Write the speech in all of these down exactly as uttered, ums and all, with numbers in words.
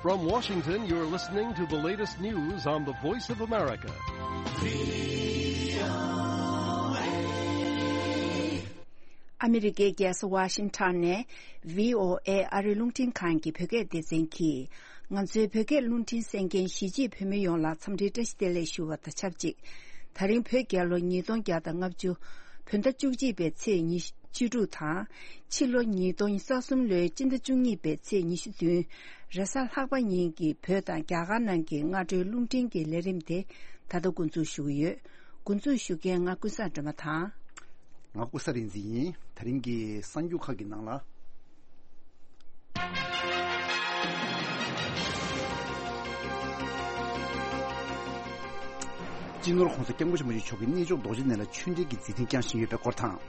From Washington, you're listening to the latest news on the Voice of America. ཨ་མི་རི་ཀའི་རྒྱལ་ས་ཝ་ཤིང་ཊོན་ནས་བྷི་ཨོ་ཨེ་ཨ་རིའི་རླུང་འཕྲིན་ཁང་གི་བོད་སྐད་སྡེ་ཚན་གྱིས། ང་ཚོའི་བོད་སྐད་རླུང་འཕྲིན་གསན་མཁན་གཞིས་བྱེས་བོད་མི་ཡོངས་ལ་འཚམས་འདྲིའི་བཀྲ་ཤིས་བདེ་ལེགས་ཞུ་བ་དང་ཆབས་ཅིག་ད་རིང་བོད་རྒྱལ་ལོ་ཉིས་སྟོང་བརྒྱ་དང་ལྔ་བཅུ། བོད་ཟླ་བཅུ་གཅིག་པའི་ཚེས་ཉི་ཤུ་བཅུ་དྲུག་དང་། ཕྱི་ལོ་ཉིས་སྟོང་ཉི་ཤུ་རྩ་གསུམ་ལོའི་སྤྱི་ཟླ་བཅུ་གཉིས་པའི་ཚེས་ཉི་ཤུ་བདུན། རེས་གཟའ་ལྷག་པ་ཉིན་གྱི་བོད་དང་རྒྱ་གར་ནང་གི་སྔ་དྲོའི་རླུང་འཕྲིན་གྱི་ལས་རིམ་དེ་ད་ལྟ་འགོ་འཛུགས་ཞུ་གི་ཡོད། འགོ་འཛུགས་ཞུ་མཁན་ང་ཀུན་བཟང་སྒྲོལ་མ་དང་། ང་ཀུན་བཟང་རིག་འཛིན་ཡིན། ད་རིང་གི་གསར་འགྱུར་ཁག་གི་ནང་ལ། སྤྱི་ནོར་༸གོང་ས་༸སྐྱབས་མགོན་ཆེན་པོ་མཆོག་གིས་གནས་མཆོག་རྡོ་རྗེ་གདན་ལ་ཆོས་འབྲེལ་གྱི་མཛད་འཕྲིན་བསྐྱངས་བཞིན་ཡོད་པའི་སྐོར་དང་།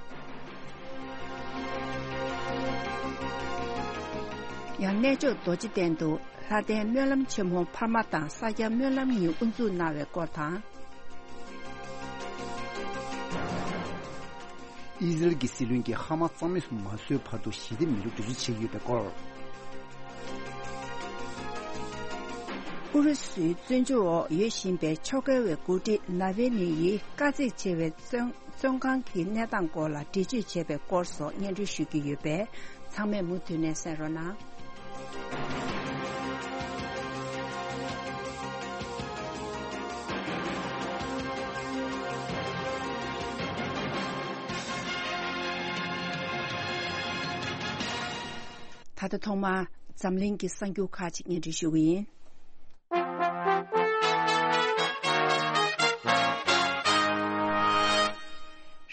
ཡང་གནས་མཆོག་རྡོ་རྗེ་གདན་དུ་ལྷ་ལྡན་སྨོན་ལམ་ཆེན་མོ་འཕར་མ་དང་ས་སྐྱ་སྨོན་ལམ་གཉིས་དབུ་འཛུགས་གནང་བའི་སྐོར་དང་། ཨི་ཟི་རལ་གྱི་སྲིད་བློན་གྱིས་ཧ་མ་ས་གཙང་མ་སུ་མ་བཟོས་བར་དུ་ཞི་བདེ་མེད་པར་འགྲེལ་བརྗོད་བྱས་ཡོད་པའི་སྐོར། ཨུ་རུ་སུའི་བཙོན་འཇུག་འོག་ཡོད་བཞིན་པའི་ཕྱོགས་འགལ་བའི་འགོ་ཁྲིད་ནཱ་ཝེ་ནི་ཡིས་དཀའ་ཚེགས་ཆེ་བའི་བཙོན་བཙོན་ཁང་གི་གནས་སྟངས་སྐོར་ལ་འགྲེལ་བརྗོད་བྱས་པའི་སྐོར་སོགས་སྙན་སྒྲོན་ཞུ་གི་ཡོད་པས། ཚང་མས་མུ་མཐུད་ནས་གསན་རོགས་གནང་། ད་ལྟ་ཐོག་མར་འཛམ་གླིང་གི་གསར་འགྱུར་ཁག་ཅིག་སྙན་སྒྲོན་ཞུ་གི་ཡིན།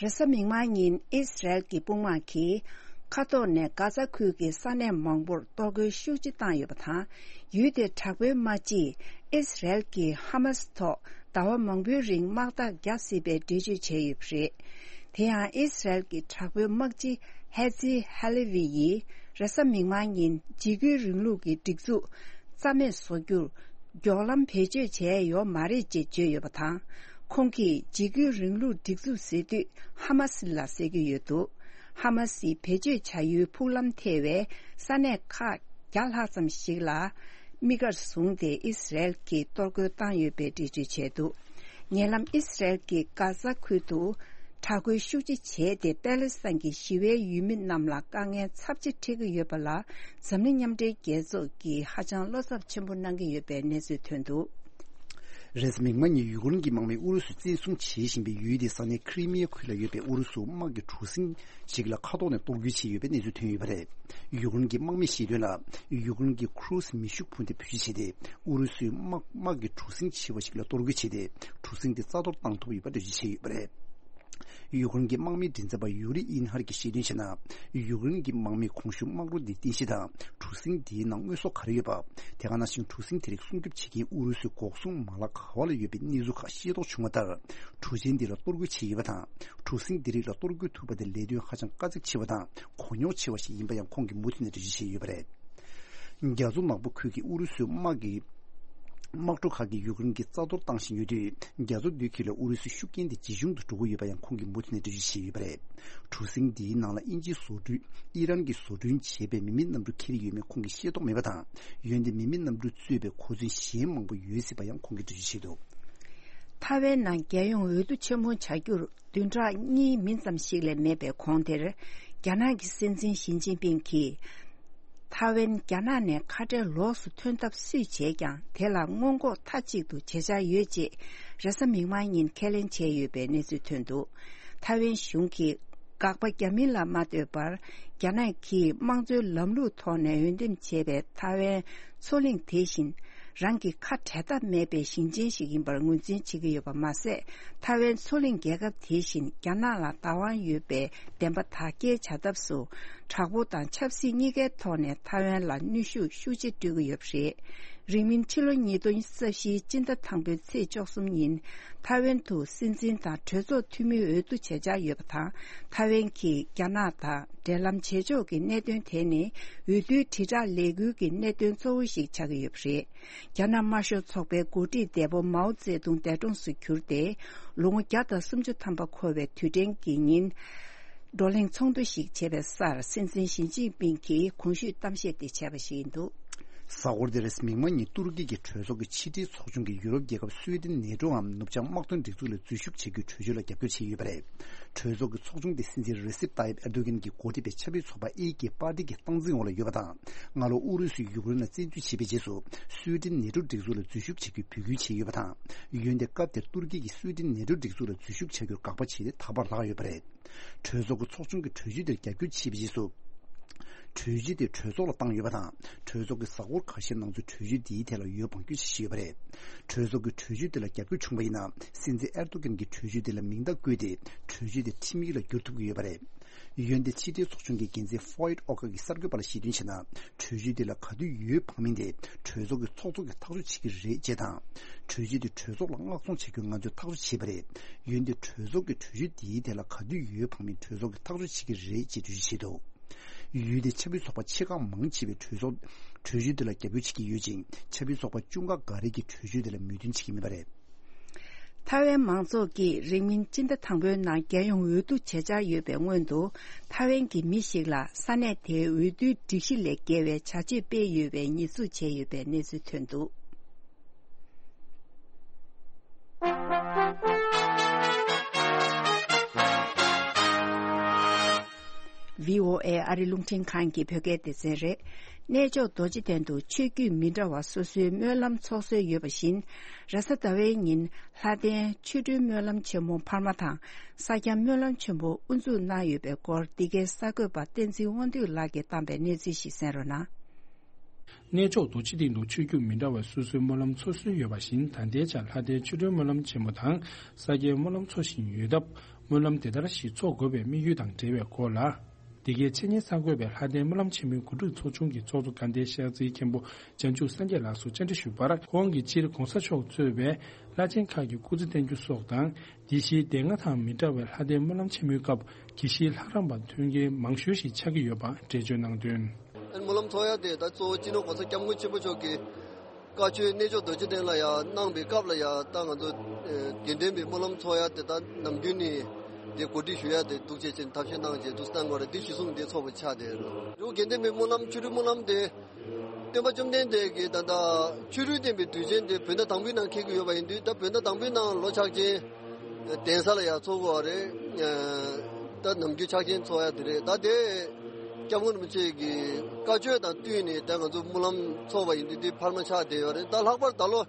རེས་གཟའ་མིག་དམར་ཉིན་ཨིས་རལ་གྱི་དཔུང་དམག་གིས་མཁའ་ཐོག་ནས་གྷ་ཛ་ཁུལ་གྱི་ས་གནས་མང་པོར་གཏོར་རྒོལ་ཤུགས་ཆེ་བཏང་ཡོད་པ་དང་། ཡུལ་དེར་དྲག་པོའི་དམག་སྤྱིས་ཨིས་རལ་གྱིས་ཧ་མ་སི་ཐོག་ཟླ་བ་མང་པོའི་རིང་དམག་རྟགས་རྒྱག་སྲིད་པའི་འགྲེལ་བརྗོད་བྱས་ཡོད་པ་རེད། དེ་ཡང་ཨིས་རལ་གྱི་དྲག་པོའི་དམག་སྤྱི་ཧེ་ཛི་ཧ་ལེ་ཝི་ཡིས་རེས་གཟའ་མིག་དམར་ཉིན་འཇིགས་སྐུལ་རིང་ལུགས་ཀྱི་སྒྲིག་འཛུགས་རྩ་མེད་བཟོ་རྒྱུར་མགྱོགས་ལམ་བེད་སྤྱོད་བྱས་ཡོད་མ་རེད་ཅེས་བརྗོད་ཡོད་པ་དང་། ཁོང་གིས་འཇིགས་སྐུལ་རིང་ལུགས་སྒྲིག་འཛུགས་ཟེར་དུས་ཧ་མ་སི་ལ་ཟེར་གྱི་ཡོད་འདུག་ཧ་མ་སིས་བེད་སྤྱོད་བྱ་ཡུལ་ཕུག་ལམ་ཐེ་བའི་ས་གནས་ཁག་བརྒྱ་ལྷག་ཙམ་ཞིག་ལ་དམིགས་བཀར་བཟུང་སྟེ་ཨིས་རལ་གྱིས་གཏོར་རྒོལ་བཏང་ཡོད་པའི་འགྲེལ་བརྗོད་བྱས་འདུག་ཉེ་ལམ་ཨིས་རལ་གྱིས་གྷ་ཛ་ཁུལ་དུ་དྲག་རྒོལ་ཤུགས་ཆེ་བྱས་ཏེ། པེ་ལེ་སི་ཐན་གྱི་ཞི་བའི་ཡུལ་མི་རྣམས་ལ་དཀའ་ངལ་ཚབས་ཆེ་འཕྲད་ཀྱི་ཡོད་པ་ལ། འཛམ་གླིང་མཉམ་འབྲེལ་རྒྱལ་ཚོགས་ཀྱིས་ཧ་ཅང་བློ་འཚབ་ཆེན་པོ་གནང་གི་ཡོད་པའི་གནས་ཚུལ་ཐོན་འདུག་རེས་གཟའ་མིག་དམར་ཉིན་ཡུ་ཀེ་རེན་གྱི་དམག་མིས་ཨུ་རུ་སུས་བཙན་བཟུང་བྱེད་བཞིན་པའི་ཡུལ་དེའི་ས་གནས་ཁི་རི་མི་ཡ་ཁུལ་ལ་ཡོད་པའི་ཨུ་རུ་སུ་དམག་གི་གྲུ་གཟིངས་ཤིག་ལ་མཁའ་ཐོག་ནས་གཏོར་རྒོལ་བྱས་ཡོད་པའི་གནས་ཚུལ་ཐོན་ཡོད་པ་རེད། ཡུ་ཀེ་རེན་གྱི་དམག་མིས་བཤད་དོན་ལ། ཡུ་ཀེ་རེན་གྱི་ཁུ་རུ་སི་མེ་ཤུགས་འཕུར་མདའ་བེད་སྤྱོད་བྱས་ཏེ། ཨུ་རུ་སུའི་དམག་དམག་གི་གྲུ་གཟིངས་ཆེ་བ་ཞིག་ལ་གཏོར་རྒོལ་བྱས་ཏེ། གྲུ་གཟིངས་དེ་རྩ་གཏོར་བཏང་ཐུབ་ཡོད་པ་འགྲེལ་བརྗོད་བྱས་ཡོད་པ་རེད། ཡུ་ཀེ་རེན་གྱི་དམག་མིའི་མགྲིན་ཚབ་པ་ཡུ་རི་ཨིན་ཧར་གྱིས་བཤད་དོན་བྱས་ན། ཡུ་ཀེ་རེན་གྱི་དམག་མིས་གོང་ཞུས་དམག་རོ་འདིའི་རྟེན་གཞི་དང་གྲུ་གཟིངས་འདིའི་ནང་དངོས་ཟོག་ག་རེ་ཡོད་པ། དེ་ག་ནང་བཞིན་གྲུ་གཟིངས་དེ་རིགས་སྲུང་སྐྱོབ་བྱེད་མཁན་ཨུ་རུ་སུའི་འགོག་སྲུང་མ་ལག་ག་བ་ལ་ཡོད་པའི་གནས་ཚུལ་ཁག་ཤེས་རྟོགས་བྱུང་བ་ལྟར། གྲུ་ཆེན་འདི་ལ་གཏོར་རྒོལ་བྱས་ཡོད་པ་དང་། གྲུ་གཟིངས་འདི་རིགས་ལ་གཏོར་རྒོལ་ཐུབ་པ་དེ་ལས་དོན་ཧ་ཅང་དཀའ་ཚེགས་ཆེ་བ་དང་གོ་རྙོག་ཆེ་བ་ཞིག་ཡིན་པ་ཡང་ཁོང་གིས་མུ་མཐུད་ནས་འགྲེལ་བརྗོད་བྱས་ཡོད་པ་རེད། རྒྱ་མཚོ་ནག་པོ་ཁུལ་གྱི་ཨུ་རུ་སུའི་དམག་གི་དམག་གྲུ་ཁག་གིས་ཡུ་ཀེ་རེན་གྱི་རྩ་གཏོར་བཏང་བཞིན་ཡོད་དུས། རྒྱ་མཚོ་བདུད་ཁུལ་ལ་ཨུ་རུ་སུའི་ཤུགས་རྐྱེན་དེ་ཇེ་ཆུང་དུ་འགྲོ་གི་ཡོད་པ་ཡང་ཁོང་གིས་མུ་མཐུད་ནས་འགྲེལ་བརྗོད་བྱས་ཡོད་པ་རེད། གྲུ་གཟིངས་འདིའི་ནང་ལ་དབྱིན་ཇིའི་བཟོ་སྐྲུན། ཨི་རན་གྱིས་བཟོ་སྐྲུན་བྱས་པའི་མི་མེད་གནམ་གྲུ་འཁྱེར་ཡོད་མེད་ཁོང་གིས་ཤེས་རྟོགས་མེད་པ་དང་། འོན་ཏེ་མི་མེད་གནམ་གྲུ་གཙོས་པའི་གོ་མཚོན་གཞན་མང་པོ་ཡོད་སྲིད་པ་ཡང་ཁོང་གིས་འགྲེལ་བརྗོད་བྱས་འདུག་ཐའེ་ཝན་ནང་རྒྱལ་ཡོངས་འོས་བསྡུ་ཆེན་མོ་བྱ་རྒྱུར་བདུན་ཕྲག་གཉིས་མིན་ཙམ་ཞིག་ལས་མེད་པའི་གོང་དེར། རྒྱ་ནག་གི་སྲིད་འཛིན་ཞི་ཅིན་ཕིང་གིས། ཐའེ་ཝན་རྒྱ་ནག་ནས་ཁ་བྲལ་ལོགས་སུ་ཐོན་ཐབས་སུས་བྱས་ཀྱང་། དེ་ལ་སྔོན་འགོག་མཐའ་གཅིག་ཏུ་བྱེད་འཆར་ཡོད་ཅེས་རེས་གཟའ་མིག་དམར་ཉིན་ཁས་ལེན་བྱས་ཡོད་པའི་གནས་ཚུལ་ཐོན་འདུག་ཐའེ་ཝན་གཞུང་གིས་དགག་པ་བརྒྱབ་མིན་ལ་མ་ལྟོས་པར། རྒྱ་ནག་གིས་དམངས་གཙོའི་ལམ་ལུགས་ཐོག་ནས་འོས་འདེམས་བྱས་པའི་ཐའེ་ཝན་མཚོ་གླིང་དེ་བཞིན། རང་གི་ཁ་བྲལ་ཐབས་མེད་པའི་ཞིང་ཆེན་ཞིག་ཡིན་པར་ངོས་འཛིན་བྱེད་ཀྱི་ཡོད་པ་མ་ཟད། ཐའེ་ཝན་མཚོ་གླིང་རྒྱལ་ཁབ་དེ་བཞིན་རྒྱ་ནག་ལ་བདག་དབང་ཡོད་པའི་བདེན་པ་དག་སྐྱེལ་བྱ་ཐབས་སུ། དྲག་པོ་དང་ཆབ་སྲིད་གཉིས་ཀའི་ཐོག་ནས་ཐའེ་ཝན་ལ་གནོན་ཤུགས་ཤུགས་ཆེ་སྤྲོད་ཀྱི་ཡོད་པ་རེད། རིང་མིན་ཕྱི་ལོ་ཉིས་སྟོང་ཉི་ཤུ་རྩ་བཞིའི་སྤྱི་ཟླ་དང་པོའི་ཚེས་བཅུ་གསུམ་ཉིན། ཐའེ་ཝན་དུ་སྲིད་འཛིན་དང་གྲོས་ཚོགས་འཐུས་མིའི་འོས་བསྡུ་བྱེད་འཆར་ཡོད་པ་དང་། ཐའེ་ཝན་གྱིས་རྒྱ་ནག་དང་འབྲེལ་ལམ་བྱེད་ཕྱོགས་ཀྱི་གནད་དོན་དེ་ནི། འོས་བསྡུའི་དྲིལ་བསྒྲགས་ལས་འགུལ་གྱི་གནད་དོན་གཙོ་བོ་ཞིག་ཆགས་ཀྱི་ཡོད་པ་རེད། རྒྱ་ནག་དམར་ཤོག་ཚོགས་པའི་འགོ་ཁྲིད་འདས་པོ་མའོ་ཙེ་ཏུང་འདས་གྲོངས་སུ་གྱུར་ཏེ། ལོ་ངོ་བརྒྱ་དང་སུམ་ཅུ་ཐམ་པ་འཁོར་བའི་དུས་དྲན་གྱི་ཉིན། བགྲོ་གླེང་ཚོགས་འདུ་ཞིག་བྱས་པའི་སར། སྲིད་འཛིན་ཞི་ཅིན་ཕིང་གིས་གོང་ཞུས་གཏམ་བཤད་དེ་བྱས་པ་ཞིག་ཡིན་འདུག་གཟའ་འཁོར་འདིར་མིག་དམར་ཉིན་ཏུར་ཀི་གི་གྲོས་ཚོགས་ཀྱི་ཕྱི་འབྲེལ་ཚོགས་ཆུང་གིས་ཡུ་རོབ་རྒྱལ་ཁབ་སུའེ་ཏེན་ནེ་ཏྲོའམ་ནུབ་བྱང་དམག་དོན་སྒྲིག་འཛུགས་ལ་འཛུལ་ཞུགས་བྱེད་རྒྱུའི་གྲོས་ཆོད་ལ་རྒྱབ་སྐྱོར་བྱས་ཡོད་པ་རེད། གྲོས་ཚོགས་ཀྱི་ཚོགས་ཆུང་དེ་སྲིད་འཛིན་རེ་སེབ་ཏཱ་ཡིབ་ཨེར་དོ་གན་གྱིས་འགོ་ཁྲིད་པའི་ཆབ་སྲིད་ཚོགས་པ་ཨེ་ཀེ་པར་ཏི་གི་སྟངས་འཛིན་འོག་ལ་ཡོད་པ་དང་། སྔ་ལོ་ཨུ་རུ་སུས་ཡུཀ་རེན་ལ་བཙན་འཛུལ་བྱས་པའི་རྗེས་སུ། སུའེ་ཏེན་ནེ་ཏྲོ་སྒྲིག་འཛུགས་ལ་འཛུལ་ཞུགས་བྱེད་རྒྱུའི་འབོད་སྐུལ་བྱས་ཡོད་པ་དང་། འོན་ཏེ་སྐབས་དེར་ཏུར་ཀི་གིས་སུའེ་ཏེན་ནེ་ཏྲོ་སྒྲིག་འཛུགས་ལ་འཛུལ་ཞུགས་བྱ་རྒྱུར་དགག་པ་བྱས་ཏེ་ད་བར་ལྷག་ཡོད་པ་རེད། གྲོས་ཚོགས་ཀྱི་ཚོགས་ཆུང་གིས་གྲོས་ཆོད་དེར་རྒྱབ་སྐྱོར་བྱས་པའི་རྗེས་སུ། གྲོས་ཆོད་དེ་གྲོས་ཚོགས་ལ་བཏང་ཡོད་པ་དང་། གྲོས་ཚོགས་ཀྱི་གཟའ་འཁོར་ཁ་ཤས་ནང་ཚུད་གྲོས་ཆོད་འདིའི་ཐད་ལ་འོས་འབངས་སྐྱོན་ཆ་བཞག་ཡོད་པ་རེད། གྲོས་ཚོགས་ཀྱི་གྲོས་ཆོད་དེ་ལ་རྒྱབ་སྐྱོར་བྱུང་བ་ཡིན་ན། སྲིད་འཛིན་ཨེར་དོ་གན་གྱིས་གྲོས་ཆོད་དེ་ལ་མིང་རྟགས་བཀོད་དེ། གྲོས་ཆོད་དེ་ཁྲིམས་ཡིག་ལ་བསྒྱུར་ཐུབ་ཀྱི་ཡོད་པ་རེད། འོན་ཏེ་ཕྱི་འབྲེལ་ཚོགས་ཆུང་གི་འགན་འཛིན་ཧྥོ་ཡིད་ཨོ་ཀ་གིས་གསར་འགོད་པ་ལ་ཞལ་འདོན་བྱས་ན། གྲོས་ཆོད་དེ་ལ་ག་དུས་འོས་འབབ་མིན་དེ་གྲོས་ཚོགས་ཀྱི་ཚོགས་གཙོ་གིས་ཐག་གཅོད་བྱེད་ཀྱི་རེད་ཅེས་དང་། གྲོས་ཆོད་དེ་གྲོས་ཚོགས་ལ་མངགས་གཏོང་བྱ་རྒྱུ་ང་ཚོས་ཐག་གཅོད་བྱས་པ་རེད། འོན་ཏེ་གྲོས་ཚོགས་ཀྱིས་གྲོས་ཆོད་དེའི་ཐད་ལ་ག་དུས་འོས་འབབ་མིན་གྲོས་ཚོགས་ཀྱིས་ཐག་གཅོད་བྱེད་ཀྱི་རེད་ཅེས་འགྲེལ་བརྗོད་བྱས་འདུག་ཡུལ་དེའི་ཆབ་སྲིད་ཚོགས་པ་ཆེ་ཁག་མང་ཆེ་བས་གྲོས་ཚོགས་གྲོས་ཆོད་དེ་ལ་རྒྱབ་སྐྱོར་བྱེད་ཀྱི་ཡོད་ཅིང་། ཆབ་སྲིད་ཚོགས་པ་བཅུ་ཁག་འགའ་རེ་གིས་གྲོས་ཆོད་དེ་ལ་མོས་མཐུན་བྱེད་ཀྱི་མེད་པ་རེད། ཐའེ་ཝན་མང་ཚོགས་ཀྱིས་རིང་མིན་སྤྱི་ཟླ་དང་པོའི་ནང་རྒྱལ་ཡོངས་འོས་བསྡུ་བྱེད་འཆར་ཡོད་པའི་སྔོན་དུ། ཐའེ་ཝན་གྱི་མི་ཞིག་ལ་ས་གནས་དེའི་འོས་བསྡུའི་སྒྲིག་གཞི་ལས་འགལ་བའི་བྱ་སྤྱོད་སྤེལ་ཡོད་པའི་ཉེས་འཛུགས་བྱས་ཡོད་པའི་གནས་ཚུལ་ཐོན་འདུག་བྷི་ཨོ་ཨེ་ཨ་རི་རླུང་འཕྲིན་ཁང་གི་བོད་སྐད་སྡེ་ཚན་རེད། གནས་མཆོག་རྡོ་རྗེ་གདན་དུ་ཆོས་བརྒྱུད་མི་འདྲ་བ་སོ་སོའི་སྨོན་ལམ་ཚོགས་སྲོལ་ཡོད་པ་བཞིན། རེས་གཟའ་ཟླ་བའི་ཉིན་ལྷ་ལྡན་ཆོ་འཕྲུལ་སྨོན་ལམ་ཆེན་མོ་འཕར་མ་དང་། ས་སྐྱ་སྨོན་ལམ་ཆེན་མོ་དབུ་འཛུགས་གནང་ཡོད་པའི་སྐོར། འདི་གའི་གསར་འགོད་པ་བསྟན་འཛིན་དབང་འདུས་ལགས་ཀྱིས་བཏང་པའི་གནས་ཚུལ་ཞིག་གསན་རོགས་གནང་། གནས་མཆོག་རྡོ་རྗེ་གདན་དུ་ཆོས་བརྒྱུད་མི་འདྲ་བའི་སོ་སོའི་སྨོན་ལམ་ཚོགས་སྲོལ་ཡོད་པ་བཞིན། ད་ལྟའི་ཆར་ལྷ་ལྡན་ཆོ་འཕྲུལ་སྨོན་ལམ་ཆེན་མོ་དང་ས་སྐྱའི་སྨོན་ལམ་འཚོགས་བཞིན་ཡོད་སྟབས། སྨོན་ལམ་དེ་ལྟར་ཞིག་འཚོགས་དགོས་པའི་དམིགས་ཡུལ་དང་འབྲེལ་བའི་སྐོར་ལ། འདི་གའི་ཆེད་གཉེར་གསར་འགོད་པས་ལྷ་ལྡན་སྨོན་ལམ་ཆེན་མོའི་གོ་སྒྲིག་ཚོགས་ཆུང་གི་ཚོགས་གཙོ་དགའ་ལྡན་ཤར་རྩེའི་མཁན་པོ་བྱང་ཆུབ་སངས་རྒྱས་ལགས་སུ་བཅར་འདྲི་ཞུས་པར། ཁོང་གིས་སྤྱིར་༸གོང་ས་མཆོག་གཙོས་པའི་བླ་ཆེན་ཁག་གི་སྐུ་ཚེ་བརྟན་རྒྱུ་སོགས་དང་། དེ་བཞིན་སྡེ་ལྔ་དང་མི་འདྲ་བའི་ལྷ་ལྡན་སྨོན་ལམ་ཆེན་མོའི་སྐབས་དགེ་བཤེས་ལྷ་རམས་པ་ཐོན་མཁན་མང་ཤོས་ཤིག་ཆགས་ཀྱི་ཡོད་པ་འགྲེལ་བརྗོད་གནང་དོན། སྨོན་ལམ་ཚོགས་ཡ་དེ་ད་གཙོ་བོ་སྤྱི་ནོར་༸གོང་ས་༸སྐྱབས་མགོན་ཆེན་པོ་མཆོག་གིས་བཀའ་ཆོས་གནས་མཆོག་རྡོ་རྗེ་གདན་ལ་ཡ་གནང་བའི་སྐབས་ལ་ཡ། ད་ང་ཚོ་ཨེ་དགེ་ལྡན་པའི་སྨོན་ལམ་ཚོགས་ཡ་དེ་ད་ནམ་རྒྱུན་ནས་དེ་གོ་སྒྲིག་ཞུ་ཡ་དེ་འདུག་བྱས་ཕྱིན་ཐབས་ཤེས་གནང་བྱས་འདུག་སེ་གནང་དགོས་རེད། འདི་གཞི་བཟུང་དེ་ཚོགས་པ་ཆགས་བསྡད་ཡོད་རེད། དགེ་ལྡན་པའི་སྨོན་ལམ་ཆོ་འཕྲུལ་སྨོན་ལམ་དེ། སྟོན་པ་བཅོམ་ལྡན་འདས་ཀྱིས་ད་ལྟ་ཆོས་སྲིད་བསྟན་པའི་དུས་ཆེན་དེ་བོད་ཟླ་དང་པོའི་ནང་འཁེལ་གྱི་ཡོད་པ་ཡིན་དུས། ད་བོད་ཟླ་དང་པོའི་ནང་ལོ་ཕྱག་ཆེན་གདན་ས་ལ་ཡང་ཚོགས་དགོས་པ་རེད། ད་ནམ་རྒྱུན་ཕྱག་ཆེན་ཚོགས་ཡ་དེ་རེད། ད་དེ་སྐྱབས་མགོན་རིན་པོ་ཆེ་གི་བཀའ་ཆོས་དང་བསྟུན་ནས་ད་ང་ཚོ་སྨོན་ལམ་ཚོགས་པ་ཡིན་དུས། དེ་འཕར་མ་ཆགས་བསྡད་ཡོད་རེད། ད་ལྷག་པར་ད་ལོ་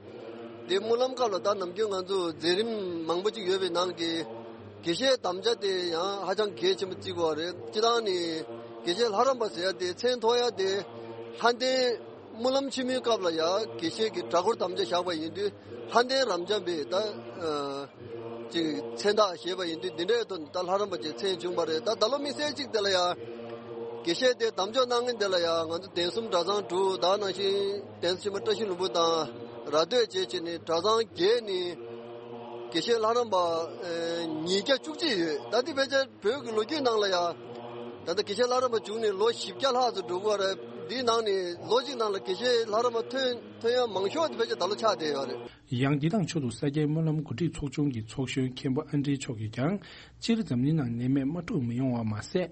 དེ་སྨོན་ལམ་སྐབས་ལ་ད་ནམ་རྒྱུན་ང་ཚོ་མཛད་རིམ་མང་པོ་ཅིག་ཡོད་པའི་ནང་གི་དགེ་བཤེས་དམ་བཅའ་དེ་ཡང་ཧ་ཅང་གལ་ཆེན་པོ་བརྩི་དགོས་པ་རེད། སྤྱིར་བཏང་ནས་དགེ་བཤེས་ལྷ་རམས་པ་ཟེར་ཡ་དེ་མཚན་ཐོགས་ཡ་དེ་ལྷ་ལྡན་སྨོན་ལམ་ཆེན་མོའི་སྐབས་ལ་ཡ་དགེ་བཤེས་ཀྱི་གྲྭ་སྐོར་དམ་བཅའ་བཞག་པ་ཡིན་དུས། ལྷ་ལྡན་རབ་འབྱམས་པའི་ད་ཨ་ཅིག་མཚན་རྟགས་བཞེས་པ་ཡིན་དུས། འདི་འདྲའི་ཐོག་ནས་ད་ལྷ་རམས་པ་ཅིག་མཚན་བྱུང་བ་རེད། ད་ད་ལོ་དམིགས་བསལ་གཅིག་དེ་ལ་ཡ་དགེ་བཤེས་དེ་དམ་འཇོག་གནང་མཁན་དེ་ལ་ཡ་ང་ཚོ་གདན་གསུམ་གྲྭ་ཚང་དྲུག་དང་། ནང་བཞིན་གདན་ས་ཆེན་མོ་བཀྲ་ཤིས་ལྷུན་པོ་དང་ར་སྟོད་བཅས་བྱས་ནས་གྲྭ་ཚང་བརྒྱད་ནས་དགེ་བཤེས་ལྷ་རམས་པ་ཨ་ཉིས་བརྒྱ་བཅུ་གཅིག་ཡོད། ད་དེ་ཕལ་ཆེར་བོད་ཀྱི་ལོ་རྒྱུས་ནང་ལ་ཡ། ད་ལྟ་དགེ་བཤེས་ལྷ་རམས་པ་བྱུང་ནས་ལོ་བཞི་བརྒྱ་ལྷག་ཙམ་འགྲོ་གི་ཡོད་རེད། འདིའི་ནང་ནས་ལོ་གཅིག་ནང་ལ་དགེ་བཤེས་ལྷ་རམས་པ་ཐོན་ཐོན་ཡ་མང་ཤོས་དེ་ཕལ་ཆེར་ད་ལོ་ཆགས་བསྡད་ཡོད་རེད། ཡང་འདི་དང་ཕྱོགས་སུ་ས་སྐྱའི་སྨོན་ལམ་གོ་སྒྲིག་ཚོགས་ཆུང་གི་ཚོགས་གཞོན་མཁན་པོ་ཨན་ཌྲེ་མཆོག་གིས་ཀྱང་། སྤྱིར་འཛམ་གླིང་ནང་ནད་མེད་དམག་འཁྲུག་མི་ཡོང་བ་མ་ཟད།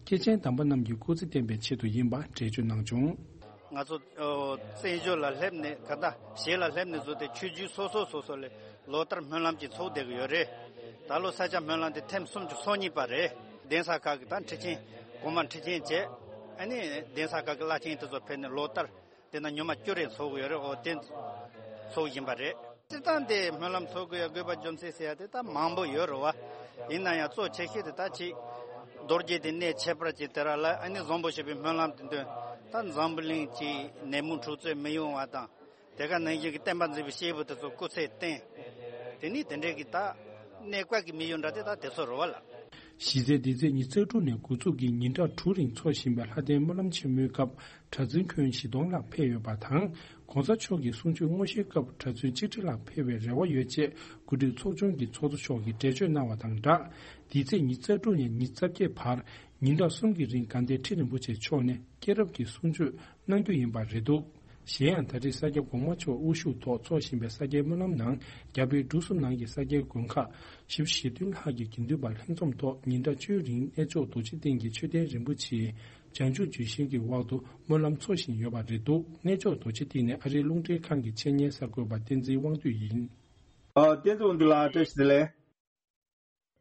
སྐྱེས་ཆེན་དམ་པ་རྣམས་ཀྱི་སྐུ་ཚེ་བརྟན་པའི་ཆེད་དུ་ཡིན་པ་འགྲེལ་བརྗོད་གནང་བྱུང་། ང་ཚོ་ཨོ་བཙན་བྱོལ་ལ་སླེབས་ནས་ག་ད་གཞིས་ལ་སླེབས་ནས་བཟུང་སྟེ་ཆོས་བརྒྱུད་སོ་སོ་སོ་སོ་ལས་ལོ་ལྟར་སྨོན་ལམ་ཅིག་ཚོགས་བསྡད་ཀྱི་ཡོད་རེད། ད་ལོ་ས་སྐྱ་སྨོན་ལམ་དེ་ཐེངས་སུམ་ཅུ་སོ་གཉིས་པ་རེད། གདན་ས་ཁག་གི་ད་ཁྲི་ཆེན་གོང་མ་ཁྲི་ཆེན་བཅས། ཨ་ནི་གདན་ས་ཁག་གི་བླ་ཆེན་དེ་ཚོ་ཕེབས་ནས་ལོ་ལྟར་དེ་ན་ཉི་མ་བཅུ་རེ་ཚོགས་ཀྱི་ཡོད་རེད། འོ་དེ་ཚོགས་བཞིན་པ་རེད། སྤྱིར་བཏང་དེ་སྨོན་ལམ་ཚོགས་དགོས་ཡ་དགོས་པ་རྒྱུ་མཚན་ཟེར་ཡ་དེ་ད་མང་པོ་ཡོད་རེད་བ། ཡིན་ན་ཡང་གཙོ་ཆེ་ཤོས་དེ་ད་ཅིག་རྡོ་རྗེ་དེ་གནས་ཁྱད་པར་ཅན་དེ་ར་ལ། ཨ་ནི་བཟང་པོ་ཞེས་པའི་སྨོན་ལམ་དེ་འདོན། ད་འཛམ་བུ་གླིང་གི་ནད་མུག་འཁྲུག་རྩོད་མི་ཡོང་བ་དང་། དེ་ག་ནང་བཞིན་གྱི་བསྟན་པ་འཛིན་པའི་སྐྱེས་བུ་དེ་ཚོ་སྐུ་ཚེ་བརྟན། དེ་ནི་དེ་འདྲའི་གི་ད་གནས་བཀའ་གི་དམིགས་ཡུལ་འདྲ་དེ་ད་དེ་ཚོ་རེད་བ་ལ། གཞི་རྩའི་འདི་ཚེས་ཉི་ཤུ་རྩ་དྲུག་ནས་འགོ་འཛུགས་ཀྱིས་ཉིན་གྲངས་དྲུག་རིང་འཚོགས་བཞིན་པའི་ལྷ་ལྡན་སྨོན་ལམ་ཆེན་མོའི་སྐབས། གྲྭ་བཙུན་ཁྱོན་བཞི་སྟོང་ལྷག་ཕེབས་ཡོད་པ་དང་། ༸གོང་ས་མཆོག་གི་གསུང་ཆོས་དངོས་གཞིའི་སྐབས་གྲྭ་བཙུན་ཆིག་ཁྲི་ལྷག་ཕེབས་པའི་རེ་བ་ཡོད་ཅེས་གོ་སྒྲིག་ཚོགས་ཆུང་གི་ཚོགས་གཙོ་མཆོག་གིས་འགྲེལ་བརྗོད་གནང་བ་དང་སྦྲགས། འདི་ཚེས་ཉི་ཤུ་རྩ་དྲུག་ནས་ཉི་ཤུ་རྩ་བརྒྱད་བར། ཉིན་གྲངས་གསུམ་གྱི་རིང་དགའ་ལྡན་ཁྲི་རིན་པོ་ཆེ་མཆོག་ནས་སྐྱེས་རབས་ཀྱི་གསུང་ཆོས་གནང་རྒྱུ་ཡིན་པ་རེད་འདུག་གཞན་ཡང་ད་རེས་ས་སྐྱ་གོང་མ་མཆོག་དབུ་བཞུགས་ཐོག་འཚོགས་བཞིན་པའི་ས་སྐྱའི་སྨོན་ལམ་ནང་རྒྱ་བལ་འབྲུག་གསུམ་ནང་གི་ས་སྐྱའི་དགོན་ཁག་བཞི་བཅུ་ཞེ་བདུན་ལྷག་གི་དགེ་འདུན་པ་ལྷན་འཛོམས་ཐོག་ཉིན་གྲངས་བཅུའི་རིང་གནས་མཆོག་རྡོ་རྗེ་གདན་གྱི་མཆོད་རྟེན་རིན་པོ་ཆེའི་བྱང་ཆུབ་ལྗོན་ཤིང་གི་འོག་ཏུ་སྨོན་ལམ་འཚོགས་བཞིན་ཡོད་པ་རེད་འདུག་གནས་མཆོག་རྡོ་རྗེ་གདན་ནས་ཨ་རིའི་རླུང་འཕྲིན་ཁང་གི་ཆེད་གཉེར་གསར་འགོད་པ་བསྟན་འཛིན་དབང་འདུས་ཡིན། ཨ། བསྟན་འཛིན་དབང་འདུས་ལགས། བཀྲ་ཤིས་བདེ་ལེགས།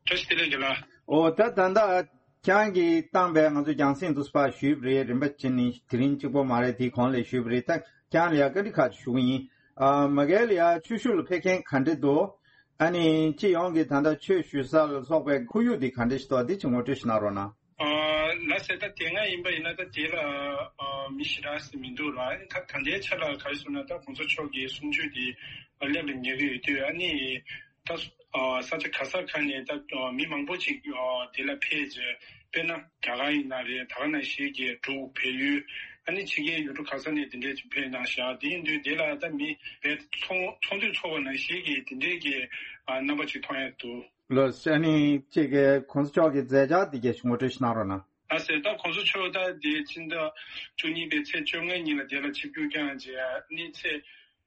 བཀྲ་ཤིས་བདེ་ལེགས་རྒན་ལགས། ཨོ་ད་ད་ལྟ་ཁྱེད་རང་གིས་བཏང་པའི་ང་ཚོ་རྒྱང་སྲིང་དུ་ཕར་ཞུས་པ་རེད། རིམ་པ་བྱས་ནས་དེ་རིང་གཅིག་པོ་མ་རེད། དེའི་གོང་ལ་ཞུས་པ་རེད། ད་ཁྱེད་རང་ལ་ཡང་བཀའ་འདྲི་ཁག་ཅིག་ཞུ་གི་ཡིན། ཨ། མ་གལ་ལ་ཡང་ཆོས་ཞུགས་ལ་ཕེབས་མཁན་ག་འདྲ་འདུག་ཨ་ནི་སྤྱི་ཡོངས་ཀྱི་ད་ལྟ་ཆོས་ཞུ་ས་ལ་སོགས་པའི་ཁོར་ཡུག་འདི་ག་འདྲ་ཞིག་འདུག་འདི་ཅིག་ངོ་སྤྲོད་ཞིག་གནང་རོགས་གནང་། ཨ། ལགས་སེ། ད་དེ་སྔ་ཡིན་པ་ཡིན་ན་ད་དེ་ལ་ཨ་མི་ཞེ་དྲག་ཞིག་མི་འདུག་ལ། ཨ་ནི་ད་ད་ལྟའི་ཆ་ལ་ག་རེ་ཟེར་ན་ད་གོང་ས་མཆོག་གི་གསུང་ཆོས་དེ་ཨ་སླེབས་ལ་ཉེ་གི་ཡོད་དུས། ཨ་ནི་ད་ཨ་ས་ཆ་ག་ས་ག་ནས་ད་ཨ་མི་མང་པོ་ཅིག་ཨ་དེ་ལ་ཕེབས་རྗེས། དཔེར་ན་རྒྱ་གར་ཡིན་ན་རེད། ད་ག་ནང་བཞིན་གྱི་འབྲུག་བལ་ཡུལ། ཨ་ནི་ཕྱི་རྒྱལ་ཡུལ་གྲུ་ག་ས་ནས་དེ་འདྲས་ཅིག་ཕེབས་གནང་ཤག་དེ་ཡིན་དུས་དེ་ལ་ད་མི་བལ་ཚོགས་ཚོགས་འདུ་ཚོགས་པ་ནང་བཞིན་གྱི་དེ་འདྲས་ཀྱི་ཨ་རྣམ་པ་ཅིག་མཐོང་ཡ་འདུག་ལགས་སེ། ཨ་ནི་གཅིག་གི་གོང་ས་མཆོག་གི་མཛད་འཆར་དེ་གས་ངོ་སྤྲོད་ཞིག་གནང་རོགས་གནང་། ལགས་སེ། ད་གོང་ས་མཆོག་ད་དེ་ཕྱི་ཟླ་བཅུ་གཉིས་པའི་ཚེས་བཅོ་ལྔ་ཉིན་ལ་དེ་ལ་ཆིབས་བསྒྱུར་བསྐྱངས་རྗེས། ཨ་ནི་ཚེས་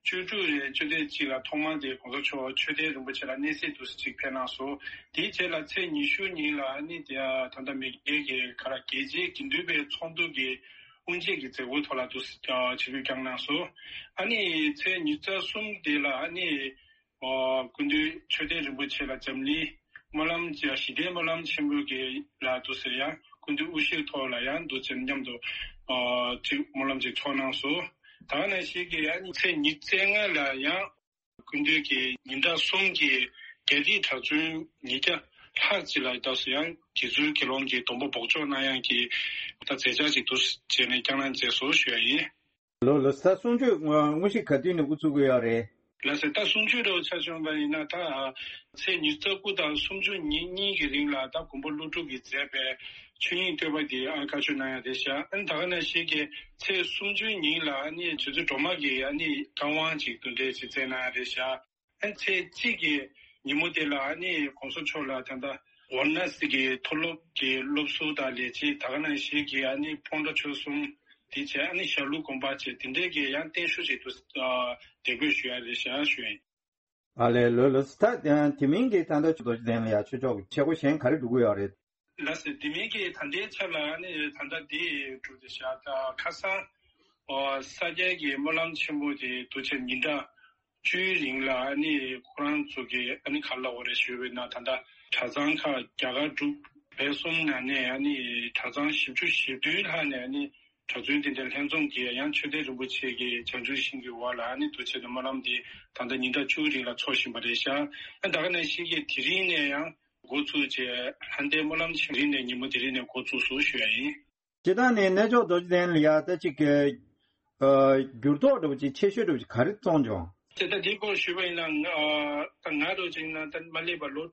བཅུ་དྲུག་རེད། བཅུ་དྲུག་གཅིག་ལ་ཐོག་མར་དེ་གོང་ས་མཆོག་མཆོད་རྟེན་རིན་པོ་ཆེ་ལ་གནས་གཟིགས་འདུག་སེ་ཅིག་ཕེབས་གནང་སོང་། དེའི་རྗེས་ལ་ཚེས་ཉི་ཤུ་ཉིན་ལ་ཨ་ནི་དེ་ད་ལྟ་མི་སྒེར་གྱི་ག་ར་རྒྱལ་སྤྱིའི་དགེ་འདུན་པའི་ཚོགས་འདུ་གི་དབུ་འབྱེད་ཀྱི་མཛད་སྒོའི་ཐོག་ལ་འདུག་སེ་ཆིབས་བསྒྱུར་བསྐྱངས་གནང་སོང་། ཨ་ནི་ཚེས་ཉི་ཤུ་རྩ་གསུམ་དེ་ལ་ཨ་ནི། ཨོ། སྐུ་མདུན་མཆོད་རྟེན་རིན་པོ་ཆེ་ལ་འཛམ་གླིང་སྨོན་ལམ་ཅིག་ཞི་བདེའི་སྨོན་ལམ་ཆེན་པོ་གི་ལ་འདུག་ཟེར་ཡང་སྐུ་མདུན་དབུ་བཞུགས་ཐོག་ལ་ཡང་འདུག་ཅེས་མཉམ་དུ་ཨོ་ཅིག་སྨོན་ལམ་ཅིག་ཚོགས་གནང་སོང་། ད་ག་ནང་བཞིན་གྱི་ཡང་ཚེས་ཉི་ཤུ་རྩ་ལྔ་ལ་ཡང་སྐུ་མདུན་གྱི་ཉིན་གྲངས་གསུམ་གྱི་རྒྱ་རིགས་གྲྭ་བཙུན་ཉིས་བརྒྱ་ལྷག་ཅིག་ལ་ད་སུ་ཡང་དགེ་ཚུལ་དགེ་སློང་གི་སྡོམ་པ་འབོགས་ཆོག་གནང་ཡག་གི་ད་མཛད་འཆར་ཅིག་འདུག་ཅེས་ནས་བསྐྱངས་གནང་མཛད་སོང་ཞུ་ཡ་ཡིན། ལོ་ལོ་ས་གསུང་ཆོས་དངོས་གཞི་ག་དུས་ནས་འགོ་ཚུགས་ཀྱི་ཡོད་རེད། ལགས་སེ། ད་གསུང་ཆོས་འདྲ་བོ་ཆ་བཞག་པ་ཡིན་ན་ད་ཚེས་ཉི་ཤུ་རྩ་དགུ་དང་གསུམ་བཅུ་ཉིན་གཉིས་ཀྱི་རིང་ལ་ད་མགོན་པོ་ཀླུ་སྒྲུབ་ཀྱིས་མཛད་པའི་ཆོས་དབྱིངས་བསྟོད་པ་འདི་ཨ་བཀའ་ཆོས་གནང་ཡ་རེད་ཤག་ཨ་ནི་ད་ག་ནང་བཞིན་གྱི་ཚེས་སུམ་ཅུ་ཉིན་ལ་ཨ་ནི་རྗེ་བཙུན་སྒྲོལ་མ་གི་ཨ་ནི་བཀའ་དབང་ཅིག་འདུག་འདྲས་ཅིག་སྩལ་གནང་ཡ་རེད་ཤག་ཨ་ནི་ཚེས་གཅིག་གི་ཉིན་མོ་དེ་ལ་ཨ་ནི་གོང་ས་མཆོག་ལ་ད་ལྟ་ཝཱ་ར་ཎ་སི་གི་མཐོ་སློབ་ཀྱི་སློབ་ཟུར་དང་ལས་བྱེད་ད་ག་ནང་བཞིན་གྱི་ཨ་ནི་སྤོན་ཊ་ཆོས་གསུམ་དེ་བྱས། ཨ་ནི་ཞྭ་ལུ་དགོན་པ་བྱས། དེ་འདྲས་ཀྱི་ཡང་བརྟན་བཞུགས་ཤིག་ཏུ་ཨ་དེབ་འགོད་ཞུ་ཡ་རེད་ཤག་ཞུ་ཡིན། ཨ་ལས། ལོས་ལོས། ད་དེ་མིན་གྱི་ད་ལྟ་རྡོ་རྗེ་གདན་ལ་ཡ་ཆོས་ཕྱོགས་ཀྱི་བྱེད་སྒོ་གཞན་ག་རེ་སྒྲུབ་ཀྱི་ཡོད་རེད། ལགས་སེ། དེ་མིན་གྱི་ད་ལྟའི་ཆ་ལ་ཨ་ནི་ད་ལྟ་འདི་གྲུབ་བསྡད་ཤག་ད་ཁ་སང་ཨོ་ས་སྐྱའི་གི་སྨོན་ལམ་ཆེན་མོ་དེ་འདུག་བྱས་ཉིན་གྲངས་བཅུའི་རིང་ལ་ཨ་ནི་ཁོ་རང་ཚོ་གི་ཨ་ནི་ག་ལ་འོ་རེ་ཞུས་པ་ཡིན་ན་ད་ལྟ་གྲྭ་ཚང་ཁག་རྒྱ་གར་འབྲུག་བལ་གསུམ་ནང་ནས་ཨ་ནི་གྲྭ་ཚང་བཞི་བཅུ་ཞེ་བདུན་ལྷག་ནས་ཨ་ནི་གྲྭ་བཙུན་དེ་འདྲ་ལྷན་འཛོམས་ཀྱིས་ཡང་མཆོད་རྟེན་རིན་པོ་ཆེ་གི་བྱང་ཆུབ་ཤིང་གི་འོག་ལ་ཨ་ནི་འདུག་བྱས་ནས་སྨོན་ལམ་དེ་ད་ལྟ་ཉིན་གྲངས་བཅུའི་རིང་ལ་འཚོགས་བཞིན་པ་རེད་ཤག་ཨ་ད་ག་ནང་བཞིན་གྱི་དེ་རིང་ནས་ཡང་འགོ་བཙུགས་བྱས། ལྷ་ལྡན་སྨོན་ལམ་ཆེན་རིང་ནས་ཉིན་མོ་དེ་རིང་ནས་འགོ་བཙུགས་སོང་ཞུ་ཡ་ཡིན། སྤྱིར་བཏང་ནས་གནས་མཆོག་རྡོ་རྗེ་གདན་ལ་ཡ་ད་ཅིག་གི་ཨ་འགྱུར་ལྡོག་འདྲ་བོ་ཅིག་ཆེ་ཤོས་འདྲ་བོ་ཅིག་ག་རེ་བྱུང་བྱུང་། དེ་ལྟ་འདི་སྐོར་ཞུས་པ་ཡིན་ན་ང་ཨ་ད་ང་འདྲ་བོ་ཅིག་ཡིན་ན་ད་མ་སླེབས་པ་ལོ་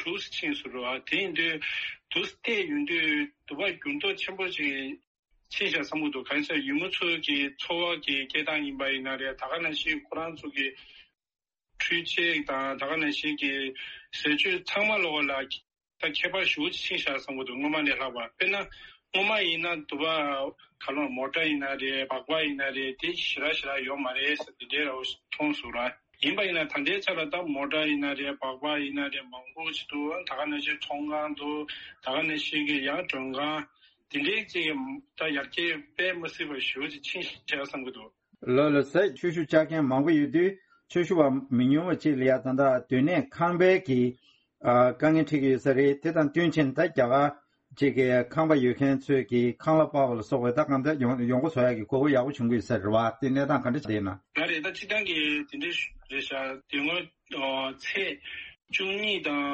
དྲུག་ཕྱིན་སོང་རེད་བ། དེ་ཡིན་དུས་དུ་བལྟས་ཡོང་དུས་དུ་བ་འགྱུར་ལྡོག་ཆེན་པོ་ཅིག་ཕྱིན་ཤག་བསམ་གྱི་འདུག་གང་ཡིན་ཟེར་ན་ཡུལ་མི་ཚོ་གི་འཚོ་བ་གི་སྐྱེལ་སྟངས་ཡིན་པ་ཡིན་ན་རེད། ད་ག་ནང་བཞིན་ཁོ་རང་ཚོ་གི་འཕྲུལ་ཆས་དང་ད་ག་ནང་བཞིན་གྱི་ཟས་བཅུད་ཚང་མ་ལོགས་ལ་ད་ཁྱད་པར་ཞེ་པོ་ཅིག་ཕྱིན་ཤག་བསམ་གྱི་འདུག་སྔོན་མ་ནས་ལྷག་པ། དཔེར་ན་སྔོན་མ་ཡིན་ན་དུ་བ་ག་ལོ་མོ་ཊ་ཡིན་ན་རེད། སྦག་སྦག་ཡིན་ན་རེད། དེ་ཞེ་དྲག་ཞེ་དྲག་ཡོད་མ་རེད་ཟེར་དེ་འདྲའི་ར་བ་མཐོང་སོང་ར། ཡིན་པ་ཡིན་ན་ད་ལྟའི་ཆ་ལ་ད་མོ་ཊ་ཡིན་ན་རེད། སྦག་སྦག་ཡིན་ན་རེད། མང་པོ་ཅིག་འདུག་ད་ག་ནང་བཞིན་ཚོང་ཁང་འདུག་ད་ག་ནང་བཞིན་གྱི་ཡང་མགྲོན་ཁང་དེ་འདྲའི་ཅིག་ད་ཡར་རྒྱས་དཔེ་མི་སྲིད་པ་ཞེ་པོ་ཅིག་ཕྱིན་ཤག་བསམ་གྱི་འདུག་ལོ་ལོ་ཟེར་ཆོས་ཞུ་བཅར་མཁན་མང་པོ་ཡོད་དུས་ཆོས་ཞུ་བ་མི་ཉུང་བ་ཅིག་ལ་ཡ་ད་ལྟ་སྡོད་གནས་ཁང་པའི་གི་ཨ་དཀའ་ངལ་འཕྲད་ཀྱི་ཡོད་ས་རེད། དེ་དང་བསྟུན་ཕྱིན་ད་རྒྱ་གར་ཅིག་གི་ཁང་པ་ཡོད་མཁན་ཚོས་ཀྱི་ཁང་གླ་སྤར་བ་ལ་སོགས་པའི་ད་གང་ལྟར་ཡོང་ཡོང་སྒོ་བཟོ་ཡག་གི་དགོས་མཁོ་ཡག་པོ་བྱུང་གི་ཡོད་ས་རེད་བ། དེ་གནས་སྟངས་ག་འདྲ་ཞིག་རེད་ན། ང་རེད། ད་སྤྱིར་བཏང་གི་དེ་འདྲ་རེད་ཤག་དེ་སྔོན་ཨ་ཚེས་བཅུ་གཉིས་དང་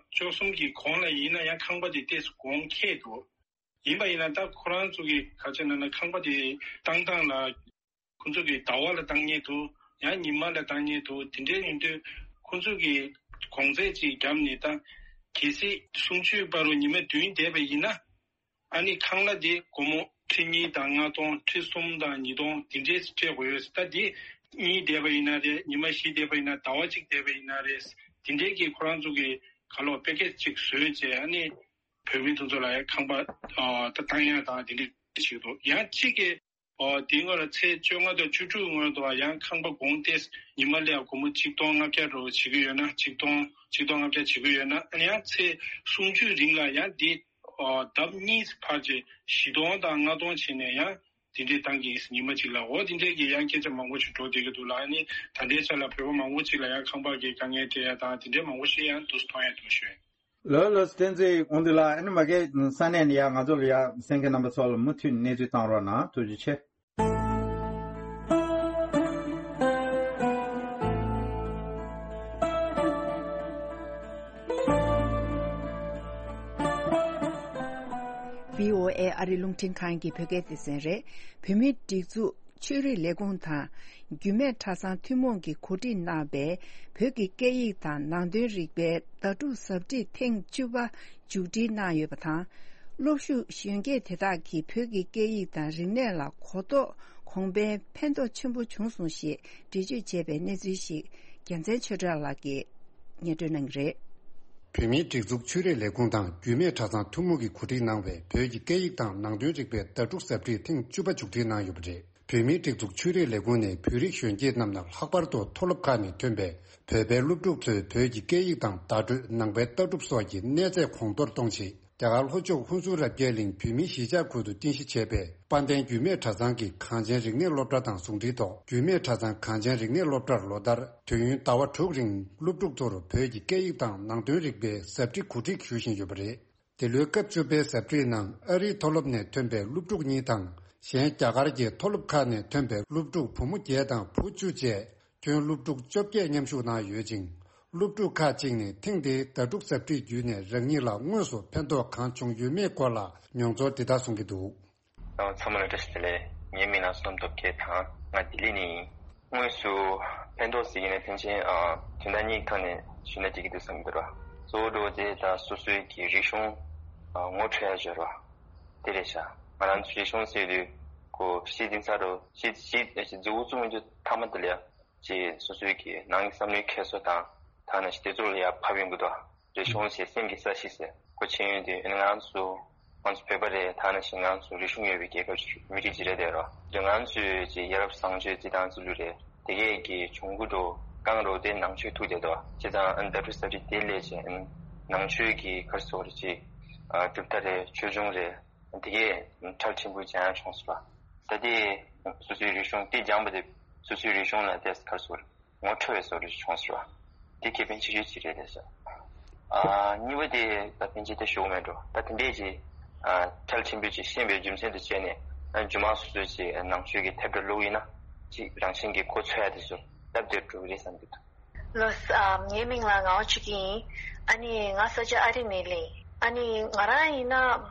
བཅུ་གསུམ་གྱི་གོང་ལ་ཡིན་ན་ཡང་ཁང་པ་དེ་ཏོག་ཙམ་གོང་ཁེ་འདུག་ཡིན་པ་ཡིན་ན་ད་ཁོ་རང་ཚོ་གི་ག་རེ་ཟེར་ན་ན་ཁང་པ་དེ་བཏང་སྟངས་ལ་ཁོ་ཚོ་གི་ཟླ་བ་ལ་བཏང་མཁན་འདུག་ཡང་ཉི་མ་ལ་བཏང་མཁན་འདུག་དེ་འདྲའི་ཡིན་དུས་ཁོ་ཚོ་གི་གོང་ཚད་ཅིག་བརྒྱབ་ནས་ད་གལ་སྲིད་གསུང་ཆོས་སྤར་རུ་ཉི་མ་བདུན་བསྡད་པ་ཡིན་ན། ཨ་ནི་ཁང་གླ་དེ་སྒོར་མོ་ཁྲི་གཉིས་དང་ལྔ་སྟོང་། ཁྲི་གསུམ་དང་ཉིས་སྟོང་དེ་འདྲས་སྤྲད་དགོས་ཡོད། ད་དེ་གཉིས་བསྡད་པ་ཡིན་ན་རེད། ཉི་མ་བཞི་བསྡད་པ་ཡིན་ན། ཟླ་བ་གཅིག་བསྡད་པ་ཡིན་ན་རེད། དེ་འདྲས་ཀྱི་ཁོ་རང་ཚོ་གི་ག་ལོ་པེ་ཀེ་ཇི་ཅིག་བཟོས་བྱས། ཨ་ནི་བོད་མི་དེ་ཚོ་ལ་ཁང་པ་ཨ་ད་བཏང་ཡ་དང་དེ་འདྲས་བྱེད་ཀྱི་འདུག་ཡང་གཅིག་གི་ ཨོ་དེའི་སྔོན་ལ་ཚེས་བཅོ་ལྔ་དང་བཅུ་དྲུག་སྔོན་དུ་ཡང་ཁང་པ་གོང་ཏེ་ཉི་མ་ལ་སྒོར་མོ་གཅིག་སྟོང་ལྔ་བརྒྱ་རོ་བྱེད་ཀྱི་ཡོད་ན་གཅིག་སྟོང་གཅིག་སྟོང་ལྔ་བརྒྱ་བྱེད་ཀྱི་ཡོད་ན་ཨ་ནི་ཡང་ཚེས་སུམ་ཅུ་རིང་ལ་ཡང་དེ་ཨོ་ལྡབ་གཉིས་འཕར་རྗེས་བཞི་སྟོང་དང་ལྔ་སྟོང་བྱས་ནས་ཡང་དེ་འདྲའི་བཏང་གི་ཡིན་ཉི་མ་གཅིག་ལ་ཨོ་དེ་འདྲའི་གི་ཡང་སྐད་ཆ་མང་པོ་ཞིག་འགྲོ་བསྡད་ཀྱི་འདུག་ལ་ཨ་ནི་ད་ལྟའི་ཆ་ལ་བོད་པ་མང་པོ་ཅིག་ལ་ཡང་ཁང་པ་གི་དཀའ་ངལ་འཕྲད་ཡ་དང་དེ་འདྲའི་མང་པོ་ཞིག་ཡང་འདུག་མཐོང་ཡ་འདུག་ཞུ། ལོ་ལོ་བསྟན་འཛིན་དགོངས་འདུག་ལ་ཨ་ནི་མ་གི་ས་གནས་ནས་ཡ་ང་ཚོ་ལ་ཡ་གསན་མཁན་རྣམ་པ་ཚོ་ལ་མུ་མཐུད་གནས་ཚུལ་བཏང་རོགས་གནང་ཐུགས་རྗེ་ཆེ། བྷི་ཨོ་ཨེ་ཨ་རི་རླུང་འཕྲིན་ཁང་གི་བོད་སྐད་སྡེ་ཚན་རེད། བོད་མིའི་སྒྲིག་འཛུགས་ཆོས་རིག་ལས་ཁུངས་དང་རྒྱུད་སྨད་གྲྭ་ཚང་ཐུན་མོང་གིས་གོ་སྒྲིག་གནང་བའི་བོད་ཀྱི་སྐད་ཡིག་དང་ནང་དོན་རིག་པའི་ཟླ་དྲུག་ཟབ་ཁྲིད་ཐེངས་བཅུ་པ་མཇུག་སྒྲིལ་གནང་ཡོད་པ་དང་། སློབ་ཞུགས་གཞོན་སྐྱེས་དེ་དག་གིས་བོད་ཀྱི་སྐད་ཡིག་དང་རིག་གནས་ལ་གོ་རྟོགས་གོང་འཕེལ་ཕན་ཐོགས་ཆེན་པོ་བྱུང་སོང་ཞེས་འགྲེལ་བརྗོད་བྱས་པའི་གནས་ཚུལ་ཞིག་རྒྱལ་མཚན་ཆོས་གྲགས་ལགས་ཀྱིས་སྙན་སྒྲོན་གནང་གི་རེད། བོད་མིའི་སྒྲིག་འཛུགས་ཆོས་རིག་ལས་ཁུངས་དང་རྒྱུད་སྨད་གྲྭ་ཚང་ཐུན་མོང་གིས་གོ་སྒྲིག་གནང་བའི་བོད་ཀྱི་སྐད་ཡིག་དང་ནང་དོན་རིག་པའི་ཟླ་དྲུག་ཟབ་ཁྲིད་ཐེངས་བཅུ་པ་མཇུག་སྒྲིལ་གནང་ཡོད་པ་རེད། བོད་མིའི་སྒྲིག་འཛུགས་ཆོས་རིག་ལས་ཁུངས་ནས་བོད་རིགས་གཞོན་སྐྱེས་རྣམས་ལ་ལྷག་པར་དུ་མཐོ་སློབ་ཁག་ནས་ཐོན་པའི་བོད་པའི་སློབ་ཕྲུག་ཚོས་བོད་ཀྱི་སྐད་ཡིག་དང་བརྡ་སྤྲོད་ནང་པའི་ལྟ་གྲུབ་སོགས་ཀྱི་གནས་ཚད་གོང་མཐོར་གཏོང་ཆེད། རྒྱ་གར་ལྷོ་ཕྱོགས་ཧུན་སུར་རབ་རྒྱས་གླིང་བོད་མིའི་གཞིས་ཆགས་ཁུལ་དུ་རྟེན་གཞི་བྱས་པའི་དཔལ་ལྡན་རྒྱུད་སྨད་གྲྭ་ཚང་གི་གངས་ཅན་རིག་གནས་སློབ་གྲྭ་དང་ཟུང་འབྲེལ་ཐོག་རྒྱུད་སྨད་གྲྭ་ཚང་གངས་ཅན་རིག་གནས་སློབ་གྲྭར་ལོ་ལྟར་དུས་ཡུན་ཟླ་བ་དྲུག་རིང་སློབ་ཕྲུག་ཚོར་བོད་ཀྱི་སྐད་ཡིག་དང་ནང་དོན་རིག་པའི་ཟབ་ཁྲིད་གོ་སྒྲིག་ཞུ་བཞིན་ཡོད་པ་རེད། འདི་ལོའི་སྐབས་བཅུ་པའི་ཟབ་ཁྲིད་ནང་ཨ་རིའི་མཐོ་སློབ་ནས་ཐོན་པའི་སློབ་ཕྲུག་གཉིས་དང་གཞན་རྒྱ་གར་གྱི་མཐོ་སློབ་ཁག་ནས་ཐོན་པའི་སློབ་ཕྲུག་བུ་མོ་བརྒྱད་དང་བུ་བཅུ་བཅས་ཁྱོན་སློབ་ཕྲུག་བཅོ་བརྒྱད་མཉམ་ཞུགས་གནང་ཡོད་ཅིང་། སློབ་ཕྲུག་ཁག་ཅིག་ནས་ཐེངས་འདིའི་ཟླ་དྲུག་ཟབ་ཁྲིད་བརྒྱུད་ནས་རང་ཉིད་ལ་དངོས་སུ་ཕན་ཐོགས་གང་བྱུང་ཡོད་མེད་སྐོར་ལ་མྱོང་ཚོར་འདི་ལྟར་གསུང་གི་འདུག་ཚང་མ་ལ་བཀྲ་ཤིས་བདེ་ལེགས། ངའི་མིང་ལ་བསོད་ནམས་སྟོབས་རྒྱལ་དང་ང་ལྡི་ལི་ནས་ཡིན། དངོས་སུ་ཕན་ཐོགས་ཟེར་གྱི་ནས་ཕན་ཆད་དོན་དག་གཉིས་ཐོག་ནས་ཞུས་ན་འགྲིག་གི་འདུག་བསམ་གྱི་འདུག་ར། གཙོ་བོ་འགྲོ་དེ་ད་སོ་སོའི་གི་རིག་གཞུང་ངོ་འཕྲོད་ཡ་བྱོས་ར། དེ་རེད་ཤག་ང་རང་ཚོའི་རིག་གཞུང་ཟེར་དུས་ཀོ་ཤི་དིན་ས་རོ་ཤི་ཤི་ཤི་ཛི་འུ་ཙུ་མི་རྒྱུ་ཐ་མ་དེ་ལ་ཅེས་སོ་སོའི་གི་ནང་གི་བསམ་བློའི་འཁྱེར་སོ་དང་ད་ནང་བཞིན་དེ་ཚོ་ལ་ཡར་ཕབ་ཡོང་གི་འདུག་རིག་གཞུང་ཞེས་སེམས་ཀྱི་ས་གཞི་ཟེར་ཁོ་ཆེན་ཡོད་དུས་ང་རང་ཚོ་ང་ཚོ་བོད་པ་རེད། ད་ནང་བཞིན་ང་ཚོ་རིག་གཞུང་ཡོད་པའི་རྒྱལ་ཁབ་ཅིག་མི་རིགས་ཅིག་རེད་དེ་རོ། དེ་ང་ཚོའི་ཅིག་ཡ་རབས་བཟང་སྤྱོད་ཅིག་དང་ཚུལ་ལུགས་རེད། དེ་གས་ཀྱི་གྱོང་གུད་འགྲོ་རྐང་རོ་དེ་ནང་ཆོས་ཐུག་བསྡད་དོ། བྱས་ཙང་ཨ་ནི་ཟླ་དྲུག་ཟབ་ཁྲིད་དེ་ལས་ཅིག་ཨ་ནི་ནང་ཆོས་ཀྱི་གར་སོགས་རེ་ཅིག་ཨ་གྲུབ་མཐའ་རེད། ཆོས་འབྱུང་རེད། དེ་གས་ཁྲལ་ཆེན་པོ་སྦྱང་ཡ་བྱུང་སོང་བ། ད་དེ་སོ་སོའི་རིག་གཞུང་དེ་སྦྱངས་པ་དེ་སོ་སོའི་རིག་གཞུང་ལ་དེ་གར་སོགས་རེད། ངོ་འཕྲོད་པའི་བཟོ་འདྲ་ཞིག་བྱུང་ཟེར་བ། དེ་ཁེ་ཕན་ཆེ་ཤོས་ཅིག་རེད་ཟེར། ཨ་གཉིས་པ་དེ་ད་ཕན་ཆད་དེ་ཞུ་གི་མེད་འགྲོ། ད་དེ་འདྲས་ཀྱི་ཨ་ཁྲལ་ཆེན་པོས་ཅིག་ཤེས་པའི་རྒྱུ་མཚན་དུ་བྱས་ནས་ཨ་སྒྱུ་མ་སོ་སོས་ཅིག་ནང་ཆོས་ཀྱི་དེབ་འདྲ་བླུགས་ཡིན་ན་ཅིག་རང་བཞིན་གྱིས་གོ་ཚོད་ཡ་དེ་ཚོ་སྟབས་བདེ་འགྲོ་གི་རེད་བསམ་གྱི་འདུག་ལགས་ཨ་ངའི་མིང་ལ་ངག་དབང་ཆོས་སྐྱིད་ཡིན། ཨ་ནི་ང་ས་ཆ་ཨ་རི་ནས་ལེན། ཨ་ནི་ང་རང་ཡིན་ན་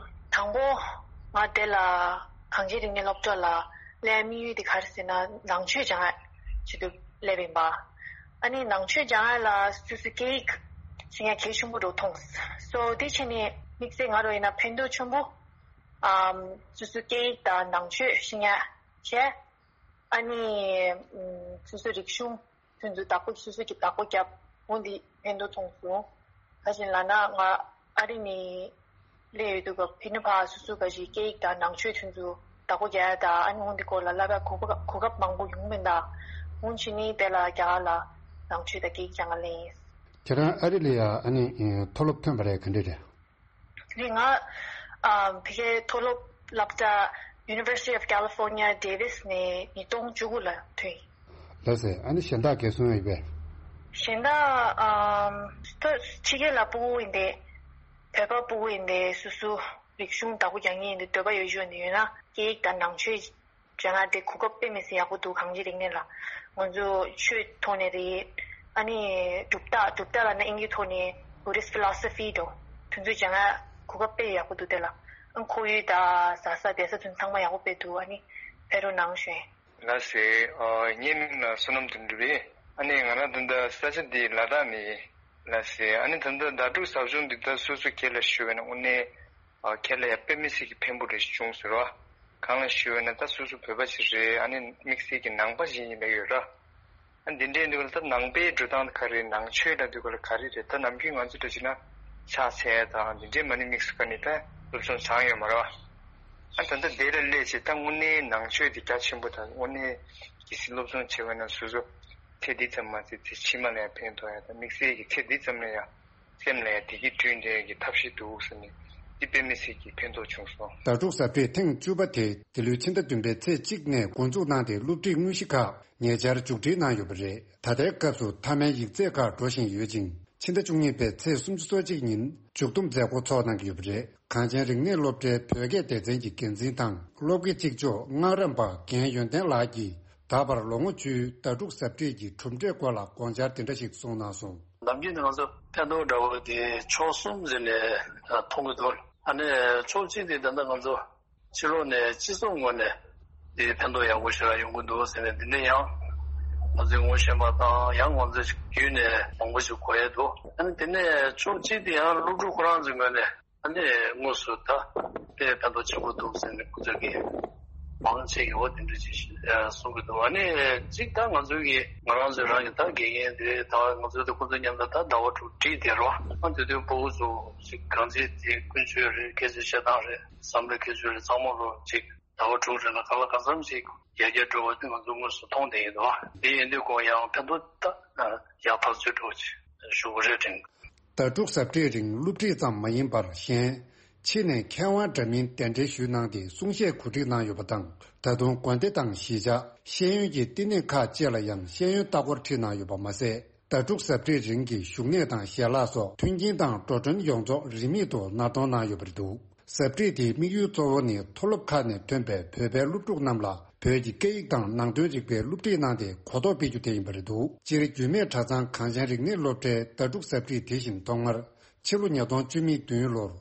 དང་པོ་ང་དེ་ལ་གངས་ཅན་རིག་གནས་སློབ་གྲྭ་ལ་སླེབས་དམིགས་ཡུལ་དེ་ག་རེ་ཟེར་ན་ནང་ཆོས་སྦྱང་ཡ་ཆེད་དུ་སླེབས་ཡིན་པ། ཨ་ནི་ནང་ཆོས་སྦྱང་ཡ་ལ་སོ་སོའི་སྐད་ཡིག་ཤེས་ཡ་གལ་ཆེན་པོ་འགྲོ་མཐོང་། སོ་དེ་བྱས་ནས་དམིགས་བསལ་ང་རང་ཡིན་ན་ཕན་ཐོགས་ཆེན་པོ་ཨམ་སོ་སོའི་སྐད་ཡིག་དང་ནང་ཆོས་ཤེས་ཡ་བྱས། ཨ་ནི་ཨམ་སོ་སོའི་རིག་གཞུང་ཁྱོད་ཚོས་བདག་པོ་སོ་སོ་གི་བདག་པོ་བརྒྱབ་འོ་འདི་ཕན་ཐོགས་མཐོང་སོང་། ག་ཅིག་ལབ་ན་ང་ཨ་རི་ནས་སླེབས་ཡོད་དུས་སྐབས་ཕི་ནི་ཕ་སོ་སོ་ག་ཅིག་སྐད་ཡིག་དང་ནང་ཆོས་ཐོན་ཚུལ་བདག་པོ་རྒྱག་ཡ་དང་ཨ་ནི་འོ་འདི་སྐོར་ལ་བསླབ་ཡ་གོ་སྐབས་གོ་སྐབས་མང་པོ་ཡོང་མིན་དང་འོ་ཕྱི་ནས་དེ་ལ་རྒྱ་གར་ལ་ནང་ཆོས་དང་སྐད་ཡིག་སྦྱང་ག་སླེབས་ཡིན། ཁྱེད་རང་ཨ་རི་ལ་ཡ་ཨ་ནི་མཐོ་སློབ་ཐོན་པ་རེད་ག་འདྲ་རེད། ནི་ང་ཨ་ཕ་གིའི་མཐོ་སློབ་སློབ་གྲྭ་University of California Davis ནས་ཉིས་སྟོང་བཅུ་དགུ་ལ་ཐོན་ཡིན། ལགས་སེ། ཨ་ནི་གཞན་དག་ག་རེ་གསུང་ཡ་ཡོད་པས། གཞན་དག་ཨམ་ཕྱི་རྒྱལ་ལ་ཕྲུ་གུ་ཡིན་ཏེ། བོད་པ་ཕྲུ་གུ་ཡིན་ཏེ་སོ་སོ་རིག་གཞུང་བདག་པོ་རྒྱག་མཁན་ཡིན་ཏེ་འདོད་པ་ཡོད་ཡོད་ནི་ཡོད་ན་སྐད་ཡིག་དང་ནང་ཆོས་སྦྱང་ཡ་དེ་གོ་སྐབས་དཔེ་མི་སྲིད་ཡག་པོ་འདུག་གངས་ཅན་རིག་གནས་ལ་ང་ཚོ་ཆོས་ཐོག་ནས་རེད། ཨ་ནི་གྲུབ་རྟགས་གྲུབ་རྟགས་ལབ་ན་དབྱིན་ཇི་ཐོག་ནས་Buddhist philosophy འདྲ་དེ་ཚོ་སྦྱང་ཡ་གོ་སྐབས་དཔེ་ཡག་པོ་འདུག་དེ་ལ་ཨ་ཁོར་ཡུག་དང་བཟའ་ས་བསྡད་ས་དེ་ཚོ་ཚང་མ་ཡག་པོ་དཔེ་འདུག་ཨ་ནི་ཕེབས་རོགས་གནང་ཞུ། ལགས་སེ། ཨ་ངའི་མིང་ལ་བསོད་ནམས་དོན་གྲུབ་རེད། ཨ་ནི་ང་རང་ད་ལྟ་ས་ཆ་འདི་ལ་དྭགས་ནས་ཡིན། ལགས་སེ། ཨ་ནི་ད་ལྟ་ཟླ་དྲུག་ཟབ་སྦྱོང་འདི་ད་སོ་སོ་སྒེར་ལ་ཞུ་བས་ན་དངོས་གནས་ཨ་ཁྱེད་ལ་ཡ་དཔེ་མི་སྲིད་ཀྱི་ཕན་པོ་རེ་ཞིག་བྱུང་ཟེར་བ། གང་ལ་ཞུ་བས་ན་ད་སོ་སོ་བོད་པ་ཞིག་རེད། ཨ་ནི་དམིགས་བསལ་གྱི་ནང་པ་ཞིག་ཡིན་ལབ་ཡོད་ར། ཨ་འདི་འདྲའི་འདུག་ལ་ད་ནང་པའི་འགྲོ་སྟངས་ག་རེ་ནང་ཆོས་ལ་འདུག་ག་ལ་ག་རེ་རེད། ད་ནམ་རྒྱུན་ང་ཚོ་འདྲ་བྱས་ན་ཕྱག་འཚལ་དང་འདི་འདྲའི་མ་ཎི་དམིགས་སུ་བཀར་ནས་ད་སློབ་སྦྱོང་སྦྱངས་ཡོད་མ་རེད་བ། ཨ་ད་ལྟ་དེ་ལ་སླེབས་བྱས་ད་དངོས་གནས་ནང་ཆོས་དེ་རྒྱ་ཆེན་པོ་དང་དངོས་གནས་གལ་སྲིད་སློབ་སྦྱོང་བྱེད་པ་ན་སོ་སོ་ཚེ་འདི་ཙམ་མ་ཚད་ཚེ་ཕྱི་མ་ལ་ཡང་ཕན་ཐོགས་ཡ་དང་དམིགས་བསལ་གྱི་ཚེ་འདི་ཙམ་ལ་ཡང་སེམས་ལ་ཡང་བདེ་སྐྱིད་བསྐྲུན་བསྡད་ཀྱི་ཐབས་ཤེས་འདུག་ཟེར་ནས་འདི་དཔེ་མི་སྲིད་ཀྱི་ཕན་ཐོགས་བྱུང་སོང་། ཟླ་དྲུག་གཟའ་སྤྲེལ་ཐེངས་བཅུ་པ་དེ་འདི་ལོའི་ཕྱི་ཟླ་བདུན་པའི་ཚེས་གཅིག་ནས་འགོ་འཛུགས་གནང་སྟེ་སློབ་ཁྲིད་དངོས་གཞི་ཁག་ཉེ་ཆར་མཇུག་སྒྲིལ་གནང་ཡོད་པ་རེད། ད་ལྟའི་སྐབས་སུ་མཐའ་མའི་ཡིག་ཚད་ཁག་འགྲོ་བཞིན་ཡོད་ཅིང་། ཕྱི་ཟླ་བཅུ་གཉིས་པའི་ཚེས་སུམ་ཅུ་སོ་གཅིག་ཉིན་མཇུག་བསྡོམས་མཛད་སྒོ་ཚོགས་གནང་གི་ཡོད་པ་རེད། གངས་ཅན་རིག་གནས་སློབ་གྲྭའི་བོད་སྐད་སྡེ་ཚན་གྱི་འགན་འཛིན་དང་སློབ་དགེ་གཅིག་ལྕོགས་སྔགས་རམས་པ་རྒན་ཡོན་ཏན་ལགས་ཀྱིས་ད་བར་ལོ་ངོ་བཅུའི་ཟླ་དྲུག་གཟའ་སྤྲེལ་གྱི་གྲུབ་འབྲས་སྐོར་ལ་དགོངས་འཆར་དེ་འདྲ་ཞིག་གསུངས་གནང་སོང་། ནམ་རྒྱུན་ནི་ང་ཚོ་ཕན་ཐོགས་འདྲ་བོ་དེ་ཕྱོགས་གསུམ་ཟེར་ནས་མཐོང་གི་འདུག་ཨ་ནི་ཕྱོགས་གཅིག་དེ་ད་ལྟ་ང་ཚོ་ཕྱི་ལོགས་ནས་སྤྱི་ཚོགས་ངོས་ནས་དེ་ཕན་ཐོགས་ཡག་པོ་ཞེ་དྲག་ཡོང་གི་འདུག་ཟེར་ནས། དེ་ནས་ཡང་ང་ཚོའི་ངོ་ཤེས་པ་དང་ཡང་ང་ཚོའི་བརྒྱུད་ནས་མང་པོ་ཞིག་གོ་ཡས་འདུག་ཨ་ནི་དེ་ནས་ཕྱོགས་གཅིག་དེ་ཡང་སློབ་ཕྲུག་ཁོ་རང་ཚོའི་ངོས་ནས་ཨ་ནི་དངོས་སུ་ད་དཔེ་ཕན་ཐོགས་ཆེན་པོ་འདུག་ཟེར་ནས་ཁོ་ཚོ་གིས་མང་ཆེ་གིས་འོ་དེ་འདྲ་ཅིག་གསུང་གི་འདུག་ཨ་ནི་གཅིག་ད་ང་ཚོའི་གི་ང་རང་ཚོའི་རང་གི་ད་དགེ་རྒན་དེ་ད་ང་ཚོའི་ད་ཁོ་ཚོ་མཉམ་དུ་ད་ཟླ་བ་དྲུག་ཁྲིད་དེ་རོ། ཨ་དེ་དུས་ཕྲུ་གུ་ཚོ་ཅིག་གང་ཅི་དེ་ཀུན་སྤྱོད་རེད། སྐད་ཆ་བཤད་སྟངས་རེད། བསམ་བློའི་ཁྱད་ཆོས་རེད། ཚང་མ་རོ་ཅིག་ཟླ་བ་དྲུག་རིང་ལ་གང་ལ་གང་འཚམ་ཞིག་ཡར་རྒྱས་འགྲོ་བ་དེ་ང་ཚོ་དངོས་སུ་མཐོང་བསྡད་ཡོད་དོ། དེ་ཡིན་དུས་ཁོང་ཡང་ཕན་ཐོགས་ད་ཡག་ཐག་ཆོད་འགྲོ་ཞུ་གི་རེད་དྲན། ཟླ་དྲུག་གཟའ་སྤྲེལ་རིང་སློབ་ཁྲིད་ཙམ་མ་ཡིན་པར་གཞན་ཕྱི་ནས་མཁས་དབང་འདྲ་མིན་གདན་འདྲེན་ཞུས་གནང་སྟེ་གསུང་བཤད་གོ་སྒྲིག་གནང་ཡོད་པ་དང་། ད་དུང་དགོན་སྡེ་དང་གཞིས་ཆགས་ཤེས་ཡོན་གྱི་བསྟི་གནས་ཁག་བཅས་ལ་ཡང་ཤེས་ཡོན་ལྟ་སྐོར་ཁྲིད་གནང་ཡོད་པ་མ་ཟད། ཟླ་དྲུག་གཟའ་སྤྲེལ་རིང་གི་བཞུགས་གནས་དང་ཞལ་ལག་སོགས་མཐུན་རྐྱེན་དང་འགྲོ་གྲོན་ཡོངས་རྫོགས་རིན་མེད་དུ་ནར་གཏོང་གནང་ཡོད་པ་རེད་འདུག་གཟབ་སྒྲིག་དེའི་དམིགས་ཡུལ་གཙོ་བོ་ནི་མཐོ་སློབ་ཁག་ནས་ཐོན་པའི་བོད་པའི་སློབ་ཕྲུག་རྣམས་ལ་བོད་ཀྱི་སྐད་ཡིག་དང་ནང་དོན་རིག་པའི་སློབ་ཁྲིད་གནང་སྟེ་གོ་རྟོགས་སྤེལ་རྒྱུ་དེ་ཡིན་པ་རེད་འདུག་སྤྱིར་རྒྱུད་སྨད་གྲྭ་ཚང་གངས་ཅན་རིག་གནས་སློབ་གྲྭའི་ཟླ་དྲུག་གཟབ་སྒྲིག་དེ་བཞིན་ཐོག་མར་ཕྱི་ལོ་ཉིས་སྟོང་བཅུ་མེད་བདུན་ལོར་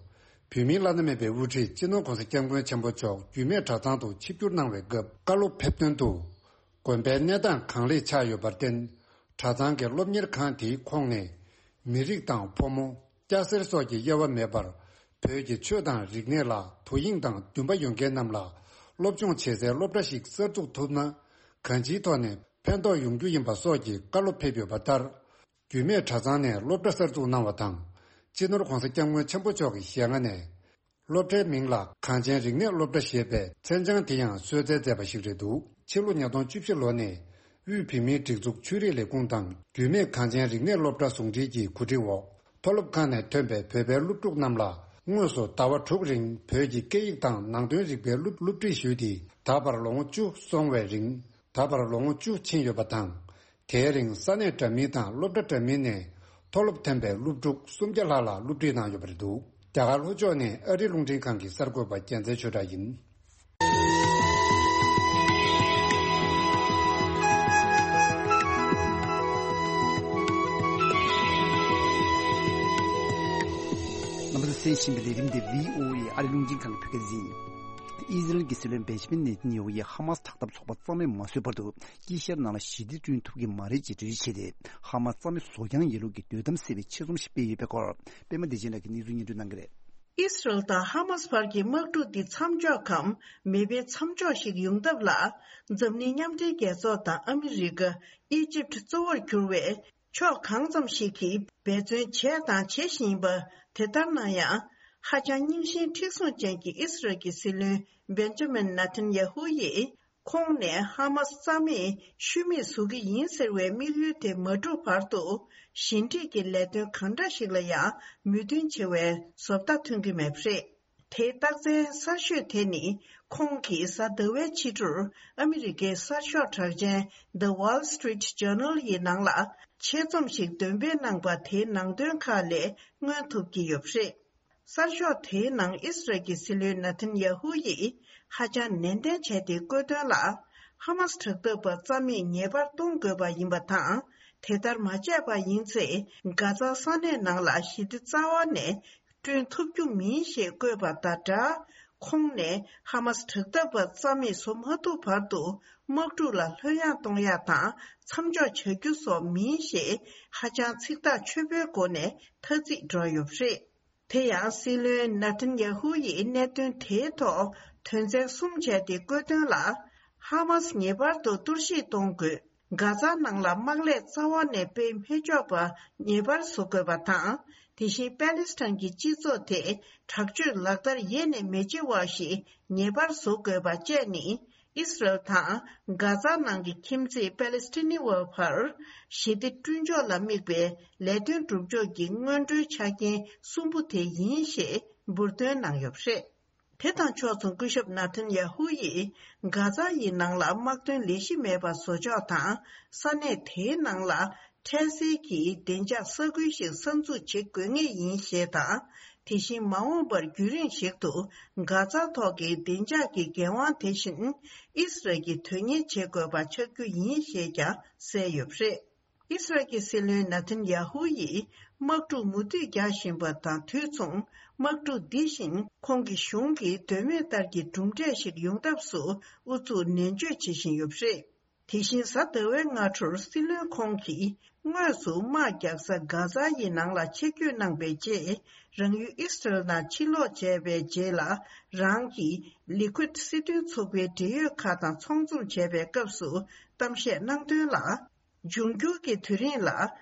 བོད་མིའི་བླ་ན་མེད་པའི་དབུ་ཁྲིད་སྤྱི་ནོར་༸གོང་ས་༸སྐྱབས་མགོན་ཆེན་པོ་མཆོག་རྒྱུད་སྨད་གྲྭ་ཚང་དུ་ཆིབས་བསྒྱུར་གནང་བའི་སྐབས་བཀའ་སློབ་ཕེབས་དོན་དུ། དགོན་པའི་གནས་སྟངས་གང་ལེགས་ཆགས་ཡོད་པར་བརྟེན། གྲྭ་ཚང་གི་སློབ་གཉེར་ཁང་དེའི་ཁོངས་ནས་མི་རིགས་དང་ཕོ་མོ། སྐྱ་སེར་སོགས་ཀྱི་དབྱེ་བ་མེད་པར་བོད་ཀྱི་ཆོས་དང་རིག་གནས་ལ་དོ་དབྱིངས་དང་འདུན་པ་ཡོད་མཁན་རྣམས་ལ་སློབ་སྦྱོང་བྱེད་སའི་སློབ་གྲྭ་ཞིག་གསར་འཛུགས་ཐུབ་ན་གང་ཅིའི་ཐོག་ནས་ཕན་ཐོགས་ཡོང་རྒྱུ་ཡིན་པ་སོགས་ཀྱི་བཀའ་སློབ་ཕེབས་ཡོད་པ་ལྟར། རྒྱུད་སྨད་གྲྭ་ཚང་ནས་སློབ་གྲྭ་གསར་འཛུགས་གནང་བ་དང་། སྤྱི་ནོར་༸གོང་ས་༸སྐྱབས་མགོན་ཆེན་པོ་མཆོག་གི་ཞལ་སྔ་ནས། སློབ་གྲྭའི་མིང་ལ་གངས་ཅན་རིག་གནས་སློབ་གྲྭ་ཞེས་པའི་མཚན་བྱང་དེ་ཡང་གསོལ་སྩལ་མཛད་པ་ཞིག་རེད་འདུག་ཕྱི་ལོ་ཉིས་སྟོང་བཅུ་བཞི་ལོ་ནས་དབུས་བོད་མིའི་སྒྲིག་འཛུགས་ཆོས་རིག་ལས་ཁུངས་དང་རྒྱུད་སྨད་གངས་ཅན་རིག་གནས་སློབ་གྲྭ་ཟུང་འབྲེལ་གྱིས་གོ་སྒྲིག་འོག་མཐོ་སློབ་ཁག་ནས་ཐོན་པའི་བོད་པའི་སློབ་ཕྲུག་རྣམས་ལ་དངོས་སུ་ཟླ་བ་དྲུག་རིང་བོད་ཀྱི་སྐད་ཡིག་དང་ནང་དོན་རིག་པའི་སློབ་སློབ་ཁྲིད་ཞུས་ཏེ་ད་བར་ལོ་ངོ་བཅུ་སོང་བའི་རིང་། ད་བར་ལོ་ངོ་བཅུ་ཕྱིན་ཡོད་པ་དང་། དེའི་རིང་ས་གནས་འདྲ་མིན་དང་སློབ་གྲྭ་འདྲ་མིན་ནས་མཐོ་སློབ་ཐོན་པའི་སློབ་ཕྲུག་སུམ་བརྒྱ་ལྷག་ལ་སློབ་ཁྲིད་གནང་ཡོད་པ་རེད་འདུག་རྒྱ་གར་ལྷོ་ཕྱོགས་ནས་ཨ་རི་རླུང་འཕྲིན་ཁང་གི་གསར་འགོད་པ་རྒྱལ་མཚན་ཆོས་གྲགས་ཡིན། རྣམ་པ་ཚོས་གསན་བཞིན་པའི་ལས་རིམ་འདི་བྷི་ཨོ་ཨེ་ཨ་རི་རླུང་འཕྲིན་ཁང་གི་བོད་སྐད་སྡེ་ཚན་ཡིན། ཨི་ཟི་རལ་གྱི་སྲིད་བློན་བེན་ཇི་མིན་ནེ་ཐན་ཡ་ཧུ་ཡིས་ཧ་མ་སི་དྲག་འཐབ་ཚོགས་པ་རྩ་མེད་མ་བཟོས་བར་དུ། དཀྱིལ་ཤར་ནང་ལ་ཞི་བདེ་བསྐྲུན་ཐུབ་ཀྱི་མ་རེད་ཅེས་འགྲེལ་བརྗོད་བྱས་ཏེ། ཧ་མ་སི་རྩ་མེད་བཟོ་རྐྱང་ཡིན་ལུགས་ཀྱི་འདོད་གཏམ་གསལ་བའི་ཆེད་རྩོམ་ཞིག་སྤེལ་ཡོད་པའི་སྐོར། པད་མ་བདེ་ཆེན་ལགས་ཀྱིས་གནས་ཚུལ་སྙན་སྒྲོན་གནང་གི་རེད། ཨི་སི་རལ་དང་ཧ་མ་སི་བར་གྱི་དམག་འཁྲུག་འདི་མཚམས་འཇོག་གམ་མེ་འཕེན་མཚམས་འཇོག་ཞིག་ཡོང་ཐབས་ལ། འཛམ་གླིང་མཉམ་འབྲེལ་རྒྱལ་ཚོགས་དང་ཨ་མི་རི་ཀ། ཨི་ཇིབ་གཙོ་བོར་གྱུར་བའི་ཕྱོགས་གང་ཙམ་ཞིག་གིས་འབད་བརྩོན་བྱས་དང་བྱེད་བཞིན་པ་དེ་ལྟར་ན་ཡང་། ཧ་ཅང་རྙིང་ཞེན་མཁྲེགས་བཟུང་ཅན་གྱི་ཨི་སི་རལ་གྱི་སྲིད་བློན་བེན་ཇ་མིན་ནེ་ཐན་ཡ་ཧུ་ཡིས། ཁོང་ནས་ཧ་མ་སི་རྩ་མེད་ཤུལ་མེད་བཟོ་གི་ཡིན་ཟེར་བའི་དམིགས་ཡུལ་དེ་མ་འགྲུབ་བར་དུ། ཞི་འགྲིག་གི་ལས་དོན་གང་འདྲ་ཞིག་ལ་ཡང་མོས་མཐུན་བྱེད་པའི་བཟོ་ལྟ་ཐོན་གྱི་མེད་པ་རེད། དེའི་རྟགས་མཚན་གསར་ཤོས་དེ་ནི། ཁོང་གིས་གཟའ་ཟླ་བའི་ཕྱི་དྲོར་ཨ་མི་རི་ཀའི་གསར་ཤོག་གྲགས་ཅན་The Wall Street Journal ཡི་ནང་ལ་ཆེད་རྩོམ་ཞིག་འདོན་སྤེལ་གནང་པ་དེའི་ནང་དོན་ཁག་ལས་མངོན་ཐུབ་ཀྱི་ཡོད་པ་རེད། གསར་ཤོག་དེའི་ནང་ཨི་སི་རལ་གྱི་སྲིད་བློན་ནེ་ཐན་ཡ་ཧུ་ཡིས་ཧ་ཅང་ནན་ཏན་བྱས་ཏེ་བཀོད་དོན་ལ། ཧ་མ་སི་དྲག་འཐབ་པ་རྩ་མེད་ངེས་པར་གཏོང་དགོས་པ་ཡིན་པ་དང་། དེ་ལྟར་མ་བྱས་པ་ཡིན་ཚེ། གྷ་ཛ་ས་གནས་ནང་ལ་ཞི་བདེ་རྩ་བ་ནས་བསྐྲུན་ཐུབ་རྒྱུ་མིན་ཞེས་བཀོད་པ་དང་སྦྲགས། ཁོང་ནས་ཧ་མ་སི་དྲག་འཐབ་པ་རྩ་མེད་བཟོ་མ་ཐུབ་བར་དུ། དམག་འཁྲུག་ལ་ལྷོད་ཡངས་གཏོང་ཡག་དང་མཚམས་འཇོག་བྱ་རྒྱུ་སོགས་མིན་ཞེས། ཧ་ཅང་ཚིག་ཐག་ཆོད་པོའི་སྒོ་ནས་ཐ་ཚིག་བསྒྲགས་ཡོད་པ་རེད། དེ་ཡང་སྲིད་བློན་ནེ་ཐན་ཡ་ཧུ་ཡིས་གནད་དོན་དེའི་ཐོག་དོན་ཚན་གསུམ་བྱས་ཏེ་བཀོད་དོན་ལ། ཧ་མ་སི་ངེས་པར་དུ་གཏོར་བཤིག་གཏོང་དགོས། གྷ་ཛ་ནང་ལ་དམག་ལས་རྩ་བ་ནས་སྤེལ་མི་ཆོག་པ་ངེས་པར་བཟོ་དགོས་པ་དང་། དེ་བཞིན་པ་ལི་སི་ཐན་གྱི་སྤྱི་ཚོགས་དེ་དྲག་སྤྱོད་ལག་བསྟར་ཡེ་ནས་མི་བྱེད་པ་ཞིག་ངེས་པར་བཟོ་དགོས་པ་བཅས་ནི། ཨིས་རལ་དང་གྷ་ཛ་ནང་གི་ཁྱིམ་མཚེས་པ་ལི་སི་ཐི་ནི་བ་བར་ཞི་བདེ་བསྐྲུན་ཕྱོགས་ལ་དམིགས་པའི་ལས་དོན་སྒྲུབ་ཕྱོགས་ཀྱི་སྔོན་འགྲོའི་ཆ་རྐྱེན་གསུམ་པོ་དེ་ཡིན་ཞེས་འབུར་འདོན་གནང་ཡོད་པ་རེད། དེ་དང་ཕྱོགས་མཚུངས་སྐུ་ཞབས་ནཱ་ཐན་ཡ་ཧུ་ཡིས་གྷ་ཛ་ཡི་ནང་ལ་དམག་དོན་ལས་གཞི་མེད་པ་བཟོ་ཕྱོགས་དང་། ས་གནས་དེའི་ནང་ལ་འཕྲལ་སེལ་གྱི་བདེ་འཇགས་ས་ཁུལ་ཞིག་གསར་འཛུགས་བྱེད་དགོས་ངེས་ཡིན་ཞེས་དང་། དེ་བཞིན་མ་འོངས་པར་རྒྱུན་རིང་ཞིག་ཏུ་གྷ་ཛ་ཐོག་གི་བདེ་འཇགས་ཀྱི་འགན་དབང་དེ་བཞིན་ཨིས་རལ་གྱིས་དོན་གཉེར་བྱེད་དགོས་པ་ཆགས་རྒྱུ་ཡིན་ཞེས་ཀྱང་གསལ་ཡོད་པ་རེད། ཨིས་རལ་གྱི་སྲིད་བློན་ནཱ་ཐན་ཡ་ཧུ་ཡིས་དམག་འཁྲུག་མུ་མཐུད་རྒྱག་བཞིན་པ་དང་དུས་མཚུངས། དམག་འཁྲུག་འདི་བཞིན་ཁོང་གི་གཞུང་གིས་དོན་མེད་ལྟར་གྱི་གྲུབ་འབྲས་ཤིག་ཡོང་ཐབས་སུ་ཨུ་ཚུགས་ནན་བརྗོད་བྱེད་བཞིན་ཡོད་པ་རེད། དེ་བཞིན་གཟའ་ཟླ་བའི་སྔ་དྲོར་སྲིད་བློན་ཁོང་གིས་དངོས་སུ་དམག་རྒྱག་ས་གྷ་ཛ་ཡི་ནང་ལ་ཆིབས་བསྒྱུར་གནང་པའི་རྗེས། རང་ཡུལ་ཨིས་རལ་ནང་ཕྱིར་ལོག་བྱས་པའི་རྗེས་ལ། རང་གི་ལི་ཁུད་སྲིད་དོན་ཚོགས་པའི་འབྲེལ་ཡོད་ཁག་དང་ཚོགས་འཛོམས་བྱས་པའི་སྐབས་སུ་གཏམ་བཤད་གནང་དོན་ལ། འབྱུང་འགྱུར་གྱི་དུས་རིང་ལ་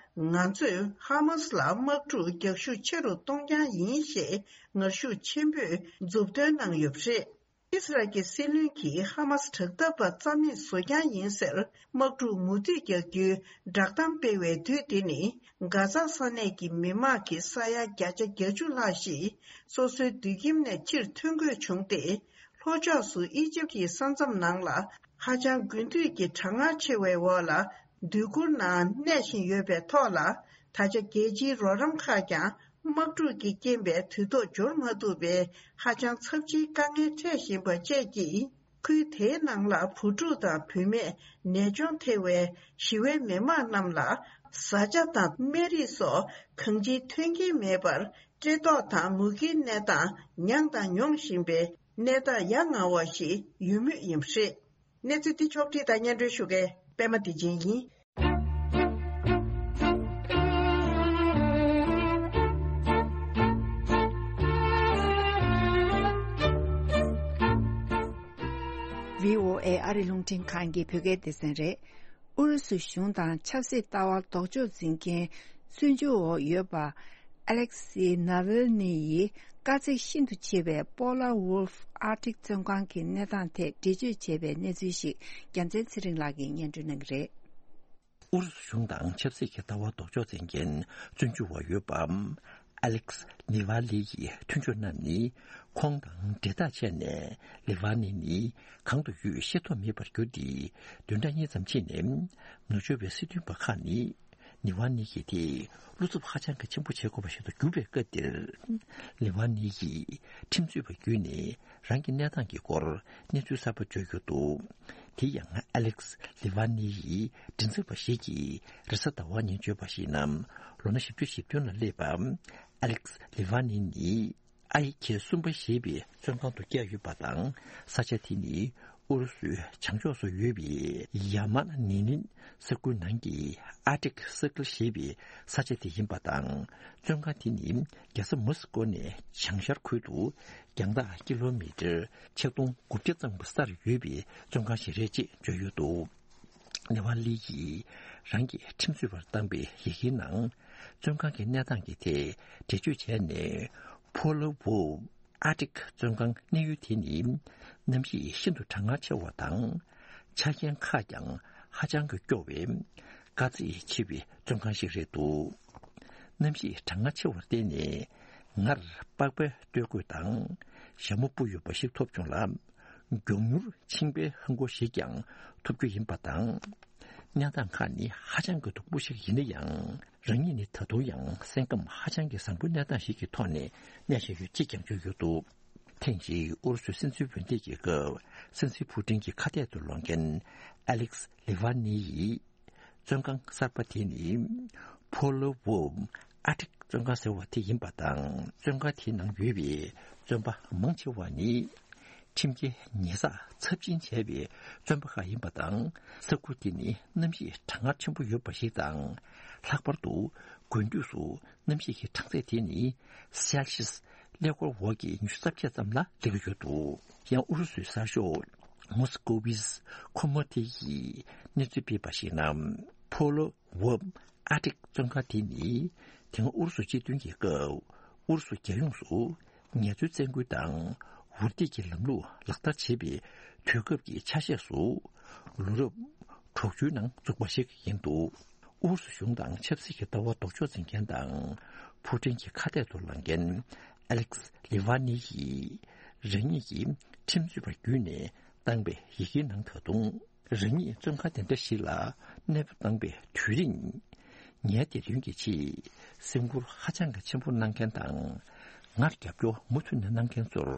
ང་ཚོས་ཧ་མ་སི་ལ་དམག་འཁྲུག་རྒྱག་ཤུགས་ཆེ་རུ་གཏོང་རྐྱང་ཡིན་ཞེས་ངར་ཤུགས་ཆེན་པོས་མཛུབ་སྟོན་གནང་ཡོད་པ་རེད། ཨིས་རལ་གྱི་སྲིད་བློན་གྱིས་ཧ་མ་སི་དྲག་འཐབ་པ་རྩ་མེད་བཟོ་རྐྱང་ཡིན་ཟེར། དམག་འཁྲུག་མུ་མཐུད་རྒྱག་རྒྱུའི་བསྒྲགས་གཏམ་སྤེལ་བའི་དུས་འདི་ནི། གྷ་ཛ་ས་གནས་ཀྱི་མི་དམངས་ཀྱི་ས་ཡ་བརྒྱ་ཆ་བརྒྱད་ཅུ་ལྷག་ཞིག་སོ་སོའི་སྡོད་ཁྱིམ་ནས་ཕྱིར་ཐོན་དགོས་བྱུང་སྟེ། ལྷོ་ཕྱོགས་སུ་ཨི་ཇིབ་ཀྱི་ས་མཚམས་ནང་ལ་ཧ་ཅང་དགུན་དུས་ཀྱི་གྲང་ངར་ཆེ་བའི་འོག་ལ་སྡོད་གུར་ནང་གནས་བཞིན་ཡོད་པའི་ཐོག་ལ། ད་ཆ་རྒྱལ་སྤྱིའི་རོགས་རམ་ཁག་ཀྱང་དམག་འཁྲུག་གི་རྐྱེན་པས་དུས་ཐོག་འབྱོར་མ་ཐུབ་པའི་ཧ་ཅང་ཚབས་ཆེའི་དཀའ་ངལ་འཕྲད་བཞིན་པ་བཅས་ཀྱིས། ཁུལ་དེའི་ནང་ལ་བུ་ཕྲུག་དང་བུད་མེད། ནད་གཅོང་ཐེ་བའི་ཞི་བའི་མི་མང་རྣམས་ལ་བཟའ་བཅའ་དང་སྨན་རིགས་སོགས་གང་ཅིའི་མཐུན་རྐྱེན་མེད་པར། བཀྲེས་ལྟོགས་དང་མུ་གེའི་གནས་སྟངས་མྱངས་དང་མྱོང་བཞིན་པའི་གནས་སྟངས་ཡ་ང་བ་ཞིག་ཡོད་མུས་ཡིན་པ་རེད། གནས་ཚུལ་འདི་ཕྱོགས་བསྒྲིགས་དང་སྙན་སྒྲོན་ཞུ་མཁན་པད་མ་བདེ་ཆེན་ཡིན། བྷི་ཨོ་ཨེ་ཨ་རི་རླུང་འཕྲིན་ཁང་གི་བོད་སྐད་སྡེ་ཚན་རེད། ཨུ་རུ་སུ་གཞུང་དང་ཆབ་སྲིད་ལྟ་བ་ལྡོག་ཕྱོགས་འཛིན་མཁན་བཙོན་འཇུག་འོག་ཡོད་པ། ཨ་ལེག་སི་ནཱ་ཝེལ་ནི་ཡིས་དཀའ་ཚེགས་ཤིན་ཏུ་ཆེ་བའི་པོ་ལར་ཝོལ་ཧྥ་ཨར་ཀྲིག་བཙོན་ཁང་གི་གནས་སྟངས་ཐད་འགྲེལ་བརྗོད་བྱས་པའི་གནས་ཚུལ་ཞིག་རྒྱལ་མཚན་ཚེ་རིང་ལགས་ཀྱིས་སྙན་སྒྲོན་གནང་གི་རེད། ཨུ་རུ་སུ་གཞུང་དང་ཆབ་སྲིད་ཀྱི་ལྟ་བ་ལྡོག་ཕྱོགས་འཛིན་མཁན་བཙོན་འཇུག་འོག་ཡོད་པ། ཨ་ལེག་སི་ནི་ཝ་ལི་ཡི་མཐུན་ཕྱོགས་རྣམས་ནི་ཁོང་དང་འབྲེལ་ཐག་བཅད་ནས་ལི་ཝ་ནི་ནི་གང་དུ་ཡོད་ཤེས་རྟོགས་མེད་པར་གྱུར་ཏེ། བདུན་ཕྲག་གཉིས་ཙམ་ཕྱིན་ནས་ནུབ་ཕྱོགས་པའི་སྲིད་དོན་པ་ཁག་ནི། ནི་ཝ་ནི་ཡི་དེ་བློ་འཚབ་ཧ་ཅང་གི་ཆེན་པོ་བྱེད་དགོས་པ་ཞིག་ཏུ་གྱུར་པའི་སྐབས་འདིར། ལི་ཝ་ནི་ཡིས་ཁྲིམས་རྩོད་པ་བརྒྱུད་ནས་རང་གི་གནས་སྟངས་ཀྱི་སྐོར་གནས་ཚུལ་གསར་པ་བརྗོད་ཡོད་འདུག་དེ་ཡང་ཨ་ལེག་སི་ལི་ཝ་ནི་ཡི་མགྲིན་ཚབ་པ་ཞིག་གིས་རེས་གཟའ་ཟླ་བ་ཉིན་བརྗོད་པར་གཞིགས་ན། ལོ་ན་བཞི་བཅུ་ཞེ་བདུན་ལ་སླེབས་པ། ཨ་ལེག་སི་ལི་ཝ་ནི་ནི། ཨའི་གེ་གསུམ་པ་ཞེས་པའི་བཙོན་ཁང་དུ་བསྐྱལ་ཡོད་པ་དང་། ས་ཆ་དེ་ནི་ཨུ་རུ་སུའི་བྱང་ཕྱོགས་སུ་ཡོད་པའི་ཡ་མ་ནི་ནིན་ས་ཁུལ་ནང་གི་ཨར་ཀྲིག་སར་ཀལ་ཞེས་པའི་ས་ཆ་དེ་ཡིན་པ་དང་། བཙོན་ཁང་དེ་ནི་རྒྱལ་ས་མོ་སི་ཀོ་ནས་བྱང་ཤར་ཁུལ་དུ་རྒྱང་ཐག་ཀི་ལོ་མི་ཊར་ཆིག་སྟོང་དགུ་བརྒྱ་ཙམ་སར་ཡོད་པའི་བཙོན་ཁང་ཞིག་རེད་ཅེས་བརྗོད་ཡོད་འདུག་ནེ་ཝ་ལི་ཡིས་རང་གི་ཁྲིམས་རྩོད་པར་བཏང་པའི་ཡི་གེའི་ནང་། བཙོན་ཁང་གི་གནས་སྟངས་ཀྱི་ཐད་འགྲེལ་བརྗོད་བྱས་ནས། ཕོ་ལོ་ཝོ་ཨར་ཀྲིག་བཙོན་ཁང་གནས་ཡུལ་དེ་ནི་གནམ་གཤིས་ཤིན་ཏུ་གྲང་ངར་ཆེ་བ་དང་། ཆ་རྐྱེན་ཁག་ཀྱང་ཧ་ཅང་གི་སྐྱོ་བའི་དཀའ་ཚེགས་ཆེ་བའི་བཙོན་ཁང་ཞིག་རེད་འདུག་གནམ་གཤིས་གྲང་ངར་ཆེ་བར་བརྟེན་ནས་ངར་པགས་པའི་སྟོད་གོས་དང་ཞྭ་མོ་སྤུ་ཡོད་པ་ཞིག་ཐོབ་བྱུང་ལ། མགྱོགས་མྱུར་མཆིན་པའི་ཧང་གོ་ཞིག་ཀྱང་ཐོབ་རྒྱུ་ཡིན་པ་དང་། གནས་སྟངས་ཁག་ནི་ཧ་ཅང་གི་སྡུག་པོ་ཞིག་ཡིན་ན་ཡང་། རང་ཉིད་ནི་ད་དུང་ཡང་སེམས་ཁམས་ཧ་ཅང་གི་བཟང་པོའི་གནས་སྟངས་ཤིག་གི་ཐོག་ནས་གནས་བཞིན་ཡོད་ཅེས་ཀྱང་བརྗོད་ཡོད་འདུག་ཐེངས་ཤིག་ཨུ་རུ་སུའི་སྲིད་འཛིན་འོས་འདེམས་ཀྱི་སྐབས་སྲིད་འཛིན་ཕུ་ཀྲིན་གྱི་ཁ་གཏད་དུ་ལོག་མཁན་ཨ་ལེག་སི་ལི་ཝ་ནི་ཡིས། བཙོན་ཁང་གསར་པ་དེ་ནི་ཕོ་ལོ་ཝོ་ཨར་ཀྲིག་བཙོན་ཁང་ཟེར་བ་དེ་ཡིན་པ་དང་། བཙོན་ཁང་དེའི་ནང་ཡོད་པའི་བཙོན་པ་མང་ཆེ་བ་ནི་ཁྲིམས་འགལ་ཉེས་བསགས་ཚབས་ཆེན་བྱས་པའི་བཙོན་པ་ཁག་ཡིན་པ་དང་། ས་ཁུལ་དེ་ནི་གནམ་གཤིས་གྲང་ངར་ཆེན་པོ་ཡོད་པ་ཞིག་དང་། ལྷག་པར་དུ་དགུན་དུས་སུ་གནམ་གཤིས་ཀྱི་གྲང་ཚད་དེ་ནི་སེལ་ཤི་ཡས་ཀླད་ཀོར་འོག་གི་ཉི་ཤུ་རྩ་བརྒྱད་ཙམ་ལ་སླེབས་ཀྱི་ཡོད་འདུག་ཡང་ཨུ་རུ་སུའི་གསར་ཤོག་མོ་སི་ཀོ་བིས་ཁོ་མོ་ཏི་ཡིས་གནས་ཚུལ་སྤེལ་བར་གཞིགས་ན། ཕོ་ལོ་ཝོབ་ཨར་ཀྲིག་བཙོན་ཁང་དེ་ནི་ དེ་སྔ་ཨུ་རུ་སུ་སྤྱི་མཐུན་གྱི་སྐབས་ཨུ་རུ་སུ་རྒྱལ་ཡོངས་སུ་ངལ་རྩོལ་བཙན་སྐུལ་དང་འུར་སྡེབ་ཀྱི་ལམ་ལུགས་ལག་བསྟར་བྱེད་པའི་དུས་སྐབས་ཀྱི་ཆ་ཤས་སུ་ལོ་རབས་དྲུག་ཅུའི་ནང་བཙུགས་པ་ཞིག་ཡིན་འདུག་ཨུ་རུ་སུ་གཞུང་དང་ཆབ་སྲིད་ཀྱི་ལྟ་བ་ལྡོག་ཕྱོགས་འཛིན་མཁན་དང་ཕུ་ཀྲིན་གྱི་ཁ་གཏད་དུ་ལངས་མཁན་ཨ་ལེགས་ལི་ཝ་ནི་ཡིས་རང་ཉིད་ཀྱི་ཁྲིམས་རྩོད་པ་བརྒྱུད་ནས་བཏང་པའི་ཡི་གེའི་ནང་ད་དུང་རང་ཉིད་བཙོན་ཁང་དེ་འདྲ་ཞིག་ལ་གནས་སྤོ་བཏང་པའི་དུས་རིང་། ངའི་བདེ་དོན་གྱི་ཆེད་སེམས་ཁུར་ཧ་ཅང་གི་ཆེན་པོ་གནང་མཁན་དང་། ང་རྒྱབ་སྐྱོར་མུ་མཐུད་ནས་གནང་མཁན་ཚོར་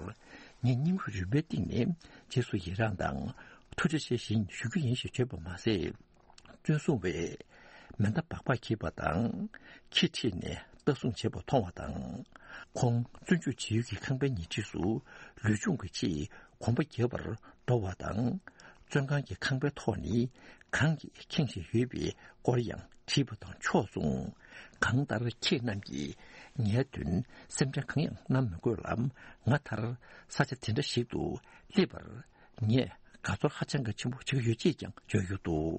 ངས་སྙིང་རུས་རིམ་པའི་སྟེང་ནས་རྗེས་སུ་ཡི་རངས་དང་ཐུགས་རྗེ་ཆེ་ཞེས་ཞུ་རྒྱུ་ཡིན་ཞེས་བརྗོད་པ་མ་ཟད། བཙོན་སྲུང་བས་མེ་མདའ་སྦག་སྦག་འཁྱེར་བ་དང་ཁྱི་ཁྲིད་ནས་ལྟ་སྲུང་བྱེད་པ་མཐོང་བ་དང་། ཁོང་བཙོན་འཇུག་བྱེད་ཡུལ་གྱི་ཁང་པའི་ཉེ་འཁྲིས་སུ་ལུས་སྦྱོང་གི་ཆེད་གོམ་པ་རྒྱག་པར་འགྲོ་བ་དང་། བཙོན་ཁང་གི་ཁང་པའི་ཐོག་ནི་གངས་ཀྱིས་ཁེངས་བཞིན་ཡོད་པའི་སྐོར་ཡང་བྲིས་པ་དང་ཕྱོགས་མཚུངས། གང་ལྟར་ཁྱེད་རྣམས་ཀྱིས་ངའི་དོན་སེམས་ཁྲལ་གང་ཡང་གནང་མི་དགོས་ལ། ང་མཐར་ས་ཆ་དེ་འདྲ་ཞིག་ཏུ་སླེབས་པར་ངས་དགའ་ཚོར་ཧ་ཅང་གི་ཆེན་པོ་བྱེད་ཀྱི་ཡོད་ཅེས་ཀྱང་བརྗོད་ཡོད་འདུག་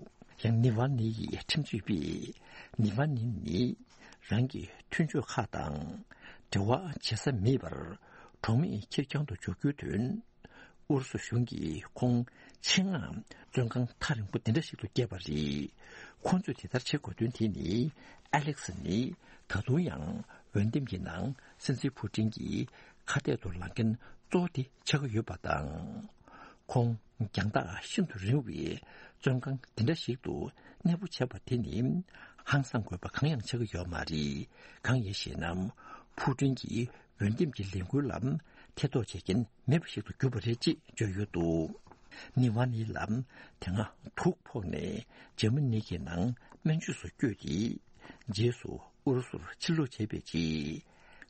ཡང་ནི་ཝ་ནི་ཡི་ཁྲིམས་རྩོད་པས་ནི་ཝ་ནི་ནི་རང་གི་མཐུན་ཕྱོགས་ཁག་དང་འབྲེལ་བ་བྱེད་ས་མེད་པར་གྲོགས་མེད་ཁེར་རྐྱང་དུ་འཇོག་རྒྱུའི་དོན། ཨུ་རུ་སུ་གཞུང་གིས་ཁོང་ཆེད་མངགས་བཙོན་ཁང་ཐག་རིང་པོ་དེ་འདྲ་ཞིག་ཏུ་བསྐྱལ་བ་རེད། ཁོང་ཚོས་དེ་ལྟར་བྱེད་དགོས་དོན་དེ་ནི་ཨ་ལེག་སི་ནི་ད་དུང་ཡང་འོས་འདེམས་ཀྱི་ནང་སྲིད་འཛིན་ཕུ་ཀྲིན་གྱི་ཁ་གཏད་དུ་ལངས་མཁན་གཙོ་བོ་དེ་ཆགས་ཀྱི་ཡོད་པ་དང་། ཁོང་རྒྱང་ཐག་ཤིན་ཏུ་རིང་བའི་བཙོན་ཁང་འདི་འདྲ་ཞིག་ཏུ་གནས་སྤོ་བྱས་པ་དེ་ནི་ཧང་སངས་དགོས་པ་གང་ཡང་ཆགས་ཀྱི་ཡོད་མ་རེད། གང་ཡིན་ཞེ་ན། ཕུ་ཀྲིན་གྱིས་འོས་འདེམས་ཀྱི་ལས་འགུལ་ལ་ཐེ་གཏོགས་བྱེད་མཁན་མེད་པ་ཞིག་ཏུ་གྱུར་པ་རེད་ཅེས་བརྗོད་ཡོད་འདུག་ནི་ཝ་ནི་ལ་དེ་སྔ་དུག་ཕོག་ནས་འཇར་མ་ནི་གི་ནང་སྨན་བཅོས་སུ་བསྐྱོད་དེ། རྗེས་སུ་ཨུ་རུ་སུར་ཕྱིར་ལོག་བྱས་པའི་རྗེས།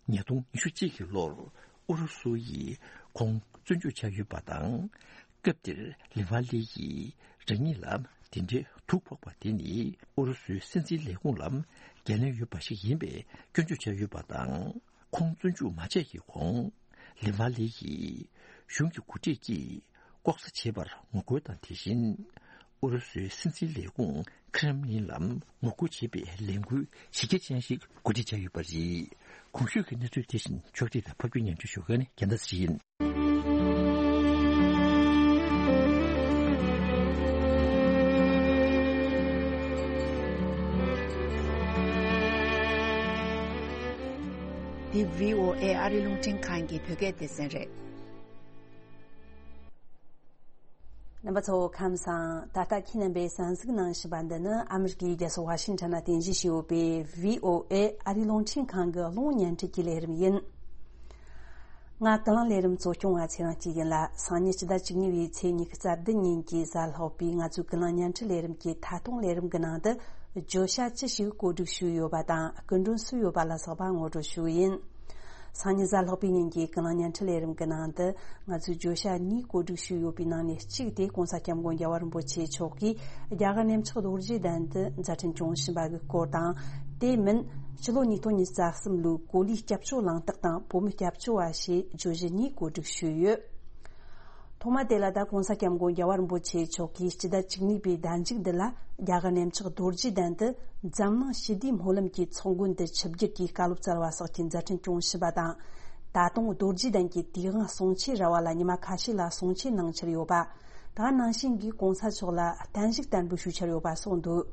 ཉིས་སྟོང་ཉི་ཤུ་གཅིག་གི་ལོར་ཨུ་རུ་སུ་ཡིས་ཁོང་བཙོན་འཇུག་བྱས་ཡོད་པ་དང་། སྐབས་དེར་ལི་ཝ་ལི་ཡིས་རང་ཉིད་ལ་དེ་འདྲའི་དུག་ཕོག་པ་དེ་ནི་ཨུ་རུ་སུའི་སྲིད་འཛིན་ལས་ཁུངས་ལ་འགན་ལེན་ཡོད་པ་ཞིག་ཡིན་པའི་སྐྱོན་བརྗོད་བྱས་ཡོད་པ་དང་། ཁོང་བཙོན་འཇུག་མ་བྱས་ཀྱི་གོང་། ལི་ཝ་ལི་ཡིས་གཞུང་གི་འགོ་ཁྲིད་ཀྱིས་ལྐོག་ཟ་བྱས་པར་ངོ་རྒོལ་དང་། དེ་བཞིན་ཨུ་རུ་སུའི་སྲིད་འཛིན་ལས་ཁུངས་ཁྲེམ་ལིན་ལ་ངོ་རྒོལ་བྱེད་པའི་ལས་འགུལ་གཞི་རྒྱ་ཅན་ཞིག་གོ་སྒྲིག་བྱས་ཡོད་པ་རེད། གོང་ཞུས་ཀྱི་གནས་ཚུལ་དེ་བཞིན་ཕྱོགས་སྒྲིག་དང་ཕབ་སྒྱུར་སྙན་སྒྲོན་ཞུ་མཁན་ནི་རྒྱལ་མཚན་ཡིན། འདི་བྷི་ཨོ་ཨེ་ཨ་རི་རླུང་འཕྲིན་ཁང་གི་བོད་སྐད་སྡེ་ཚན་རེད། རྣམ་པ་ཚོ་ཁམས་བཟང་། ད་ལྟ་ཁྱེད་རྣམ་པས་གསན་གཟིགས་གནང་བཞིན་པ་འདི་ནི་ཨ་མི་རི་ཀའི་རྒྱལ་ས་ཝ་ཤིང་ཊོན་ན་རྟེན་གཞི་བྱས་ཡོད་པའི་བྷི་ཨོ་ཨེ་ཨ་རིའི་རླུང་འཕྲིན་ཁང་གི་གློག་བརྙན་འཕྲིན་གྱི་ལས་རིམ་ཡིན། ང་ཀུན་གླེང་ལས་རིམ་གཙོ་སྐྱོང་བ་ཚེ་རིང་སྐྱིད་ཡིན་ལ། སང་ཉིན་སྤྱི་ཟླ་བཅུ་གཉིས་པའི་ཚེས་ཉི་ཤུ་རྩ་བདུན་ཉིན་གྱི་གཟའ་ལྷག་པའི་ང་ཚོའི་ཀུན་གླེང་བརྙན་འཕྲིན་ལས་རིམ་གྱི་ཐད་གཏོང་ལས་རིམ་གྱི་ནང་དུ་བརྗོད་བྱ་ཅི་ཞིག་བཀོད་སྒྲིག་ཞུས་ཡོད་པ་དང་སྐུ་མགྲོན་སུ་ཡོད་པ་ལ་སོགས་པ་ངོ་སྤྲོད་ཞུ་གི་ཡིན། སང་ཉིན་གཟའ་ལྷག་པའི་ཉིན་གྱི་ཀུན་གླེང་བརྙན་འཕྲིན་ལས་རིམ་གྱི་ནང་དུ་ང་ཚོས་བརྗོད་བྱ་གཉིས་བཀོད་སྒྲིག་ཞུས་ཡོད་པའི་ནང་ནས་གཅིག་དེ་གོང་ས་སྐྱབས་མགོན་རྒྱལ་བ་རིན་པོ་ཆེ་མཆོག་གིས་རྒྱ་གར་གནས་མཆོག་རྡོ་རྗེ་གདན་དུ་མཛད་འཕྲིན་སྐྱོང་བཞིན་པ་གི་སྐོར་དང་། དེ་མིན་སྤྱི་ལོ་ཉིས་སྟོང་ཉི་ཤུ་རྩ་གསུམ་ལོའི་གོ་ལའི་སྐྱབས་བཅོལ་གླེང་སྟེགས་དང་བོད་མིའི་སྐྱབས་བཅོལ་བ་ཞེས་བརྗོད་གཞི་གཉིས་བཀོད་སྒྲིག་ཞུས་ཡོད། ཐོག་མ་དེ་ལ་ད་གོང་ས་སྐྱབས་མགོན་རྒྱལ་བ་རིན་པོ་ཆེ་མཆོག་གིས་སྤྱི་ཟླ་བཅུ་གཉིས་པའི་ཟླ་མཇུག་འདི་ལ་རྒྱ་གར་གནས་མཆོག་རྡོ་རྗེ་གདན་དུ་འཛམ་གླིང་ཞི་བདེའི་སྨོན་ལམ་གྱི་ཚོགས་མགོན་དུ་ཆིབས་བསྒྱུར་གྱིས་བཀའ་སློབ་སྩལ་བ་སོགས་ཀྱི་མཛད་འཕྲིན་སྐྱོང་བཞིན་པ་དང་། ད་དུང་རྡོ་རྗེ་གདན་གྱི་དུས་དབང་གསུང་ཆོས་ར་བ་ལ་ཉི་མ་ཁ་ཤས་ལ་གསུང་ཆོས་གནང་འཆར་ཡོད་པ། ད་ནང་བཞིན་གྱི་གོང་ས་མཆོག་ལ་བརྟན་བཞུགས་བསྟར་འབུལ་ཞུ་འཆར་ཡོད་པ་སོགས་འདུག་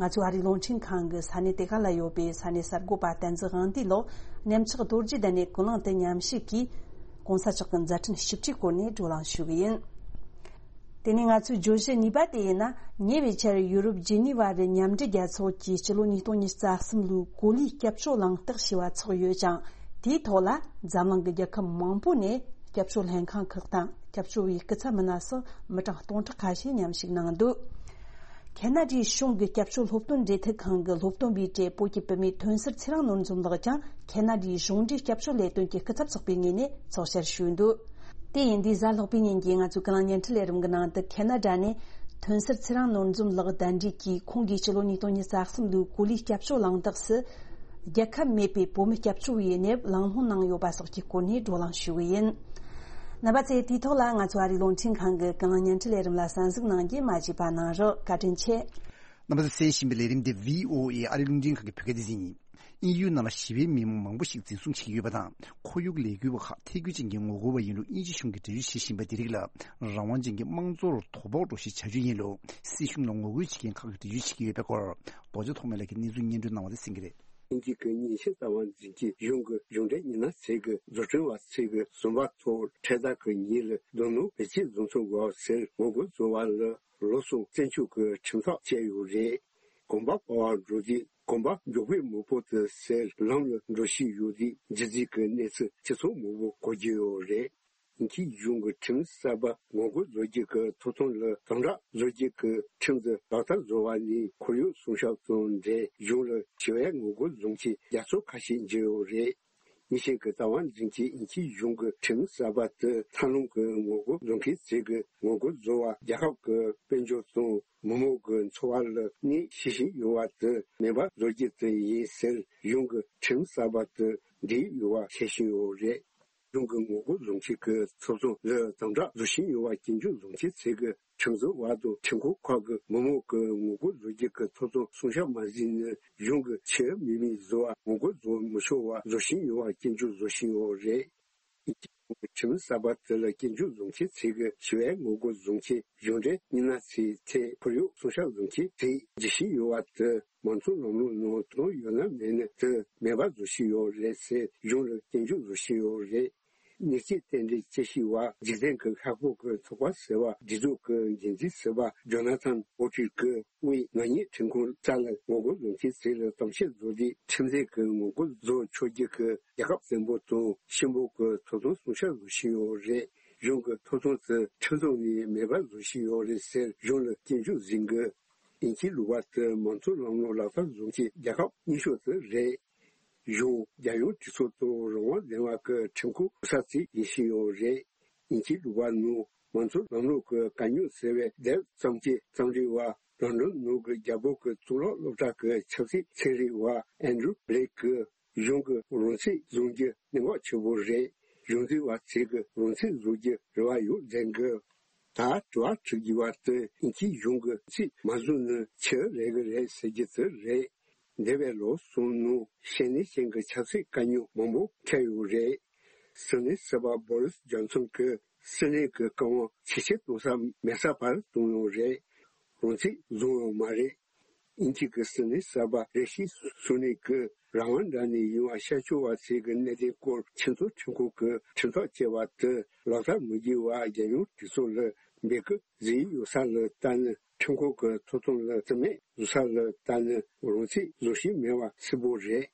ང་ཚོའི་ཨ་རིའི་རླུང་འཕྲིན་ཁང་གི་ས་གནས་དེ་ག་ལ་ཡོད་པའི་ས་གནས་གསར་འགོད་པ་བསྟན་འཛིན་དབང་འདུས་ལགས་གནས་མཆོག་རྡོ་རྗེ་གདན་ནས་ཀུན་གླེང་དུ་མཉམ་ཞུགས་ཀྱིས། གོང་ས་མཆོག་གི་མཛད་འཕྲིན་ཞིབ་ཕྲའི་སྐོར་ནས་བགྲོ་གླེང་ཞུ་གི་ཡིན། དེ་ནས་ང་ཚོའི་བརྗོད་གཞི་གཉིས་པ་དེ་ཡིན་ན། ཉེ་བའི་ཆར་ཡུ་རོབ་ཇི་ནི་ཝ་རུ་མཉམ་འབྲེལ་རྒྱལ་ཚོགས་ཀྱིས་སྤྱི་ལོ་ཉིས་སྟོང་ཉི་ཤུ་རྩ་གསུམ་ལོའི་གོ་ལའི་སྐྱབས་བཅོལ་གླེང་སྟེགས་ཞེས་པ་ཚོགས་ཡོད་ཅིང་། དེའི་ཐོག་ལ་འཛམ་གླིང་གི་རྒྱལ་ཁབ་མང་པོ་ནས་སྐྱབས་བཅོལ་ལྷན་ཁང་ཁག་དང་སྐྱབས་བཅོལ་བའི་སྐུ་ཚབ་མི་སྣ་སོགས་མི་གྲངས་སྟོང་ཕྲག་ཁ་ཤས་མཉམ་ཞུགས་གནང་འདུག་ཁེ་ན་ཌའི་གཞུང་གི་སྐྱབས་བཅོལ་སློབ་སྟོན་འབྲེལ་མཐུད་ཁང་གི་སློབ་སྟོན་པའི་གྲས་བོད་ཀྱི་བུད་མེད་ཐོན་སར་ཚེ་རིང་ནོར་འཛོམས་ལགས་ཀྱང་ཁེ་ན་ཌའི་གཞུང་འབྲེལ་སྐྱབས་བཅོལ་ལས་དོན་གྱི་སྐུ་ཚབ་ཚོགས་པའི་ངོས་ནས་ཚོགས་བཅར་ཞུས་འདུག་དེ་ཡིན་དུས་གཟའ་ལྷག་པའི་ཉིན་གྱི་ང་ཚོའི་ཀུན་གླེང་བརྙན་འཕྲིན་ལས་རིམ་གྱི་ནང་དུ་ཁེ་ན་ཌ་ནས་ཐོན་སར་ཚེ་རིང་ནོར་འཛོམས་ལགས་གདན་འདྲེན་གྱིས་ཁོང་གིས་ཕྱི་ལོ་ཉིས་སྟོང་ཉི་ཤུ་རྩ་གསུམ་ལོའི་གོ་ལའི་སྐྱབས་བཅོལ་གླེང་སྟེགས་སུ། རྒྱལ་ཁབ་མེད་པའི་བོད་མི་སྐྱབས་བཅོལ་བའི་གནས་བབ་གླེང་སློང་གནང་ཡོད་པ་སོགས་ཀྱི་སྐོར་ནས་བགྲོ་གླེང་ཞུ་གི་ཡིན། རྣམ་པ་ཚོས་དེའི་ཐོག་ལ་ང་ཚོ་ཨ་རིའི་རླུང་འཕྲིན་ཁང་གི་ཀུན་གླེང་བརྙན་འཕྲིན་ལས་རིམ་ལ་གསན་གཟིགས་གནང་རྒྱུ་མ་བརྗེད་པ་གནང་རོགས། བཀའ་དྲིན་ཆེ། རྣམ་པ་ཚོས་གསན་བཞིན་པའི་ལས་རིམ་འདི་བྷི་ཨོ་ཨེ་ཨ་རིའི་རླུང་འཕྲིན་ཁང་གི་བོད་སྐད་སྡེ་ཚན་ཡིན། དབྱིན་ཡུལ་ནང་ལ་ཞི་བའི་མི་མང་མང་པོ་ཞིག་འཛིན་བཟུང་བྱེད་ཀྱི་ཡོད་པ་དང་། ཁོར་ཡུག་ལས་འགུལ་བ་ཁག་ཐད་འགྱུར་ཅན་གྱི་ངོ་རྒོལ་བ་ཡིན་ལུགས་དབྱིན་ཇི་གཞུང་གིས་འགྲེལ་བརྗོད་བྱེད་བཞིན་པ་དེ་རིགས་ལ། རང་དབང་ཅན་གྱི་དམངས་གཙོར་དོ་ཕོག་འགྲོ་གཞི་བྱ་རྒྱུ་ཡིན་ལུགས་སྲིད་གཞུང་ལ་ངོ་རྒོལ་བྱེད་མཁན་ཁག་གིས་འགྲེལ་བརྗོད་བྱེད་ཀྱི་ཡོད་པའི་སྐོར། རྡོ་རྗེ་ཐོགས་མེད་ལགས་ཀྱིས་གནས་ཚུལ་སྙན་སྒྲོན་གནང་བ་དེ་གསན་གྱི་རེད། དབྱིན་ཇི་གི་ཉིན་ཤས་རྩ་བ་འཛིན་གྱིས་གཞུང་གི་གཞུང་འབྲེལ་ཉི་ན་ཚེས་ཀྱི་བཟོ་སྐྲུན་བ་ཚོས་ཀྱི་ཟུར་པ་ཐོག་འཕྲེད་དར་གྱི་ཉིན་ལ་རྡོ་སྣུམ་བེད་སྤྱོད་བཟོ་ཚུགས་དགོས་ཟེར་ངོ་རྒོལ་བཟོ་བ་ལ། ལོ་གསུམ་བཙོན་འཇུག་གི་ཁྲིམས་ཐག་བཅད་ཡོད་རེད། གོམ་པ་སྤོ་བར་འགྲོ་དུས་གོམ་པ་མགྱོགས་པོའི་མེ་སྤོ་དེ་ཟེར་ལམ་ལ་འགྲོ་བཞིན་ཡོད་དུས་རྗེས་འཛིན་གྱི་གནས་ཚུལ་ཆེ་ཚང་མང་པོ་གོ་རྒྱུ་ཡོད་རེད། དབྱིན་ཇིའི་གཞུང་གི་ཁྲིམས་གསར་པ་ངོ་རྒོལ་བཟོ་རྒྱུ་གི་ཐོབ་ཐང་ལ་དམ་དྲག་བཟོ་རྒྱུ་གི་ཁྲིམས་དེ་ལག་བསྟར་བཟོ་བ་ནི་ཁོར་ཡུག་སྲུང་སྐྱོབ་དང་འབྲེལ་གཞུང་ལ་ཞི་བའི་ངོ་རྒོལ་བཟོ་མཁན་རྒྱ་མཚོ་ཁ་ཤས་འབྱོར་ཡོད་རེད། ཉིན་ཤས་ཀྱི་རྩ་བ་འཛིན་གྱིས་དབྱིན་ཇིའི་གཞུང་གི་ཁྲིམས་གསར་པ་དེ་མཐའ་ལམ་གྱི་ངོ་རྒོལ་བཟོ་མཁན་ཚོས་ཀྱི་ངོ་རྒོལ་བཟོ་བ་རྒྱལ་ཁབ་ཀྱི་དཔལ་འབྱོར་དང་མི་མང་གི་འཚོ་བ་ལ་གནོད་བྱེད་བཞིན་ཡོད་པ་དེ་མེད་པར་བཟོ་རྒྱུ་དེ་ཡིན་ཟེར་གཞུང་གི་ཁྲིམས་གསར་པ་དེ་འགྲིག་ཡོད་པ་བཤད་བཞིན་ཡོད་རེད། གཞུང་གི་ངོ་རྒོལ་བཟོ་མཁན་གྱི་ཚོགས་ཆུང་ལ་དམ་དྲག་བཟོ་བཞིན་ཡོད་པ་སྐྱོན་བརྗོད་བཟོ་མཁན་ཚོས་ཀྱི་ཁྲིམས་བཟོ་བ་དང་ཁྲིམས་ཁང་ཁག་གི་མི་མང་གི་ངོ་རྒོལ་བཟོ་རྒྱུ་གི་ཐོབ་ཐང་སྲུང་སྐྱོབ་མ་བྱས་ནས་གཞུང་གི་ཆེས་མི་མི་བཟོ་བ་ངོ་རྒོལ་བཟོ་མི་ཆོག་པ་བཟོ་བཞིན་ཡོད་པ་སྐྱོན་བརྗོད་བཟོ་བཞིན་ཡོད་རེད། ཁྲིམས་གསར་པ་དེ་ལ་སྐྱོན་བརྗོད་བཟོ་མཁན་ཚོས་ཀྱི་ཞི་བའི་ངོ་རྒོལ་བཟོ་མཁན་གཞུང་འབྲེལ་ཉི་ན་ཚེས་ཐད་ཁོར་ཡུག་སྲུང་སྐྱོབ་བཟོ་མཁན་ཚོས་བརྗོད་བཞིན་ཡོད་པ་དེ་མང་གཙོ་ལམ་ལུགས་ནང་དོན་ཡོད་ན་མེད་ན་དེ་མེད་པ་བཟོ་བཞིན་ཡོད་རེད་ཟེར་གཞུང་ལ་སྐྱོན་བརྗོད་བཟོ་བཞིན་ཡོད་རེད། གནས་ཚུལ་དེ་འདྲའི་དཔྱད་ཞིབ་པ་འཇིག་རྟེན་གྱི་ཤར་ཕྱོགས་ཀྱི་ཚོགས་པ་ཟེར་བ་སྒྲིག་འཛུགས་ཀྱི་འགན་འཛིན་ཟུར་པ་ཇོ་ན་ཐན་པོ་ཊི་གིས་དབུས་ནག་ཉེས་ཁྲིམས་ཁང་རྩ་ལ་ངོ་རྒོལ་བཟོ་མཁན་ཚོ་ལ་གཏམ་བཤད་བཟོ་དུས་ཁྲིམས་འཛིན་གྱི་ངོ་རྒོལ་བཟོ་ཆོག་རྒྱུ་གི་རྒྱལ་ཁབ་བཙན་པོ་དང་ཆེན་པོ་གི་ཐོབ་ཐང་སྲུང་སྐྱོབ་བཟོ་བཞིན་ཡོད་རེད། གཞུང་གི་ཐོབ་ཐང་དེ་ཁྲིམས་ཐོག་ནས་མེད་པ་བཟོ་བཞིན་ཡོད་རེད་ཟེར་གཞུང་ལ་སྐྱོན་བརྗོད་གཟིགས་དགོས། དབྱིན་ཇིའི་ལུང་པ་དེ་མང་གཙོ་ལམ་ལུགས་ལག་བསྟར་བཟོ་མཁན་རྒྱལ་ཁབ་རྙིང་ཤོས་དེ་རེད། གཞུང་རྒྱལ་ཡོངས་གྲོས་ཚོགས་དང་རང་དབང་ལྡན་པ་གི་ཁྲིམས་ཁང་གོ་ས་ཅིག་ཡིན་བཞིན་ཡོད་རེད། དབྱིན་ཇིའི་ལུང་པ་ནང་མང་གཙོ་ལམ་ལུགས་ཀྱི་དཀའ་རྙོག་སེལ་བའི་དེབ་རྩོམ་མཁན་རྩོམ་རིག་པ་ལོན་ཌོན་ནང་གི་རྒྱལ་པོ་གི་གཙུག་ལག་སློབ་གྲྭ་གི་ཆབ་སྲིད་ཚན་རིག་པ་ཨན་ཌྲུ་བྷི་ལེག་གིས་གཞུང་གི་རང་ཚིག་བཟུང་རྒྱུ་གནད་འགག་ཆེ་པོ་རེད། གཞུང་འཛིན་པ་ཚོས་ཀྱི་རང་ཚིག་བཟུང་རྒྱུ་རེ་བ་ཡོད་ཟེར་གི། ད་དྲི་བ་དྲི་དགོས་པ་དེ་དབྱིན་ཇིའི་གཞུང་གི་ཚིག་མ་བཟུང་ནས་ཆི་རེད་གི་རེད་ཟེར་རྒྱུ་དེ་རེད། འདས་པའི་ལོ་གསུམ་ནང་ཤེས་ནས་ཤེས་ཀྱི་ཆབ་སྲིད་དཀའ་རྙོག་མང་པོ་འཕྲད་ཡོད་རེད། སྲིད་བློན་ཟུར་པ་བོ་རིས་ཇོན་སོན་གྱིས་སྲིད་བློན་གྱི་བཀའ་དབང་ཇེ་ཆེར་གཏོང་ས་མེད་ས་བར་བཏང་ཡོད་རེད། རང་ཚིག་བཟུང་ཡོད་མ་རེད། དབྱིན་ཇི་གི་སྲིད་བློན་གསར་པ་རེ་ཤི་སུ་ནེག་གིས་རང་དབང་འདྲ་ནས་ཡོང་བ་ཤར་ཕྱོགས་པ་ཚོའི་གནད་དོན་སྐོར་ཆེས་མཐོའི་ཁྲིམས་ཁང་གི་ཁྲིམས་ཐག་བཅད་པ་དེ་ལག་བསྟར་མི་དགོས་པ་རྒྱལ་ཡོངས་གྲོས་ཚོགས་ལ་འབོད་སྐུལ་བཟོས་ཡོད་ས་ལ་ལྟ་ན། ཁྲིམས་ཁང་གི་ཐོབ་ཐང་ལ་བརྩི་མེད་བཟོ་ས་ལ་ལྟ་ན་རང་ཚིག་བཟོ་བཞིན་མེད་པ་གསལ་པོ་རེད།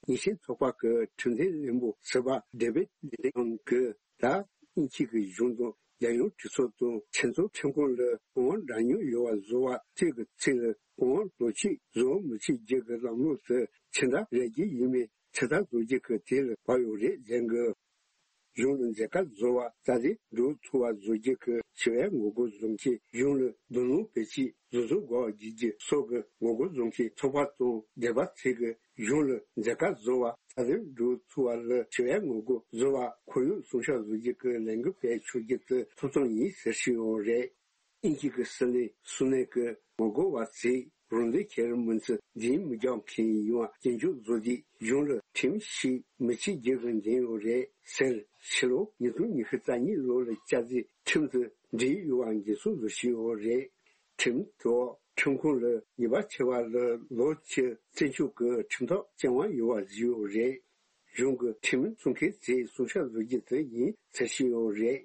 ཉེས་ཤན་ཚོགས་པ་གི་ཁྲིམས་དོན་བློན་པོ་ཟུར་པ་ཌེ་བིད་ལི་ལིང་གིས་ད་དབྱིན་ཇི་གི་གཞུང་དང་རྒྱལ་ཡོངས་གྲོས་ཚོགས་དང་ཆེས་མཐོའི་ཁྲིམས་ཁང་ལ་གུང་དབང་འདྲ་མཉམ་ཡོད་པ་བཟོ་བ་བཅས་ཀྱི་ཚིག་ལ་གུང་དབང་ལོ་གཅིག་བཟོ་མི་བྱེད་རྒྱུ་གི་ལམ་ལུགས་དེ་ཕྱི་ཟླ་རེ་བརྒྱད་ཡས་མས་ཕྱིར་ལྟ་བཟོ་རྒྱུ་གི་དུས་ལ་བབ་ཡོད་རེད་ཟེར་གི། གཞུང་ལ་མཛད་དཀའ་བཟོ་བ་རྩ་དོན་སྒྲུབ་ཐུབ་པ་བཟོ་རྒྱུ་གི་ཞི་བའི་ངོ་རྒོལ་བཟོ་མཁན། གཞུང་ལ་རྡོ་སྣུམ་བེད་སྤྱོད་བཟོ་ཚུགས་དགོས་པ་བརྒྱུད་རྒྱུ་སོགས་ཀྱི་ངོ་རྒོལ་བཟོ་མཁན་ཚོགས་པ་དང་སྡེ་པ་ཚོས་ཀྱི་གཞུང་ལ་མཛད་དཀའ་བཟོ་བ་རྩ་དོན་སྒྲུབ་ཐུབ་པ་ལ་ཞི་བའི་ངོ་རྒོལ་བཟོ་བ་ཁོར་ཡུག་སྲུང་སྐྱོབ་བཟོ་རྒྱུ་གི་ལས་འགུལ་སྤེལ་ཆོག་རྒྱུ་དེ་ཐོབ་ཐང་ཡིན་ཟེར་བཞིན་ཡོད་རེད། དབྱིན་ཇི་གི་སྲིད་བློན་སུ་ནེག་གིས་ངོ་རྒོལ་བ་ཚོས་རང་དོན་ཁྱེར་མི་ཚུལ་འཛིན་མི་རྒྱག་མཁན་ཡིན་པ་སྐྱོན་བརྗོད་བཟོ་དུས་གཞུང་ལ་ཁྲིམས་ཤིག་མི་བྱེད་རྒྱུ་གི་འགན་ཡོད་རེད་ཟེར། ཕྱི་ལོ་ཉིས་སྟོང་ཉི་ཤུ་རྩ་གཉིས་ལོ་ལ་བསྐྱར་ཟློས་ཁྲིམས་དེ་འགྲིག་ཡོད་པ་འགན་སྲུང་བཟོ་བཞིན་ཡོད་རེད། ཁྲིམས་ཐོག་ཁྲིམས་ཁང་ལ་ཉེས་པ་ཆེ་བ་ལ་ལོ་བཅུ་བཙོན་འཇུག་གི་ཁྲིམས་ཐག་བཅད་དབང་ཡོད་པ་བཟོས་ཡོད་རེད། གཞུང་གི་ཁྲིམས་སྲུང་མཁན་ཚོས་སྲུང་སྐྱོབ་བཟོ་རྒྱུ་དེ་ཡིན་ཟེར་བཞིན་ཡོད་རེད།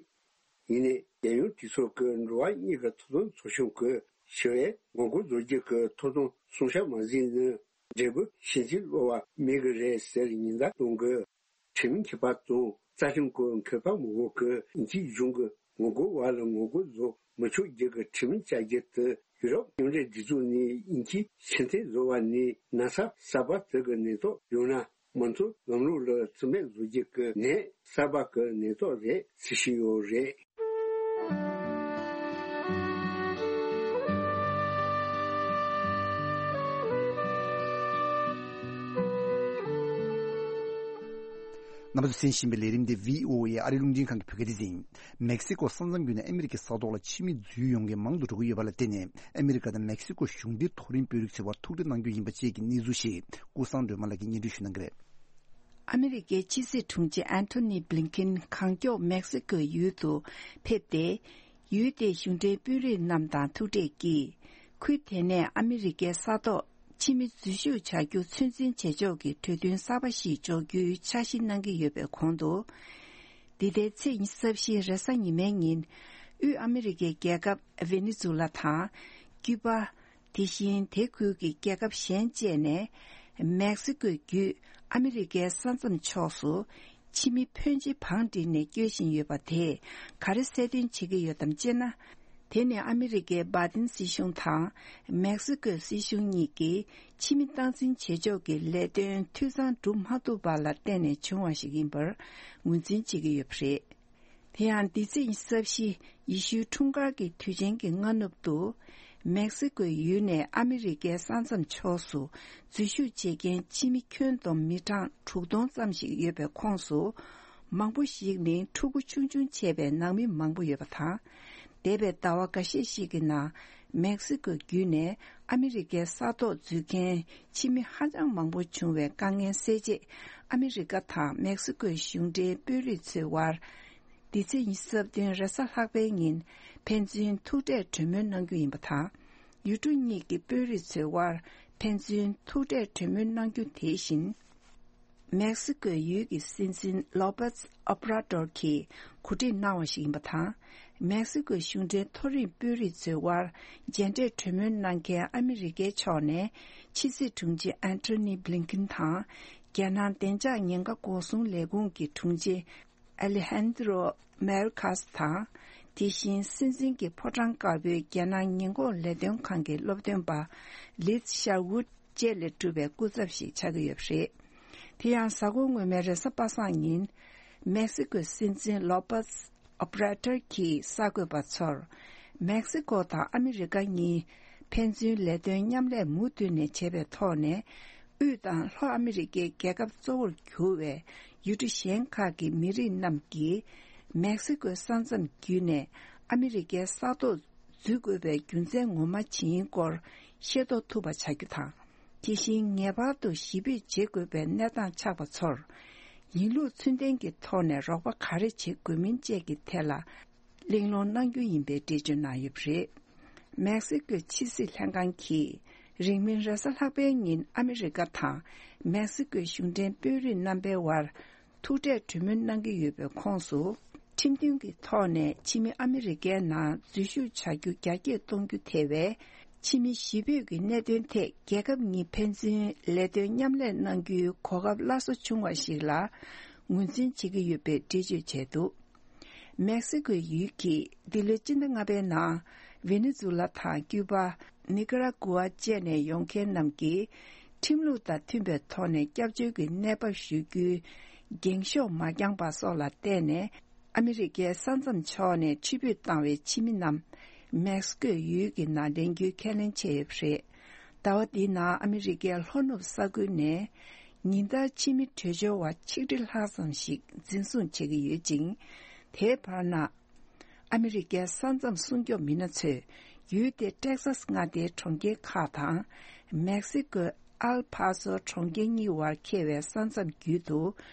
ཡིན་ནའི་རྒྱལ་ཡོངས་གྲོས་ཚོགས་ཀྱི་འགྲོ་བ་མིའི་ཐོབ་ཐང་ཚོགས་ཆུང་གིས་ཞི་བའི་ངོ་རྒོལ་བཟོ་རྒྱུ་གི་ཐོབ་ཐང་སྲུང་སྐྱོབ་མ་བྱས་ན་འབྲས་བུ་ཕྱིན་ཅི་ལོག་པ་སྨིན་གྱི་རེད་ཟེར་ཉེན་བརྡ་གཏོང་གི། ཁྲིམས་མཁས་པ་དང་རྩ་ཁྲིམས་ཀྱི་མཁས་པ་མང་པོ་གིས་དབྱིན་ཇིའི་གཞུང་གི་ངོ་རྒོལ་བ་ལ་ངོ་རྒོལ་བཟོ་མི་ཆོག་རྒྱུ་གི་ཁྲིམས་བཅའ་རྒྱུ་དེ་ཡུ་རོབ་མཉམ་འབྲེལ་སྒྲིག་འཛུགས་ནས་དབྱིན་ཇིའི་ཕྱིར་འཐེན་བཟོ་བ་ནས་ན་ཚ་གསར་པ་དེ་གི་ནད་ཐོག་ཡོང་ན། མང་གཙོ་ལམ་ལུགས་ལ་བརྩི་མེད་བཟོ་རྒྱུ་གི་ནད་གསར་པ་གི་ནད་ཐོག་རེད་ཟེར་བཞིན་ཡོད་རེད། རྣམ་པ་ཚོས་གསན་བཞིན་པའི་ལས་རིམ་དེ་བྷི་ཨོ་ཨེ་ཨ་རིའི་རླུང་འཕྲིན་ཁང་གི་བོད་སྐད་སྡེ་ཚན་ཡིན། མེག་སི་ཀོ་ས་མཚམས་བརྒྱུད་ནས་ཨ་མི་རི་ཀའི་ས་ཐོག་ལ་ཕྱི་མི་འཛུལ་ཡོང་མཁན་མང་དུ་འགྲོ་གི་ཡོད་པ་ལ་བརྟེན་ནས། ཨ་མི་རི་ཀ་དང་མེག་སི་ཀོ་གཞུང་འབྲེལ་མཐོ་རིམ་དཔོན་རིགས་ཚོའི་བར་ཐུག་འཕྲད་གནང་རྒྱུ་ཡིན་པ་བཅས་ཀྱི་གནས་ཚུལ་ཞིག་ཀུན་བཟང་སྒྲོལ་མ་ལགས་ཀྱིས་སྙན་སྒྲོན་ཞུ་གནང་གི་རེད། ཨ་མི་རི་ཀའི་ཕྱི་སྲིད་དྲུང་ཆེ་ཨན་ཐོ་ནི་བྷི་ལིན་ཁིན་གང་མགྱོགས་མེག་སི་ཀོའི་ཡུལ་དུ་ཕེབས་ཏེ། ཡུལ་དེའི་གཞུང་འབྲེལ་དཔོན་རིགས་རྣམས་དང་ཐུག་འཕྲད་ཀྱིས། ཁུལ་དེ་ནས་ཨ་མི་རི་ཀའི་ས་ཐོག་ཕྱི་མི་འཛུལ་ཞུགས་བྱ་རྒྱུ་ཚོད་འཛིན་བྱེད་ཕྱོགས་ཀྱི་གྲོས་མཐུན་གསར་པ་ཞིག་འཇོག་རྒྱུའི་འཆར་གཞི་གནང་གི་ཡོད་པའི་གོང་དུ། འདི་ཟླའི་ཚེས་ཉི་ཤུ་རྩ་བཞི་རེས་གཟའ་ཉི་མའི་ཉིན། དབུས་ཨ་མི་རི་ཀའི་རྒྱལ་ཁབ་ཝེ་ནེ་ཛུ་ལ་དང་། ཀྱུ་པ། དེ་བཞིན་དེ་ཁུལ་གྱི་རྒྱལ་ཁབ་གཞན་བཅས་ནས། མེག་སི་ཀོའི་བརྒྱུད་ཨ་མི་རི་ཀའི་ས་མཚམས་ཕྱོགས་སུ། ཕྱི་མི་ཕོན་ཆེ་བང་བསྒྲིགས་ནས་སྐྱོད་བཞིན་ཡོད་པ་དེས་ག་རེ་གསལ་སྟོན་བྱེད་ཀྱི་ཡོད་དམ་ཅེ་ན། དེ་ནི་ཨ་མི་རི་ཀའི་བྷའི་ཏིན་སྲིད་གཞུང་དང་མེག་སི་ཀོའི་སྲིད་གཞུང་གཉིས་ཀྱིས་ཕྱི་མི་སྟངས་འཛིན་བྱེད་ཕྱོགས་ཀྱི་ལས་དོན་འཐུས་ཚང་སྒྲུབ་མ་ཐུབ་པ་ལ་བརྟེན་ནས་བྱུང་བ་ཞིག་ཡིན་པར་ངོས་འཛིན་བྱེད་ཀྱི་ཡོད་པ་རེད། དེ་ཡང་འདི་ཚེས་ཉི་ཤུ་རྩ་བཞི་ཡེ་ཤུའི་འཁྲུངས་སྐར་གྱི་དུས་ཆེན་གྱི་སྔ་ནུབ་ཏུ། མེག་སི་ཀོའི་ཡུལ་ནས་ཨ་མི་རི་ཀའི་ས་མཚམས་ཕྱོགས་སུ་འཛུལ་ཞུགས་བྱེད་མཁན་ཕྱི་མི་ཁྱོན་བསྡོམས་མི་གྲངས་དྲུག་སྟོང་ཙམ་ཞིག་ཡོད་པའི་ཁོངས་སུ། མང་པོ་ཞིག་ནི་ཕྲུ་གུ་ཆུང་ཆུང་བྱས་པའི་ནང་མི་མང་པོ་ཡོད་པ་དང་། འདས་པའི་ཟླ་བ་འགའ་ཤས་ཤིག་གི་ནང་མེག་སི་ཀོའི་བརྒྱུད་ནས་ཨ་མི་རི་ཀའི་ས་ཐོག་འཛུལ་མཁན་ཕྱི་མི་ཧ་ཅང་མང་པོ་བྱུང་བའི་དཀའ་ངལ་སེལ་ཆེད། ཨ་མི་རི་ཀ་དང་མེག་སི་ཀོའི་གཞུང་འབྲེལ་དཔོན་རིགས་ཚོའི་དབར། འདི་ཚེས་ཉི་ཤུ་རྩ་བདུན་རེས་གཟའ་ལྷག་པའི་ཉིན་ཕན་ཚུན་ཐུག་འཕྲད་གྲོས་མོལ་གནང་རྒྱུ་ཡིན་པ་དང་། ཡུལ་གྲུ་གཉིས་ཀྱི་དཔོན་རིགས་ཚོའི་དབར་ཕན་ཚུན་ཐུག་འཕྲད་གྲོས་མོལ་གནང་རྒྱུ་དེ་བཞིན། མེག་སི་ཀོའི་ཡུལ་གྱི་སྲིད་འཛིན་ལོ་པེས་ཨོབ་ར་ཏོར་གྱིས་གོ་སྒྲིག་གནང་བ་ཞིག་ཡིན་པ་དང་། མེག་སི་ཀོའི་གཞུང་འབྲེལ་མཐོ་རིམ་དཔོན་རིགས་ཚོའི་དབར་མཇལ་འཕྲད་གྲོས་མོལ་གནང་མཁན་ཨ་མི་རི་ཀའི་ཕྱོགས་ནས་ཕྱི་སྲིད་དྲུང་ཆེ་ཨན་ཐོ་ནི་བྷི་ལིན་ཁིན་དང་། རྒྱལ་ནང་བདེ་འཇགས་ཉེན་ཁ་འགོག་སྲུང་ལས་ཁུངས་ཀྱི་དྲུང་ཆེ་ཨ་ལེ་ཧན་དྲོ་མེར་ཁཱས་དང་། དེ་བཞིན་སྲིད་འཛིན་གྱི་ཕོ་བྲང་དཀར་པོའི་རྒྱལ་ནང་ཉེན་འགོག་ལས་དོན་ཁང་གི་སློབ་སྟོན་པ་ལིཛ་ཤར་ཝུད་བཅས་ལས་གྲུབ་པའི་སྐུ་ཚབ་ཞིག་ཆགས་ཀྱི་ཡོད་པ་རེད། དེ་ཡང་གཟའ་འཁོར་སྔོན་མའི་རེས་གཟའ་པ་སངས་ཉིན། མེག་སི་ཀོའི་སྲིད་འཛིན་ལོ་པེས་ཨོབ་ར་ཏར་གྱིས་གསར་འགོད་པ་ཚོར། མེག་སི་ཀོ་དང་ཨ་མི་རི་ཀ་གཉིས་ཕན་ཚུན་ལས་དོན་མཉམ་ལས་མུ་མཐུད་ནས་བྱེད་པའི་ཐོག་ནས། དབུས་དང་ལྷོ་ཨ་མི་རི་ཀའི་རྒྱལ་ཁབ་གཙོ་བོར་གྱུར་བའི་ཡུལ་གྲུ་གཞན་ཁག་གི་མི་རིགས་རྣམས་ཀྱིས་མེག་སི་ཀོའི་ས་མཚམས་བརྒྱུད་ནས་ཨ་མི་རི་ཀའི་ས་ཐོག་འཛུལ་དགོས་པའི་རྒྱུ་མཚན་ངོ་མ་ཇི་ཡིན་སྐོར་ཤེས་རྟོགས་ཐུབ་པ་བྱ་རྒྱུ་དང་། དེ་བཞིན་ངེས་པར་དུ་ཞི་བདེ་བྱེད་དགོས་པའི་གནས་སྟངས་ཆགས་པ་ཚོར། ཡིན་ལུགས་ཚུལ་ལྡན་གྱི་ཐོག་ནས་རོགས་པ་ག་རེ་བྱེད་དགོས་མིན་བཅས་ཀྱི་ཐད་ལ། གླེང་སློང་གནང་རྒྱུ་ཡིན་པའི་འགྲེལ་བརྗོད་གནང་ཡོད་པ་རེད། མེག་སི་ཀོའི་ཕྱི་སྲིད་ལྷན་ཁང་གིས་རིང་མིན་རེས་གཟའ་ལྷག་པའི་ཉིན་ཨ་མི་རི་ཀ་དང་མེག་སི་ཀོའི་གཞུང་འབྲེལ་དཔོན་རིགས་རྣམ་པའི་དབར་ཐུག་འཕྲད་གྲོས་མོལ་གནང་གི་ཡོད་པའི་ཁོངས་སུ། ཁྲིམས་མཐུན་གྱི་ཐོག་ནས་ཕྱི་མི་ཨ་མི་རི་ཀའི་ནང་འཛུལ་ཞུགས་བྱ་རྒྱུ་རྒྱ་སྐྱེད་གཏོང་རྒྱུ་ཐེ་བའི་ཕྱི་མི་གཞིས་སྤོས་ཀྱི་གནད་དོན་ཐད་རྒྱལ་ཁབ་གཉིས་ཕན་ཚུན་ལས་དོན་མཉམ་ལས་གནང་རྒྱུའི་གོ་སྐབས་སླར་གསོ་བྱུང་བ་ཞིག་ལ་ངོས་འཛིན་བྱེད་ཀྱི་ཡོད་པའི་འགྲེལ་བརྗོད་བྱས་འདུག་མེག་སི་ཀོའི་ཡུལ་གྱིས་འདི་ལོའི་སྤྱི་ཟླ་ལྔ་པའི་ནང་ཝེ་ནེ་ཛུ་ལ་དང་ཀྱུ་པ། ནི་ཀ་ར་གུ་ཝ་བཅས་ནས་ཡོང་མཁན་རྣམས་ཀྱིས་ཁྲིམས་ལུགས་དང་མཐུན་པའི་ཐོག་ནས་སྐྱབས་བཅོལ་གྱི་གནས་བབ་ཞུ་རྒྱུའི་འགེངས་ཤོག་མ་བརྐྱངས་པ་སོགས་ལ་བརྟེན་ནས། ཨ་མི་རི་ཀའི་ས་མཚམས་ཕྱོགས་ནས་ཕྱིར་འབུད་བཏང་བའི་ཕྱི་མི་རྣམས་མེག་སི་ཀོའི་ཡུལ་གྱི་ནང་ལེན་རྒྱུའི་ཁས་ལེན་བྱས་ཡོད་པ་རེད། ཟླ་བ་འདིའི་ནང་ཨ་མི་རི་ཀའི་ལྷོ་ནུབ་ས་ཁུལ་ནས་ཉིན་ལྟར་ཕྱི་མི་བྲོས་བྱོལ་བ་ཆིག་ཁྲི་ལྷག་ཙམ་ཞིག་འཛིན་བཟུང་བྱེད་ཀྱི་ཡོད་ཅིང་། དེའི་བར་ན། ཨ་མི་རི་ཀའི་ས་མཚམས་སྲུང་སྐྱོབ་མི་སྣ་ཚོས་ཡུལ་དེའི་ཏེག་སཱས་མངའ་སྡེའི་གྲོང་ཁྱེར་ཁག་དང་། མེག་སི་ཀོའི་ཨལ་ཕ་སོ་གྲོང་ཁྱེར་གཉིས་བར་འཁེལ་བའི་ས་མཚམས་བརྒྱུད་དུ་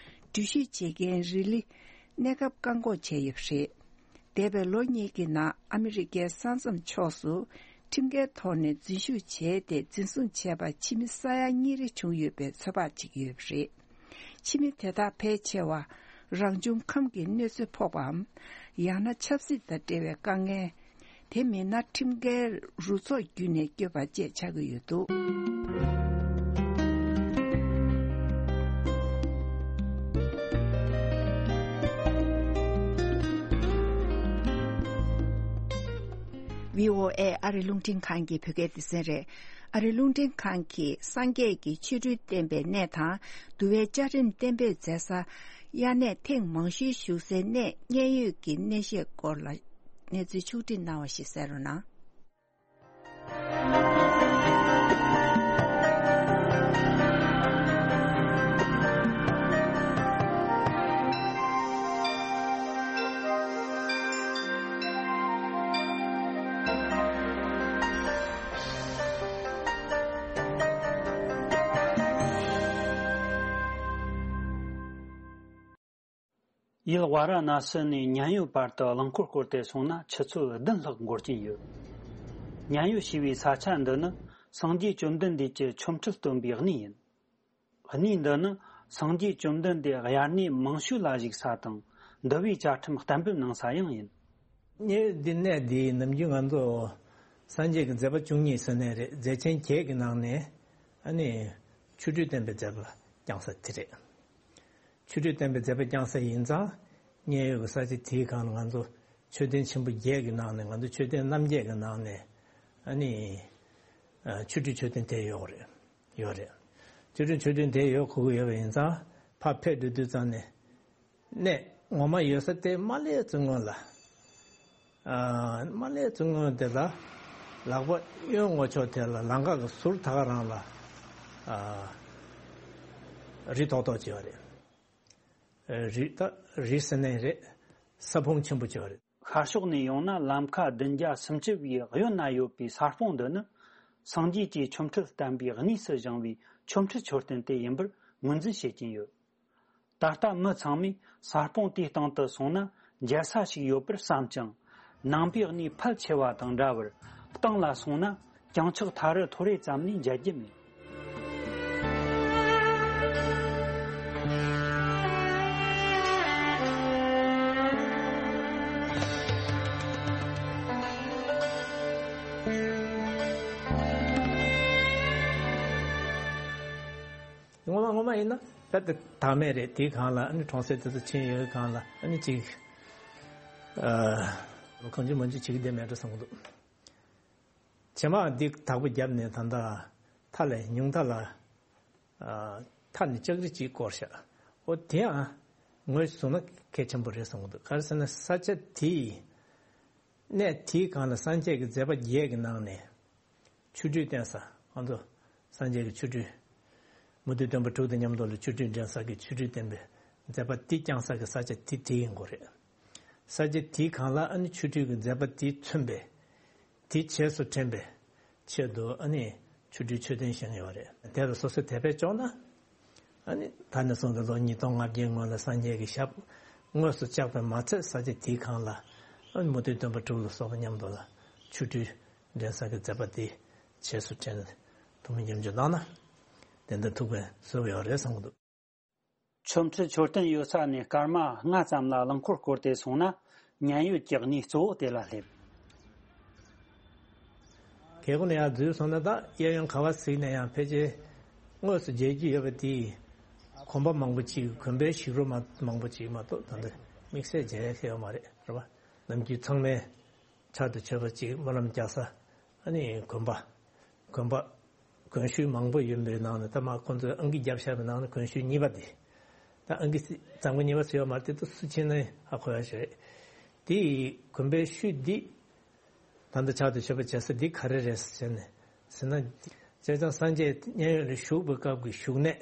འགྲུལ་བཞུད་བྱེད་མཁན་རི་ལི་གནས་སྐབས་བཀག་འགོག་བྱས་ཡོད་པ་རེད། འདས་པའི་ལོ་གཉིས་ཀྱི་ནང་ཨ་མི་རི་ཀའི་ས་མཚམས་ཕྱོགས་སུ་ཁྲིམས་འགལ་ཐོག་ནས་འཛུལ་ཞུགས་བྱས་ཏེ་འཛིན་བཟུང་བྱས་པ་ཕྱི་མི་ས་ཡ་གཉིས་རེ་བྱུང་ཡོད་པའི་ཚོད་དཔག་བྱེད་ཀྱི་ཡོད་པ་རེད། ཕྱི་མི་དེ་དག་ཕལ་ཆེ་བ་རང་བྱུང་ཁམས་ཀྱི་གནོད་འཚེ་ཕོག་པའམ། ཡང་ན་ཆབ་སྲིད་དང་འབྲེལ་བའི་དཀའ་ངལ། དེ་མིན་ན་ཁྲིམས་འགལ་རུ་ཚོགས་བརྒྱུད་ནས་བསྐྱོད་པ་བཅས་ཆགས་ཀྱི་ཡོད་འདུག་བྷི་ཨོ་ཨེ་ཨ་རི་རླུང་འཕྲིན་ཁང་གི་བོད་སྐད་སྡེ་ཚན་རེད། ཨ་རིའི་རླུང་འཕྲིན་ཁང་གིས་སངས་རྒྱས་ཀྱི་ཆོ་འཕྲུལ་བསྟན་པའི་གནས་དང་། འདུལ་བའི་བཅའ་ཁྲིམས་གཏན་འབེབས་མཛད་ས། དབྱར་གནས་ཐེངས་མང་ཤོས་བཞུགས་སའི་གནས་མཉན་ཡོད་ཀྱི་གནས་བཤད་སྐོར་ལ་གནས་ཚུལ་ཕྱོགས་སྒྲིག་གནང་བ་ཞིག་གསན་རོགས་གནང་། ཡུལ་ཝཱ་ར་ཎ་སི་ནས་མཉན་ཡོད་བར་དུ་རླངས་འཁོར་བསྐོར་ཏེ་སོང་ན་ཆུ་ཚོད་བདུན་ལྷག་འགོར་གྱིན་ཡོད། མཉན་ཡོད་ཞེས་པའི་ས་ཆ་འདི་ནི་སངས་རྒྱས་བཅོམ་ལྡན་འདས་ཀྱི་ཆོ་འཕྲུལ་སྟོན་པའི་གནས་ཡིན། གནས་འདི་ནི་སངས་རྒྱས་བཅོམ་ལྡན་འདས་དབྱར་གནས་མང་ཤོས་ལ་བཞུགས་ས་དང་འདུལ་བའི་བཅའ་ཁྲིམས་གཏན་འབེབས་གནང་ས་ཡང་ཡིན། གནས་འདི་གནས་འདིའི་ནམ་རྒྱུན་ང་ཚོ་སངས་རྒྱས་ཀྱི་མཛད་པ་བཅུ་གཉིས་ཟེར་ནས་རེད། མཛད་ཆེན་བརྒྱད་ཀྱི་ནང་ནས་ཨ་ནི་ཆོ་འཕྲུལ་སྟོན་པའི་མཛད་པ་བསྐྱངས་ས་དེ་རེད། ཆོ་འཕྲུལ་སྟོན་པའི་མཛད་པ་བསྐྱངས་ས་ཡིན་ཙང་མཉན་ཡོད་ཀྱི་ས་ཆ་དེའི་སྒང་ལ་ང་ཚོ་མཆོད་རྟེན་ཆེན་པོ་བརྒྱད་ཀྱི་ནང་ནས་ང་ཚོ་མཆོད་རྟེན་རྣམ་བརྒྱད་ཀྱི་ནང་ནས་ཨ་ནི་ཆོ་འཕྲུལ་མཆོད་རྟེན་དེ་ཡོད་རེད། ཡོད་རེད། ཆོ་འཕྲུལ་མཆོད་རྟེན་དེ་ཡོད་གོ་གི་ཡོད་པ་ཡིན་ཙང་ཕར་ཕེབས་འགྲོ་དུས་ཙང་ནས་གནས་ངོ་མ་ཡོད་ས་དེ་མ་སླེབས་ཚུན་སྔོན་ལ། ཨ། མ་སླེབས་ཚུན་སྔོན་དེ་ལ་ལག་པ་གཡོན་ངོས་ཕྱོགས་དེ་ལ་ལམ་ཁ་གི་ཟུར་ད་ག་རང་ལ། ཨ། རི་ཏོག་ཏོག་ཅིག་ཡོད་རེད། རི་ད་རི་ཟེར་ནའི་རེད། ས་ཕུང་ཆེན་པོ་ཅིག་ཡོད་རེད། ཤར་ཕྱོགས་ནས་ཡོང་ན་ལམ་ཁ་བདུན་བརྒྱ་སུམ་ཅུ་པའི་གཡོན་ན་ཡོད་པའི་ས་སྤོང་འདི་ནི་སངས་རྒྱས་ཀྱིས་ཆོ་འཕྲུལ་བསྟན་པའི་གནས་སུ་བཞེངས་པའི་ཆོ་འཕྲུལ་མཆོད་རྟེན་དེ་ཡིན་པར་ངོས་འཛིན་བྱེད་ཀྱིན་ཡོད། ད་ལྟ་མི་ཚང་མས་ས་སྤོང་དེའི་སྟེང་དུ་སོང་ན་མཇལ་ས་ཞིག་ཡོད་པར་བསམ་ཀྱང་། ནང་པའི་གནས་ཕལ་ཆེ་བ་དང་འདྲ་བར་སྟེང་ལ་སོང་ན་གྱང་ཆག་ཐ་རུ་ཐོ་རེ་ཙམ་ལས་མཇལ་རྒྱུ་མེད། ངོ་མ་ངོ་མ་ཡིན་ན་ད་ལྟ་དྭངས་མ་རེད། དེའི་སྒང་ལ་ཨ་ནི་གྲོང་གསེབ་དེ་ཚོ་ཕྱིན་ཡོད་སྒང་ལ་ཨ་ནི་ཅིག་ཨ། གང་བྱུང་མང་བྱུང་བྱེད་ཀྱི་བསྡད་མེད་འགྲོ་བསམ་གྱི་འདུག། བྱེ་མ་འདི་དག་པོ་བརྒྱབ་ནས་ད་ལྟ་མཐའ་ལ་ཉུང་མཐའ་ལ་ཨ། མཐའ་ནས་ལྕགས་རི་གཅིག་བསྐོར་བཞག། འོ་དེའང་ངོས་བཟུང་ན་གལ་ཆེན་པོ་རེད་བསམ་གྱི་འདུག། ག་རེ་ཟེར་ན་ས་ཆ་དེའི་གནས་དེའི་སྒང་ལ་སངས་རྒྱས་ཀྱི་མཛད་པ་བརྒྱད་ཀྱི་ནང་ནས། ཆོ་འཕྲུལ་བསྟན་ས། ང་ཚོ་སངས་རྒྱས་ཀྱི་ཆོ་འཕྲུལ། མུ་སྟེགས་སྟོན་པ་དྲུག་དང་མཉམ་དུ་ལ་ཆོ་འཕྲུལ་འགྲན་ས་གི་ཆོ་འཕྲུལ་བསྟན་པའི་མཛད་པ་དེ་བསྐྱངས་ས་གི་ས་ཆ་དེ་དེ་ཡིན་དགོས་རེད། ས་ཆ་དེའི་སྒང་ལ་ཨ་ནི་ཆོ་འཕྲུལ་གྱི་མཛད་པ་དེས་མཚོན་པའི་དེ་རྗེས་སུ་དྲན་པའི་ཆེད་དུ་ཨ་ནི་ཆོ་འཕྲུལ་མཆོད་རྟེན་བཞེངས་ཡོད་རེད། དེ་ལ་སོ་སོས་དད་པས་སྐྱོང་ན། ཨ་ནི་ད་ནས་བཟུང་སྟེ་ལོ་ཉིས་སྟོང་ལྔ་བརྒྱའི་སྔོན་ལ་སངས་རྒྱས་ཀྱི་ཞབས་དངོས་སུ་བཅགས་པས་མ་ཚད་ས་ཆ་དེའི་སྒང་ལ་ཨ་ནི་མུ་སྟེགས་སྟོན་པ་དྲུག་ལ་སོགས་པ་མཉམ་དུ་ལ་ཆོ་འཕྲུལ་འགྲན་ས་གི་མཛད་པ་དེ་རྗེས་སུ་དྲན་ཐུགས་སྨོན་ཉམས་འཇོག་གནང་ན་ཏན་ཏན་ཐུགས་ཕན་གསོས་ཡོད་རེད་བསམ་གྱི་འདུག། ཆོ་འཕྲུལ་མཆོད་རྟེན་ཡོད་ས་ནས་སྐར་མ་ལྔ་ཙམ་ལ་རླངས་འཁོར་བསྐོར་ཏེ་སོང་ན་མཉན་ཡོད་ཀྱི་གནས་གཙོ་བོ་དེ་ལ་སླེབས། གལ་ཀོ་ནས་ཡར་འཛུལ་སོང་ན་ད་གཡས་གཡོན་ག་བ་གཟིགས་ནས་ཡང་ཕལ་ཆེར་དངོས་སུ་མཇལ་རྒྱུ་ཡོད་པ་དེ་གོམ་པ་མང་པོ་ཅིག་གོམ་པའི་ཞིག་རོ་མ་མང་པོ་ཅིག་མ་གཏོགས་ད་འདི་དམིགས་བསལ་མཇལ་ཡ་ཡོད་མ་རེད་རེད་བ། ནམ་རྒྱུན་ཚང་མས་ཕྱག་ཏུ་མཆོད་པ་ཅིག་སྨོན་ལམ་རྒྱག་ས་ཨ་ནི་གོམ་པ། གོམ་པ། གོན་ཤུལ་མང་པོ་ཡོད་པའི་ནང་ནས་ད་མ་ཁོང་ཚོས་ཨང་ཀི་བརྒྱབ་བཞག་པའི་ནང་ནས་གོན་ཤུལ་གཉིས་པ་འདི། ད་ཨང་ཀི་སི་གཙང་པོ་གཉིས་པ་ཟེར་ཡོད་མ་རེད་དེ་ད་སུ་ཕྱིན་ན་ཧ་གོ་ཡ་ཞིག་རེད། དེ་ཡི་གོམ་པའི་ཤུལ་འདི། ད་ལྟ་ཕྱག་ཏུ་མཆོད་པ་བྱེད་ས་འདི་ག་རེ་རེད་ཟེར་ནས་ཟེར་ན། བྱས་ཙང་སངས་རྒྱས་མཉན་ཡོད་ལ་བཞུགས་པའི་སྐབས་ཀྱི་བཞུགས་གནས།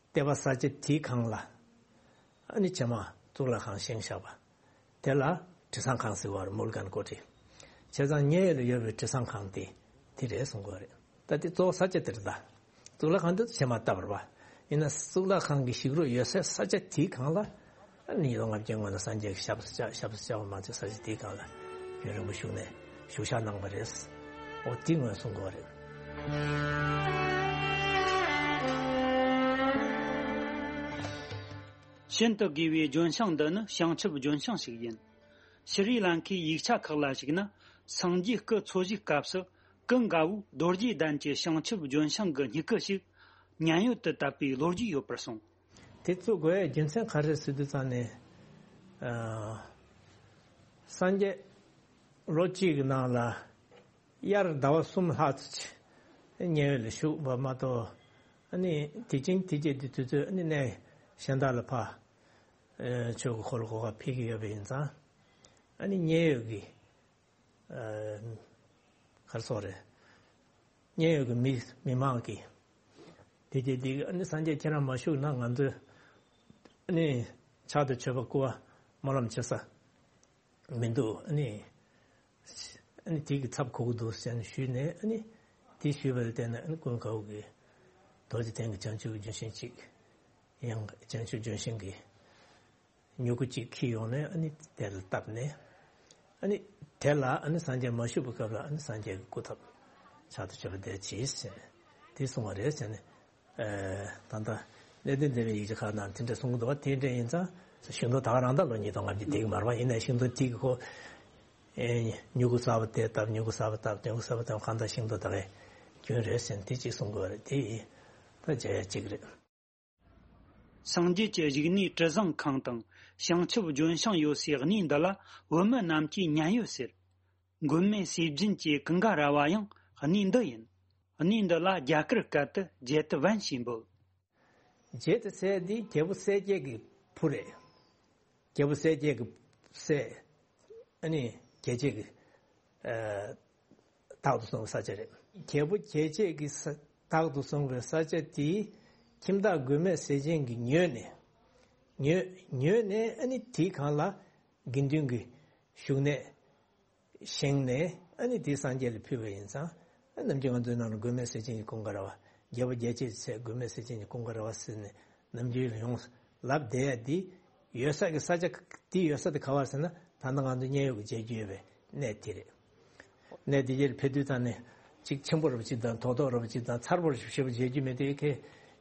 ལྟེ་བ་ས་ཆ་དེའི་སྒང་ལ། ཨ་ནི་བྱེ་མ་གཙུག་ལག་ཁང་བཞེངས་བཞག་པ། དེ་ལ་དྲི་བཟང་ཁང་ཟེར་བ་རེད། མུལ་གན་ཀོ་ཊི། བྱས་ཙང་མཉན་ཡོད་ལ་ཡོད་པའི་དྲི་བཟང་ཁང་དེ་དེ་རེད་གསུང་གི་ཡོད་རེད། ད་དེ་གཙོ་བོ་ས་ཆ་དེ་རེད་ད། གཙུག་ལག་ཁང་དེ་བྱེ་མ་བཏབ་པ་རེད་པ། ཡིན་ན་གཙུག་ལག་ཁང་གི་ཞིག་རོ་ཡོད་སའི་ས་ཆ་དེའི་སྒང་ལ། ཨ་ནི་ལོ་ལྔ་བརྒྱའི་སྔོན་ལ་སངས་རྒྱས་ཀྱི་ཞབས་སུ་བཅགས་ཞབས་སུ་བཅགས་པ་མ་ཚད་ས་ཆ་དེའི་སྒང་ལ་རྒྱུན་རིང་པོ་བཞུགས་ནས་བཞུགས་ཞག་གནང་བ་རེད། འོ་དེ་ངོས་གསུང་གི་ཡོད་རེད། ཤིན་ཏུ་དགོས་པའི་ལྗོན་ཤིང་འདི་ནི་བྱང་ཆུབ་ལྗོན་ཤིང་ཞིག་ཡིན། ཤྲི་ལང་ཀའི་ཡིག་ཆ་ཁག་ལ་གཞིགས་ན་སངས་རྒྱས་སྐུ་འཚོ་བཞུགས་སྐབས་སུ་ཀུན་དགའ་བོས་རྡོ་རྗེ་གདན་གྱི་བྱང་ཆུབ་ལྗོན་ཤིང་གི་སྨྱུ་གུ་ཞིག་མཉན་ཡོད་དུ་བཏབ་པའི་ལོ་རྒྱུས་ཡོད་པར་གསུངས། དེ་བཙུགས་དགོས་ཡའི་རྒྱུ་མཚན་ག་རེ་ཟེར་དུས་ཙང་ནས། ཨ། སངས་རྒྱས་ལོ་གཅིག་གི་ནང་ལ་དབྱར་ཟླ་བ་གསུམ་ལྷག་ཙམ་ཅིག་མཉན་ཡོད་ལ་བཞུགས་པ་མ་གཏོགས། ཨ་ནི་དེ་རྐྱེན་དེ་རྗེས་དེ་དུས་ཚོད་ཨ་ནི་གནས་གཞན་དག་ལ་ཕར་ཨ་ཆོས་ཀྱི་འཁོར་ལོ་སྒོ་ཁར་ཕེབས་ཀྱི་ཡོད་པ་ཡིན་ཙང་། ཨ་ནི་མཉན་ཡོད་ཀྱི་ཨ་ག་རེ་ཟེར་དགོས་རེད། མཉན་ཡོད་ཀྱི་མི་མི་མང་གིས་དེ་དེ་དེ་ཨ་ནི་སངས་རྒྱས་ཁྱེད་རང་མ་བཞུགས་ན་ང་ཚོས་ཨ་ནི་ཕྱག་ཏུ་མཆོད་པ་སྐུ་པར་སྨོན་ལམ་བྱེད་ས་མི་འདུག། ཨ་ནི་ཨ་ནི་དེ་གི་ཚབ་གོ་གི་འདུག་ཟེར་ནས་ཞུས་ནས། ཨ་ནི་དེ་ཞུས་པ་ལ་བརྟེན་ནས་ཨ་ནི་ཀུན་དགའ་བོ་གིས་རྡོ་རྗེ་གདན་གྱི་བྱང་ཆུབ་ཀྱི་ལྗོན་ཤིང་གཅིག་ཡང་བྱང་ཆུབ་ལྗོན་ཤིང་གི་ མྱུ་གུ་གཅིག་འཁྱེར་ཡོང་ནས་ཨ་ནི་དེ་ལ་བཏབ་ནས། ཨ་ནི་དེ་ལ་ཨ་ནི་སངས་རྒྱས་མ་བཞུགས་པའི་སྐབས་ལ་ཨ་ནི་སངས་རྒྱས་ཀྱི་སྐུ་ཐོབ་ཕྱག་ཏུ་མཆོད་པ་དེ་གྱིས་ཟེར་ནས་དེ་གསུང་བ་རེད་ཟེར་ནས། ཨེ། ད་ལྟ་གནད་དོན་འདས་པའི་ཡིག་ཆ་ཁག་ནང་དེ་འདྲ་གསུང་གི་འདུག་བ། དེ་འདྲ་ཡིན་ཙང་ཤིང་སྡོང་ད་ག་རང་ད་ལོ་ཉིས་སྟོང་ལྔ་བཅུ་དེ་གི་མར་བ་ཡིན་ནའི་ཤིང་སྡོང་དེ་གི་ཁོ། ཨེ། མྱུ་གུ་གསར་པ་དེ་བཏབ། མྱུ་གུ་གསར་པ་བཏབ། མྱུ་གུ་གསར་པ་བཏབ། གང་ལྟར་ཤིང་སྡོང་ད་གའི་རྒྱུན་རེད་ཟེར་ནས་དེ་གཅིག་གསུང་དགོས་རེད། དེ་ཡིན་ད་མཇལ་ཡ་གཅིག་རེད། སངས་རྒྱས་ཀྱི་བཞུགས་གནས་དྲི་བཟང་ཁང་དང་བྱང་ཆུབ་ལྗོན་ཤིང་ཡོད་སའི་གནས་འདི་ལ་བོད་མི་རྣམས་ཀྱིས་མཉན་ཡོད་ཟེར། མགོན་མེད་ཟས་སྦྱིན་གྱི་ཀུན་དགའ་ར་བ་ཡང་གནས་འདི་ཡིན། གནས་འདི་ལ་རྒྱ་གར་སྐད་དུ་ཇེ་ཏི་ཝན་ཞེས་འབོད། ཇེ་ཏི་ཟེར་འདི་རྒྱལ་པོ་གསལ་རྒྱལ་གྱི་བུ་རེད། རྒྱལ་པོ་གསལ་རྒྱལ་གྱི་སྲས། ཨ་ནི་རྒྱལ་བྱེད་ཀྱི། ཨ། བདག་ཏུ་བཟུང་བའི་ས་ཆ་རེད། རྒྱལ་པོ་རྒྱལ་བྱེད་ཀྱི་ས། བདག་ཏུ་བཟུང་བའི་ས་ཆ་དེའི་ཁྱིམ་བདག་མགོན་མེད་ཟས་སྦྱིན་གྱིས་ཉོས་ནས། ཉོས། ཉོས་ནས་ཨ་ནི་དེའི་སྒང་ལ་དགེ་འདུན་གྱི་བཞུགས་གནས་བཞེངས་ནས་ཨ་ནི་དེ་སངས་རྒྱས་ལ་ཕུལ་བ་ཡིན་ཙང་། ཨ། ནམ་རྒྱུན་ང་ཚོའི་ནང་ལ་མགོན་མེད་ཟས་སྦྱིན་གྱི་ཀུན་དགའ་ར་བ། རྒྱལ་པོ་རྒྱལ་བྱེད་ཀྱི་སྲས་མགོན་མེད་ཟས་སྦྱིན་གྱི་ཀུན་དགའ་ར་བ་ཟེར་ནས་ནམ་རྒྱུན་ཡོངས་ལབ་བསྡད་ཡ་འདི་ཡོད་ས་གི་ས་ཆ་འདི་ཡོད་ས་དེ་ག་བ་ཟེར་ན། ད་ལྟ་ང་ཚོ་མཉན་ཡོད་ཀྱི་མཇལ་རྒྱུ་ཡོད་པའི་གནས་དེ་རེད། གནས་དེ་གར་ཕེབས་དུས་ད་ནི་གཅིག་ཆེན་པོ་རབ་ཅིག་དང་རྡོག་རྡོག་རབ་ཅིག་དང་མཚར་པོ་རབ་ཞེ་པོ་མཇལ་རྒྱུ་མེད་དེ་ཁེ་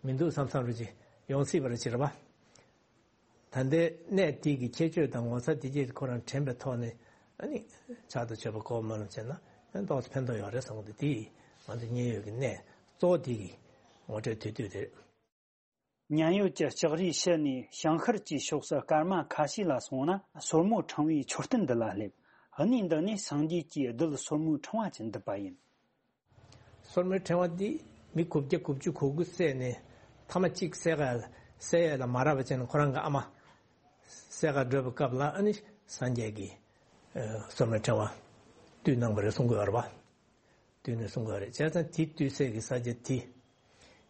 མི་འདུག་བསམ་བསམ་རབ་ཅིག་ཡོང་སྲིད་པ་རེད་ཅེས་རེད་པ། ད་ལྟའི་གནས་དེ་གི་ཁྱད་ཆོས་དང་ངོ་མཚར་དེ་གྱིས་ཁོ་རང་དྲན་པའི་ཐོག་ནས་ཨ་ནི་ཕྱག་ཏུ་མཆོད་པ་གོ་མ་ལོང་བྱས་ན་ཨ་ཏོག་ཙམ་ཕན་ཐོགས་ཡོད་རེད་བསམ་གི་འདུག་དེ་ང་ཚོ་མཉན་ཡོད་ཀྱི་གནས་གཙོ་བོ་དེ་གི་ངོ་སྤྲོད་དེ་དུས་རེད། མཉན་ཡོད་ཀྱི་ལྕགས་རིའི་ཕྱི་ནས་བྱང་ཤར་གྱི་ཕྱོགས་སུ་སྐར་མ་ཁ་ཤས་ལ་སོང་ན་སོར་མོ་ཕྲེང་བའི་མཆོད་རྟེན་འདི་ལ་སླེབས། གནས་འདི་ནས་སངས་རྒྱས་ཀྱི་རྡུལ་སོར་མོའི་ཕྲེང་བ་ཅན་འདུས་པ་ཡིན། སོར་མོའི་ཕྲེང་བ་འདི་མི་དགུ་བརྒྱ་དགུ་བཅུ་གོ་དགུ་བསད་ནས་ཐ་མ་གཅིག་བསད་ག་བསད་ཡས་ལ་མ་རག་པ་བྱས་ནས་ཁོ་རང་གི་ཨ་མ་བསད་ག་འགྲོ་བའི་སྐབས་ལ་ཨ་ནི་སངས་རྒྱས་ཀྱིས་ཨ་སོར་མོའི་ཕྲེང་བ་བཏུལ་གནང་བ་རེད་གསུང་གི་ཡོད་རེད་པ། བཏུལ་ནས་གསུང་གི་ཡོད་རེད། བྱས་ཙང་དེ་བཏུལ་སའི་གི་ས་ཆ་དེ་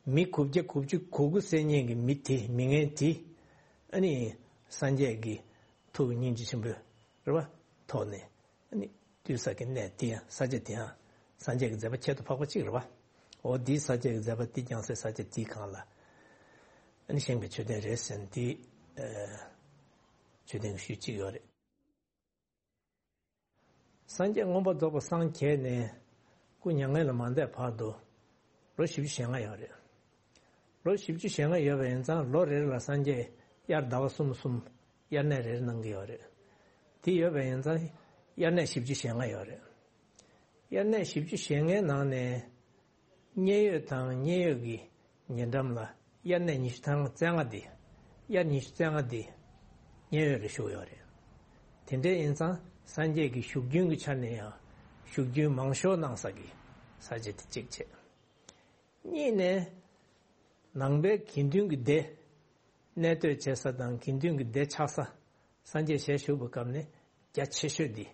མི་དགུ་བརྒྱ་དགུ་བཅུ་གོ་དགུ་བསད་མཁན་གྱི་མི་དེ་མི་ངན་དེ་ཨ་ནི་སངས་རྒྱས་ཀྱི་ཐུགས་སྙིང་རྗེ་ཆེན་པོའི་རེད་པ་ཐོག་ནས། ཨ་ནི་བཏུལ་ས་གི་གནས་དེ་ཡང་ས་ཆ་དེ་ཡང་སངས་རྒྱས་ཀྱི་མཛད་པ་ཁྱད་དུ་འཕགས་པ་གཅིག་རེད་པ། འོ་འདིའི་སངས་རྒྱས་ཀྱི་མཛད་པ་འདི་བསྐྱངས་སའི་ས་ཆ་དེའི་སྒང་ལ་ཨ་ནི་བཞེངས་པའི་མཆོད་རྟེན་རེད་ཟེར་ནས་འདི་ཨ་མཆོད་རྟེན་གྱི་ཤུལ་གཅིག་ཡོད་རེད། སངས་རྒྱས་མངོན་པར་རྫོགས་པར་སངས་རྒྱས་ནས་སྐུ་མྱ་ངན་ལས་མ་འདས་བར་དུ་ལོ་བཞི་བཅུ་ཞེ་ལྔ་ཡོད་རེད། ལོ་བཞི་བཅུ་ཞེ་ལྔ་ཡོད་པ་ཡིན་ཙང་ལོ་རེ་རེ་ལ་སངས་རྒྱས་དབྱར་ཟླ་བ་གསུམ་གསུམ་དབྱར་གནས་རེ་རེ་གནང་གི་ཡོད་རེད། དེ་ཡོད་པ་ཡིན་ཙང་དབྱར་གནས་བཞི་བཅུ་ཞེ་ལྔ་ཡོད་རེད། དབྱར་གནས་བཞི་བཅུ་ཞེ་ལྔའི་ནང་ནས་མཉན་ཡོད་དང་མཉན་ཡོད་ཀྱི་ཉེ་འགྲམ་ལ་དབྱར་གནས་ཉི་ཤུ་རྩ་ལྔ་དེ། དབྱར་ཉི་ཤུ་རྩ་ལྔ་དེ་མཉན་ཡོད་ལ་བཞུགས་ཡོད་རེད། དེ་འདྲ་ཡིན་ཙང་སངས་རྒྱས་ཀྱི་བཞུགས་རྒྱུན་གྱི་ཆ་ནས་ཡང་བཞུགས་རྒྱུན་མང་ཤོས་གནང་ས་གི་ས་ཆ་དེ་གཅིག་བྱས། གཉིས་ནས་ནང་པའི་དགེ་འདུན་གྱི་སྡེ་གནས་སྡོད་བྱེད་ས་དང་དགེ་འདུན་གྱི་སྡེ་ཆགས་ས། སངས་རྒྱས་ཞལ་བཞུགས་པའི་སྐབས་ནས་རྒྱ་ཆེ་ཤོས་འདི་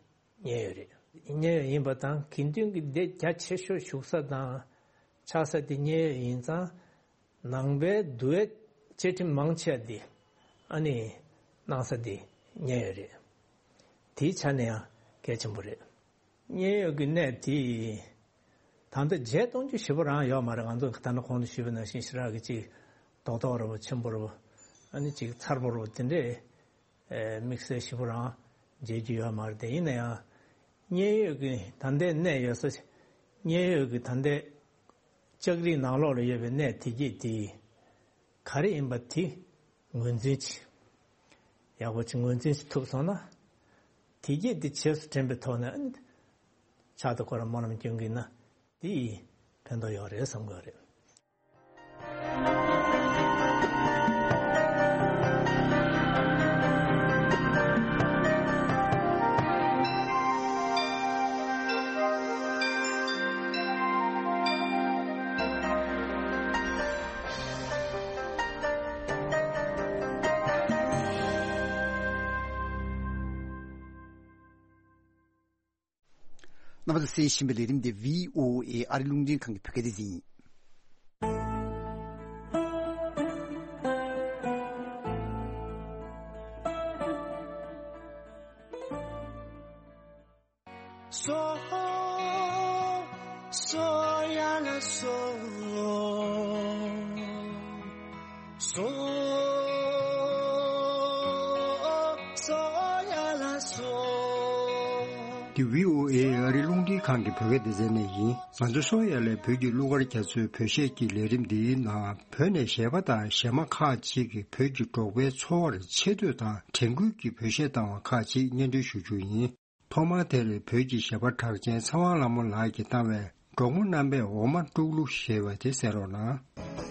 མཉན་ཡོད་རེད། མཉན་ཡོད་ཡིན་པ་དང་དགེ་འདུན་གྱི་སྡེ་རྒྱ་ཆེ་ཤོས་བཞུགས་ས་དང་ཆགས་ས་དེ་མཉན་ཡོད་ཡིན་ཙང་། ནང་པའི་འདུལ་བའི་བཅའ་ཁྲིམས་མང་ཆེ་བ་འདི་ཨ་ནི་གནང་ས་འདི་མཉན་ཡོད་རེད། དེའི་ཆ་ནས་ཡང་གལ་ཆེན་པོ་རེད། མཉན་ཡོད་ཀྱི་གནས་དེ་ད་ལྟ་བརྗེད་གཏོང་རྒྱུ་ཞེ་པོ་རང་ཡོད་མ་རེད། ང་ཚོ་ད་ནི་གོང་དུ་ཞུས་པ་ནང་བཞིན་ཞེ་དྲག་གི་ཅིག་རྡོག་རྡོག་རེ་བོ་ཆེན་པོ་རེ་བོ་ཨ་ནི་ཅིག་མཚར་པོ་རེ་བོ་དེ་འདྲས་ཨེ་དམིགས་བསལ་ཞེ་པོ་རང་མཇལ་རྒྱུ་ཡོད་མ་རེད། དེ་ཡིན་ན་ཡང་མཉན་ཡོད་ཀྱི་ད་ལྟའི་གནས་ཡོད་ས། མཉན་ཡོད་ཀྱི་ད་ལྟའི་ལྕགས་རིའི་ནང་ལོགས་ལ་ཡོད་པའི་གནས་དེ་གྱད་དེ་ག་རེ་ཡིན་པ་དེ་ངོས་འཛིན་བྱེད། ཡག་པོ་ཅིག་ངོས་འཛིན་བྱེད་ཐུབ་སོང་ན། དེ་གྱད་དེ་རྗེས་སུ་དྲན་པའི་ཐོག་ནས་ཨ་ནི་ཕྱག་ཏུ་ཁོ་རང་སྨོན་ལམ་སྐྱོན་གྱི་ན་དེ་ཡིས་ཕན་ཐོགས་ཡོད་རེད་བསམ་གྱི་ཡོད་རེད། རྣམ་པ་ཚོས་གསན་བཞིན་པའི་ལས་རིམ་འདི་བྷི་ཨོ་ཨེ་ཨ་རི་རླུང་འཕྲིན་ཁང་གི་བོད་སྐད་སྡེ་ཚན་ཡིན། སོ་སོ་ཡ་ལ་སོ་སོ། བྷི་ཨོ་ཨེ་ཨ་རིའི་རླུང་འཕྲིན་ཁང་གི་བོད་སྐད་སྡེ་ཚན་ནས་ཡིན། ང་ཚོ་སོང་ཡ་ལས་བོད་ཀྱི་གླུ་གར་རྒྱ་མཚོའི་བོད་གཞས་ཀྱི་ལས་རིམ་འདིའི་ནང་བོད་ནས་གཞས་པ་དང་གཞས་མ་ཁག་ཅིག་གིས་བོད་ཀྱི་འབྲོག་པའི་འཚོ་བར་ཆེ་བསྟོད་དང་དྲན་སྐུལ་གྱི་བོད་གཞས་བཏང་བ་ཁག་ཅིག་སྙན་སྒྲོན་ཞུ་རྒྱུ་ཡིན། ཐོག་མར་དེར་བོད་ཀྱི་གཞས་པ་གྲགས་ཅན་ཚེ་དབང་ལྷ་མོ་ལགས་ཀྱིས་བཏང་བའི་འབྲོག་མོ་རྣམ་པས་འོ་མ་དཀྲུག་གླུ་ཞེས་པ་དེ་གསན་རོགས་གནང་།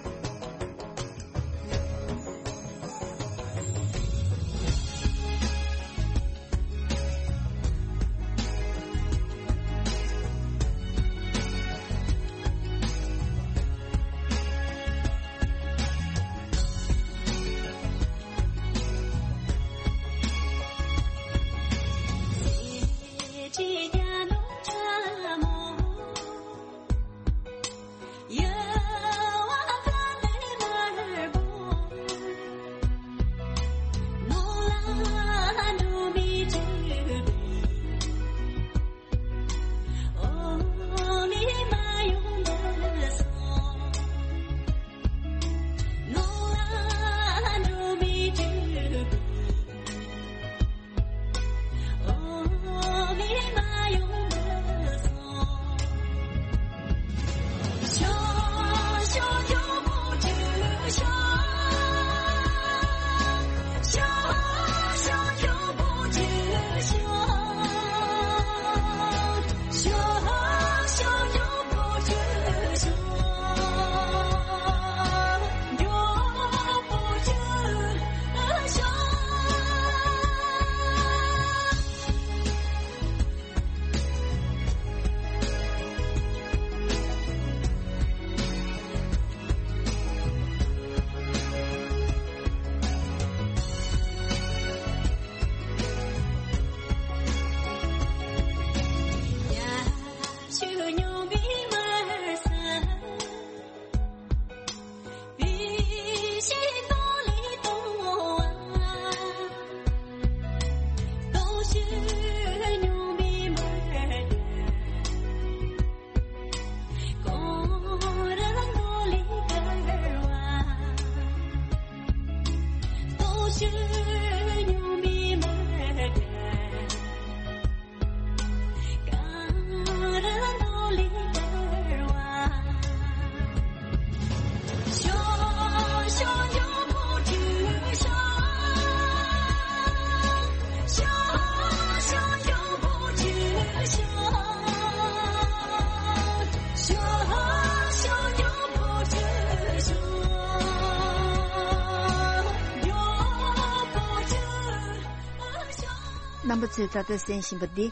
རྣམ་པ་ཚོས་ད་ལྟ་གསན་བཞིན་པ་འདི་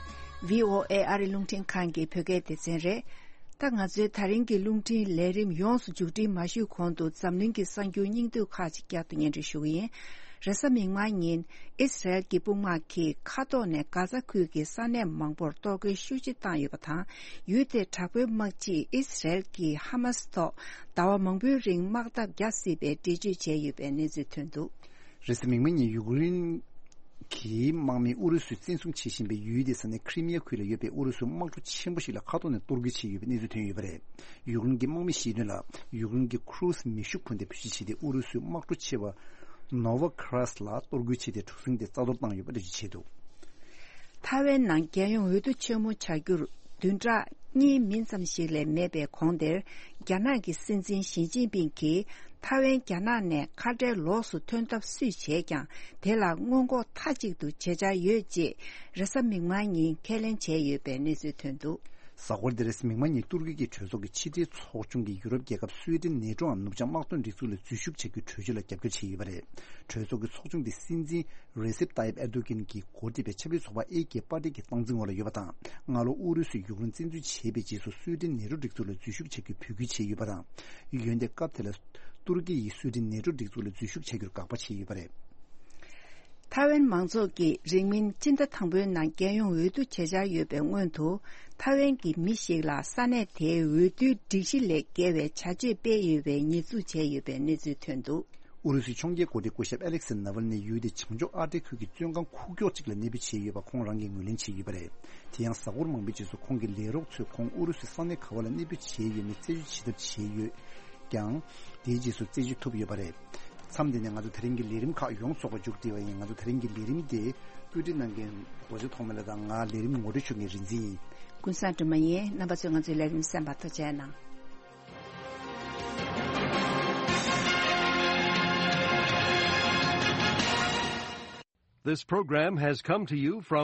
བྷི་ཨོ་ཨེ་ཨ་རི་རླུང་འཕྲིན་ཁང་གི་བོད་སྐད་སྡེ་ཚན་རེད། ད་ང་ཚོའི་ད་རིང་གི་རླུང་འཕྲིན་ལས་རིམ་ཡོངས་སུ་མཇུག་སྒྲིལ་མ་ཞུས་གོང་དུ་འཛམ་གླིང་གི་གསར་འགྱུར་སྙིང་བསྡུས་ཁག་ཅིག་བསྐྱར་དུ་སྙན་སྒྲོན་ཞུ་གི་ཡིན། རེས་གཟའ་མིག་དམར་ཉིན་ཨི་སི་རལ་གྱི་དཔུང་དམག་གིས་མཁའ་ཐོག་ནས་གྷ་ཛ་ཁུལ་གྱི་ས་གནས་མང་པོར་གཏོར་རྒོལ་ཤུགས་ཆེ་བཏང་ཡོད་པ་དང་། ཡུལ་དེའི་དྲག་པོའི་དམག་སྤྱིས་ཨི་སི་རལ་གྱིས་ཧ་མ་སི་ཐོག་ཟླ་བ་མང་པོའི་རིང་དམག་འཐབ་རྒྱག་སྲིད་པའི་འགྲེལ་བརྗོད་བྱས་ཡོད་པའི་གནས་ཚུལ་ཐོན་འདུག། རེས་གཟའ་མིག་དམར་ཉིན་ཡུཀ་རེན་གྱི་དམག་མིས་ཨུ་རུ་སུས་བཙན་བཟུང་བྱེད་བཞིན་པའི་ཡུལ་དེའི་ས་གནས་ཁི་རི་མི་ཡ་ཁུལ་ལ་ཡོད་པའི་ཨུ་རུ་སུའི་དམག་གྲུ་ཆེན་པོ་ཞིག་ལ་མཁའ་ཐོག་ནས་གཏོར་རྒོལ་བྱས་ཡོད་པའི་གནས་ཚུལ་ཐོན་ཡོད་པ་རེད། ཡུཀ་རེན་གྱི་དམག་མིས་བཤད་དོན་ལ། ཡུཀ་རེན་གྱི་ཁུ་རུ་སི་མེ་ཤུགས་འཕུར་མདེལ་བེད་སྤྱོད་བྱས་ཏེ་ཨུ་རུ་སུའི་དམག་གྲུ་ཆེ་བ་ནོ་ཝ་ཁ་ར་སི་ལ་གཏོར་རྒོལ་བྱས་ཏེ་གྲུ་གཟིངས་དེ་རྩ་གཏོར་བཏང་ཡོད་པ་འགྲེལ་བརྗོད་བྱས་འདུག། ཐའེ་ཝན་ནང་རྒྱལ་ཡོངས་འོས་བསྡུ་ཆེན་མོ་བྱ་རྒྱུར་བདུན་ཕྲག་གཉིས་མིན་ཙམ་ཞིག་ལས་མེད་པའི་གོང་དེར། རྒྱ་ནག་གི་སྲིད་འཛིན་ཞི་ཅིན་ཕིང་གིས་ཐའེ་ཝན་རྒྱ་ནག་ནས་ཁ་བྲལ་ལོགས་སུ་ཐོན་ཐབས་སུས་བྱས་ཀྱང་། དེ་ལ་སྔོན་འགོག་མཐའ་གཅིག་ཏུ་བྱེད་འཆར་ཡོད་ཅེས་རེས་གཟའ་མིག་དམར་ཉིན་ཁས་ལེན་བྱས་ཡོད་པའི་གནས་ཚུལ་ཐོན་འདུག། གཟའ་འཁོར་འདིར་མིག་དམར་ཉིན་ཏུར་ཀི་གི་གྲོས་ཚོགས་ཀྱི་ཕྱི་འབྲེལ་ཚོགས་ཆུང་གིས་ཡུ་རོབ་རྒྱལ་ཁབ་སུའེ་ཏེན་ནེ་ཀྲོའམ་ནུབ་བྱང་དམག་དོན་སྒྲིག་འཛུགས་ལ་འཛུལ་ཞུགས་བྱ་རྒྱུའི་གྲོས་ཆོད་ལ་རྒྱབ་སྐྱོར་བྱས་ཡོད་པ་རེད། གྲོས་ཚོགས་ཀྱི་ཚོགས་ཆུང་དེ་སྲིད་འཛིན་རེ་སེབ་ཏཱ་ཡིབ་ཨེར་དོ་གྷན་གྱིས་འགོ་ཁྲིད་པའི་ཆབ་སྲིད་ཚོགས་པ་ཨེ་ཀེ་པར་ཏི་གི་སྟངས་འཛིན་འོག་ལ་ཡོད་པ་དང་། སྔ་ལོ་ཨུ་རུ་སུས་ཡུཀ་རེན་བཙན་འཛུལ་བྱས་པའི་རྗེས་སུ་སུའེ་ཏེན་ནེ་ཀྲོ་སྒྲིག་འཛུགས་ལ་འཛུལ་ཞུགས་བྱ་རྒྱུའི་འབོད་སྐུལ་བྱས་ཡོད་པ་དང་། འོན་ཏེ་སྐབས་དེ་ལ་ཏུར་ཀི་ཡིས་སུའེ་ཏེན་ནེ་ཀྲོ་སྒྲིག་འཛུགས་ལ་འཛུལ་ཞུགས་བྱ་རྒྱུར་དགག་པ་བྱས་ཡོད་པ་རེད། ཐའེ་ཝན་མང་ཚོགས་ཀྱིས་རིང་མིན་སྤྱི་ཟླ་དང་པོའི་ནང་རྒྱལ་ཡོངས་འོས་བསྡུ་བྱེད་འཆར་ཡོད་པའི་སྔོན་དུ། ཐའེ་ཝན་གྱི་མི་ཞིག་ལ་ས་གནས་དེའི་འོས་བསྡུའི་སྒྲིག་གཞི་ལས་འགལ་བའི་བྱ་སྤྱོད་སྤེལ་ཡོད་པའི་ཉེས་འཛུགས་བྱས་ཡོད་པའི་གནས་ཚུལ་ཐོན་འདུག། ཨུ་རུ་སུའི་ཕྱོགས་འགལ་འགོ་ཁྲིད་སྐུ་ཞབས་ཨ་ལེག་སི་ནཱ་ཝལ་ནི་ཡུལ་དེའི་བྱང་ཕྱོགས་ཨར་ཏིག་ཁུལ་གྱི་བཙོན་ཁང་ཁུག་ཀྱོག་ཅིག་ལ་གནས་སྤོས་བྱས་ཡོད་པ་ཁོང་རང་གིས་ངོས་ལེན་བྱས་ཡོད་པ་རེད། དེ་ཡང་གཟའ་འཁོར་མང་པོའི་རྗེས་སུ་ཁོང་གི་ལས་རོགས་ཚོས་ཁོང་ཨུ་རུ་སུའི་ས་གནས་ག་བ་ལ་གནས་སྤོས་བྱས་ཡོད་མེད་རྩད་གཅོད་བྱེད་ཐབས་བྱས་ཡོད་ཀྱང་། དེའི་རྗེས་སུ་རྩད་གཅོད་ཐུབ་ཡོད་པ་རེད། མཚམས་འདི་ནས་ང་ཚོ་དེ་རིང་གི་ལས་རིམ་ཁག་ཡོངས་རྫོགས་པ་མཇུག་སྒྲིལ་བ་ཡིན། ང་ཚོ་དེ་རིང་གི་ལས་རིམ་དེ་ བཀོད་སྒྲིག་གནང་མཁན་རྡོ་རྗེ་ཐོགས་མེད་ལགས་དང་ང་ལས་རིམ་ངོ་སྤྲོད་ཞུ་མཁན་རིག་འཛིན་ཡིན། ཀུན་བཟང་སྒྲོལ་མ་ཡིན། རྣམ་པ་ཚོས་ང་ཚོའི་ལས་རིམ་གསན་པར་ཐུགས་རྗེ་གནང་། This program has come to you from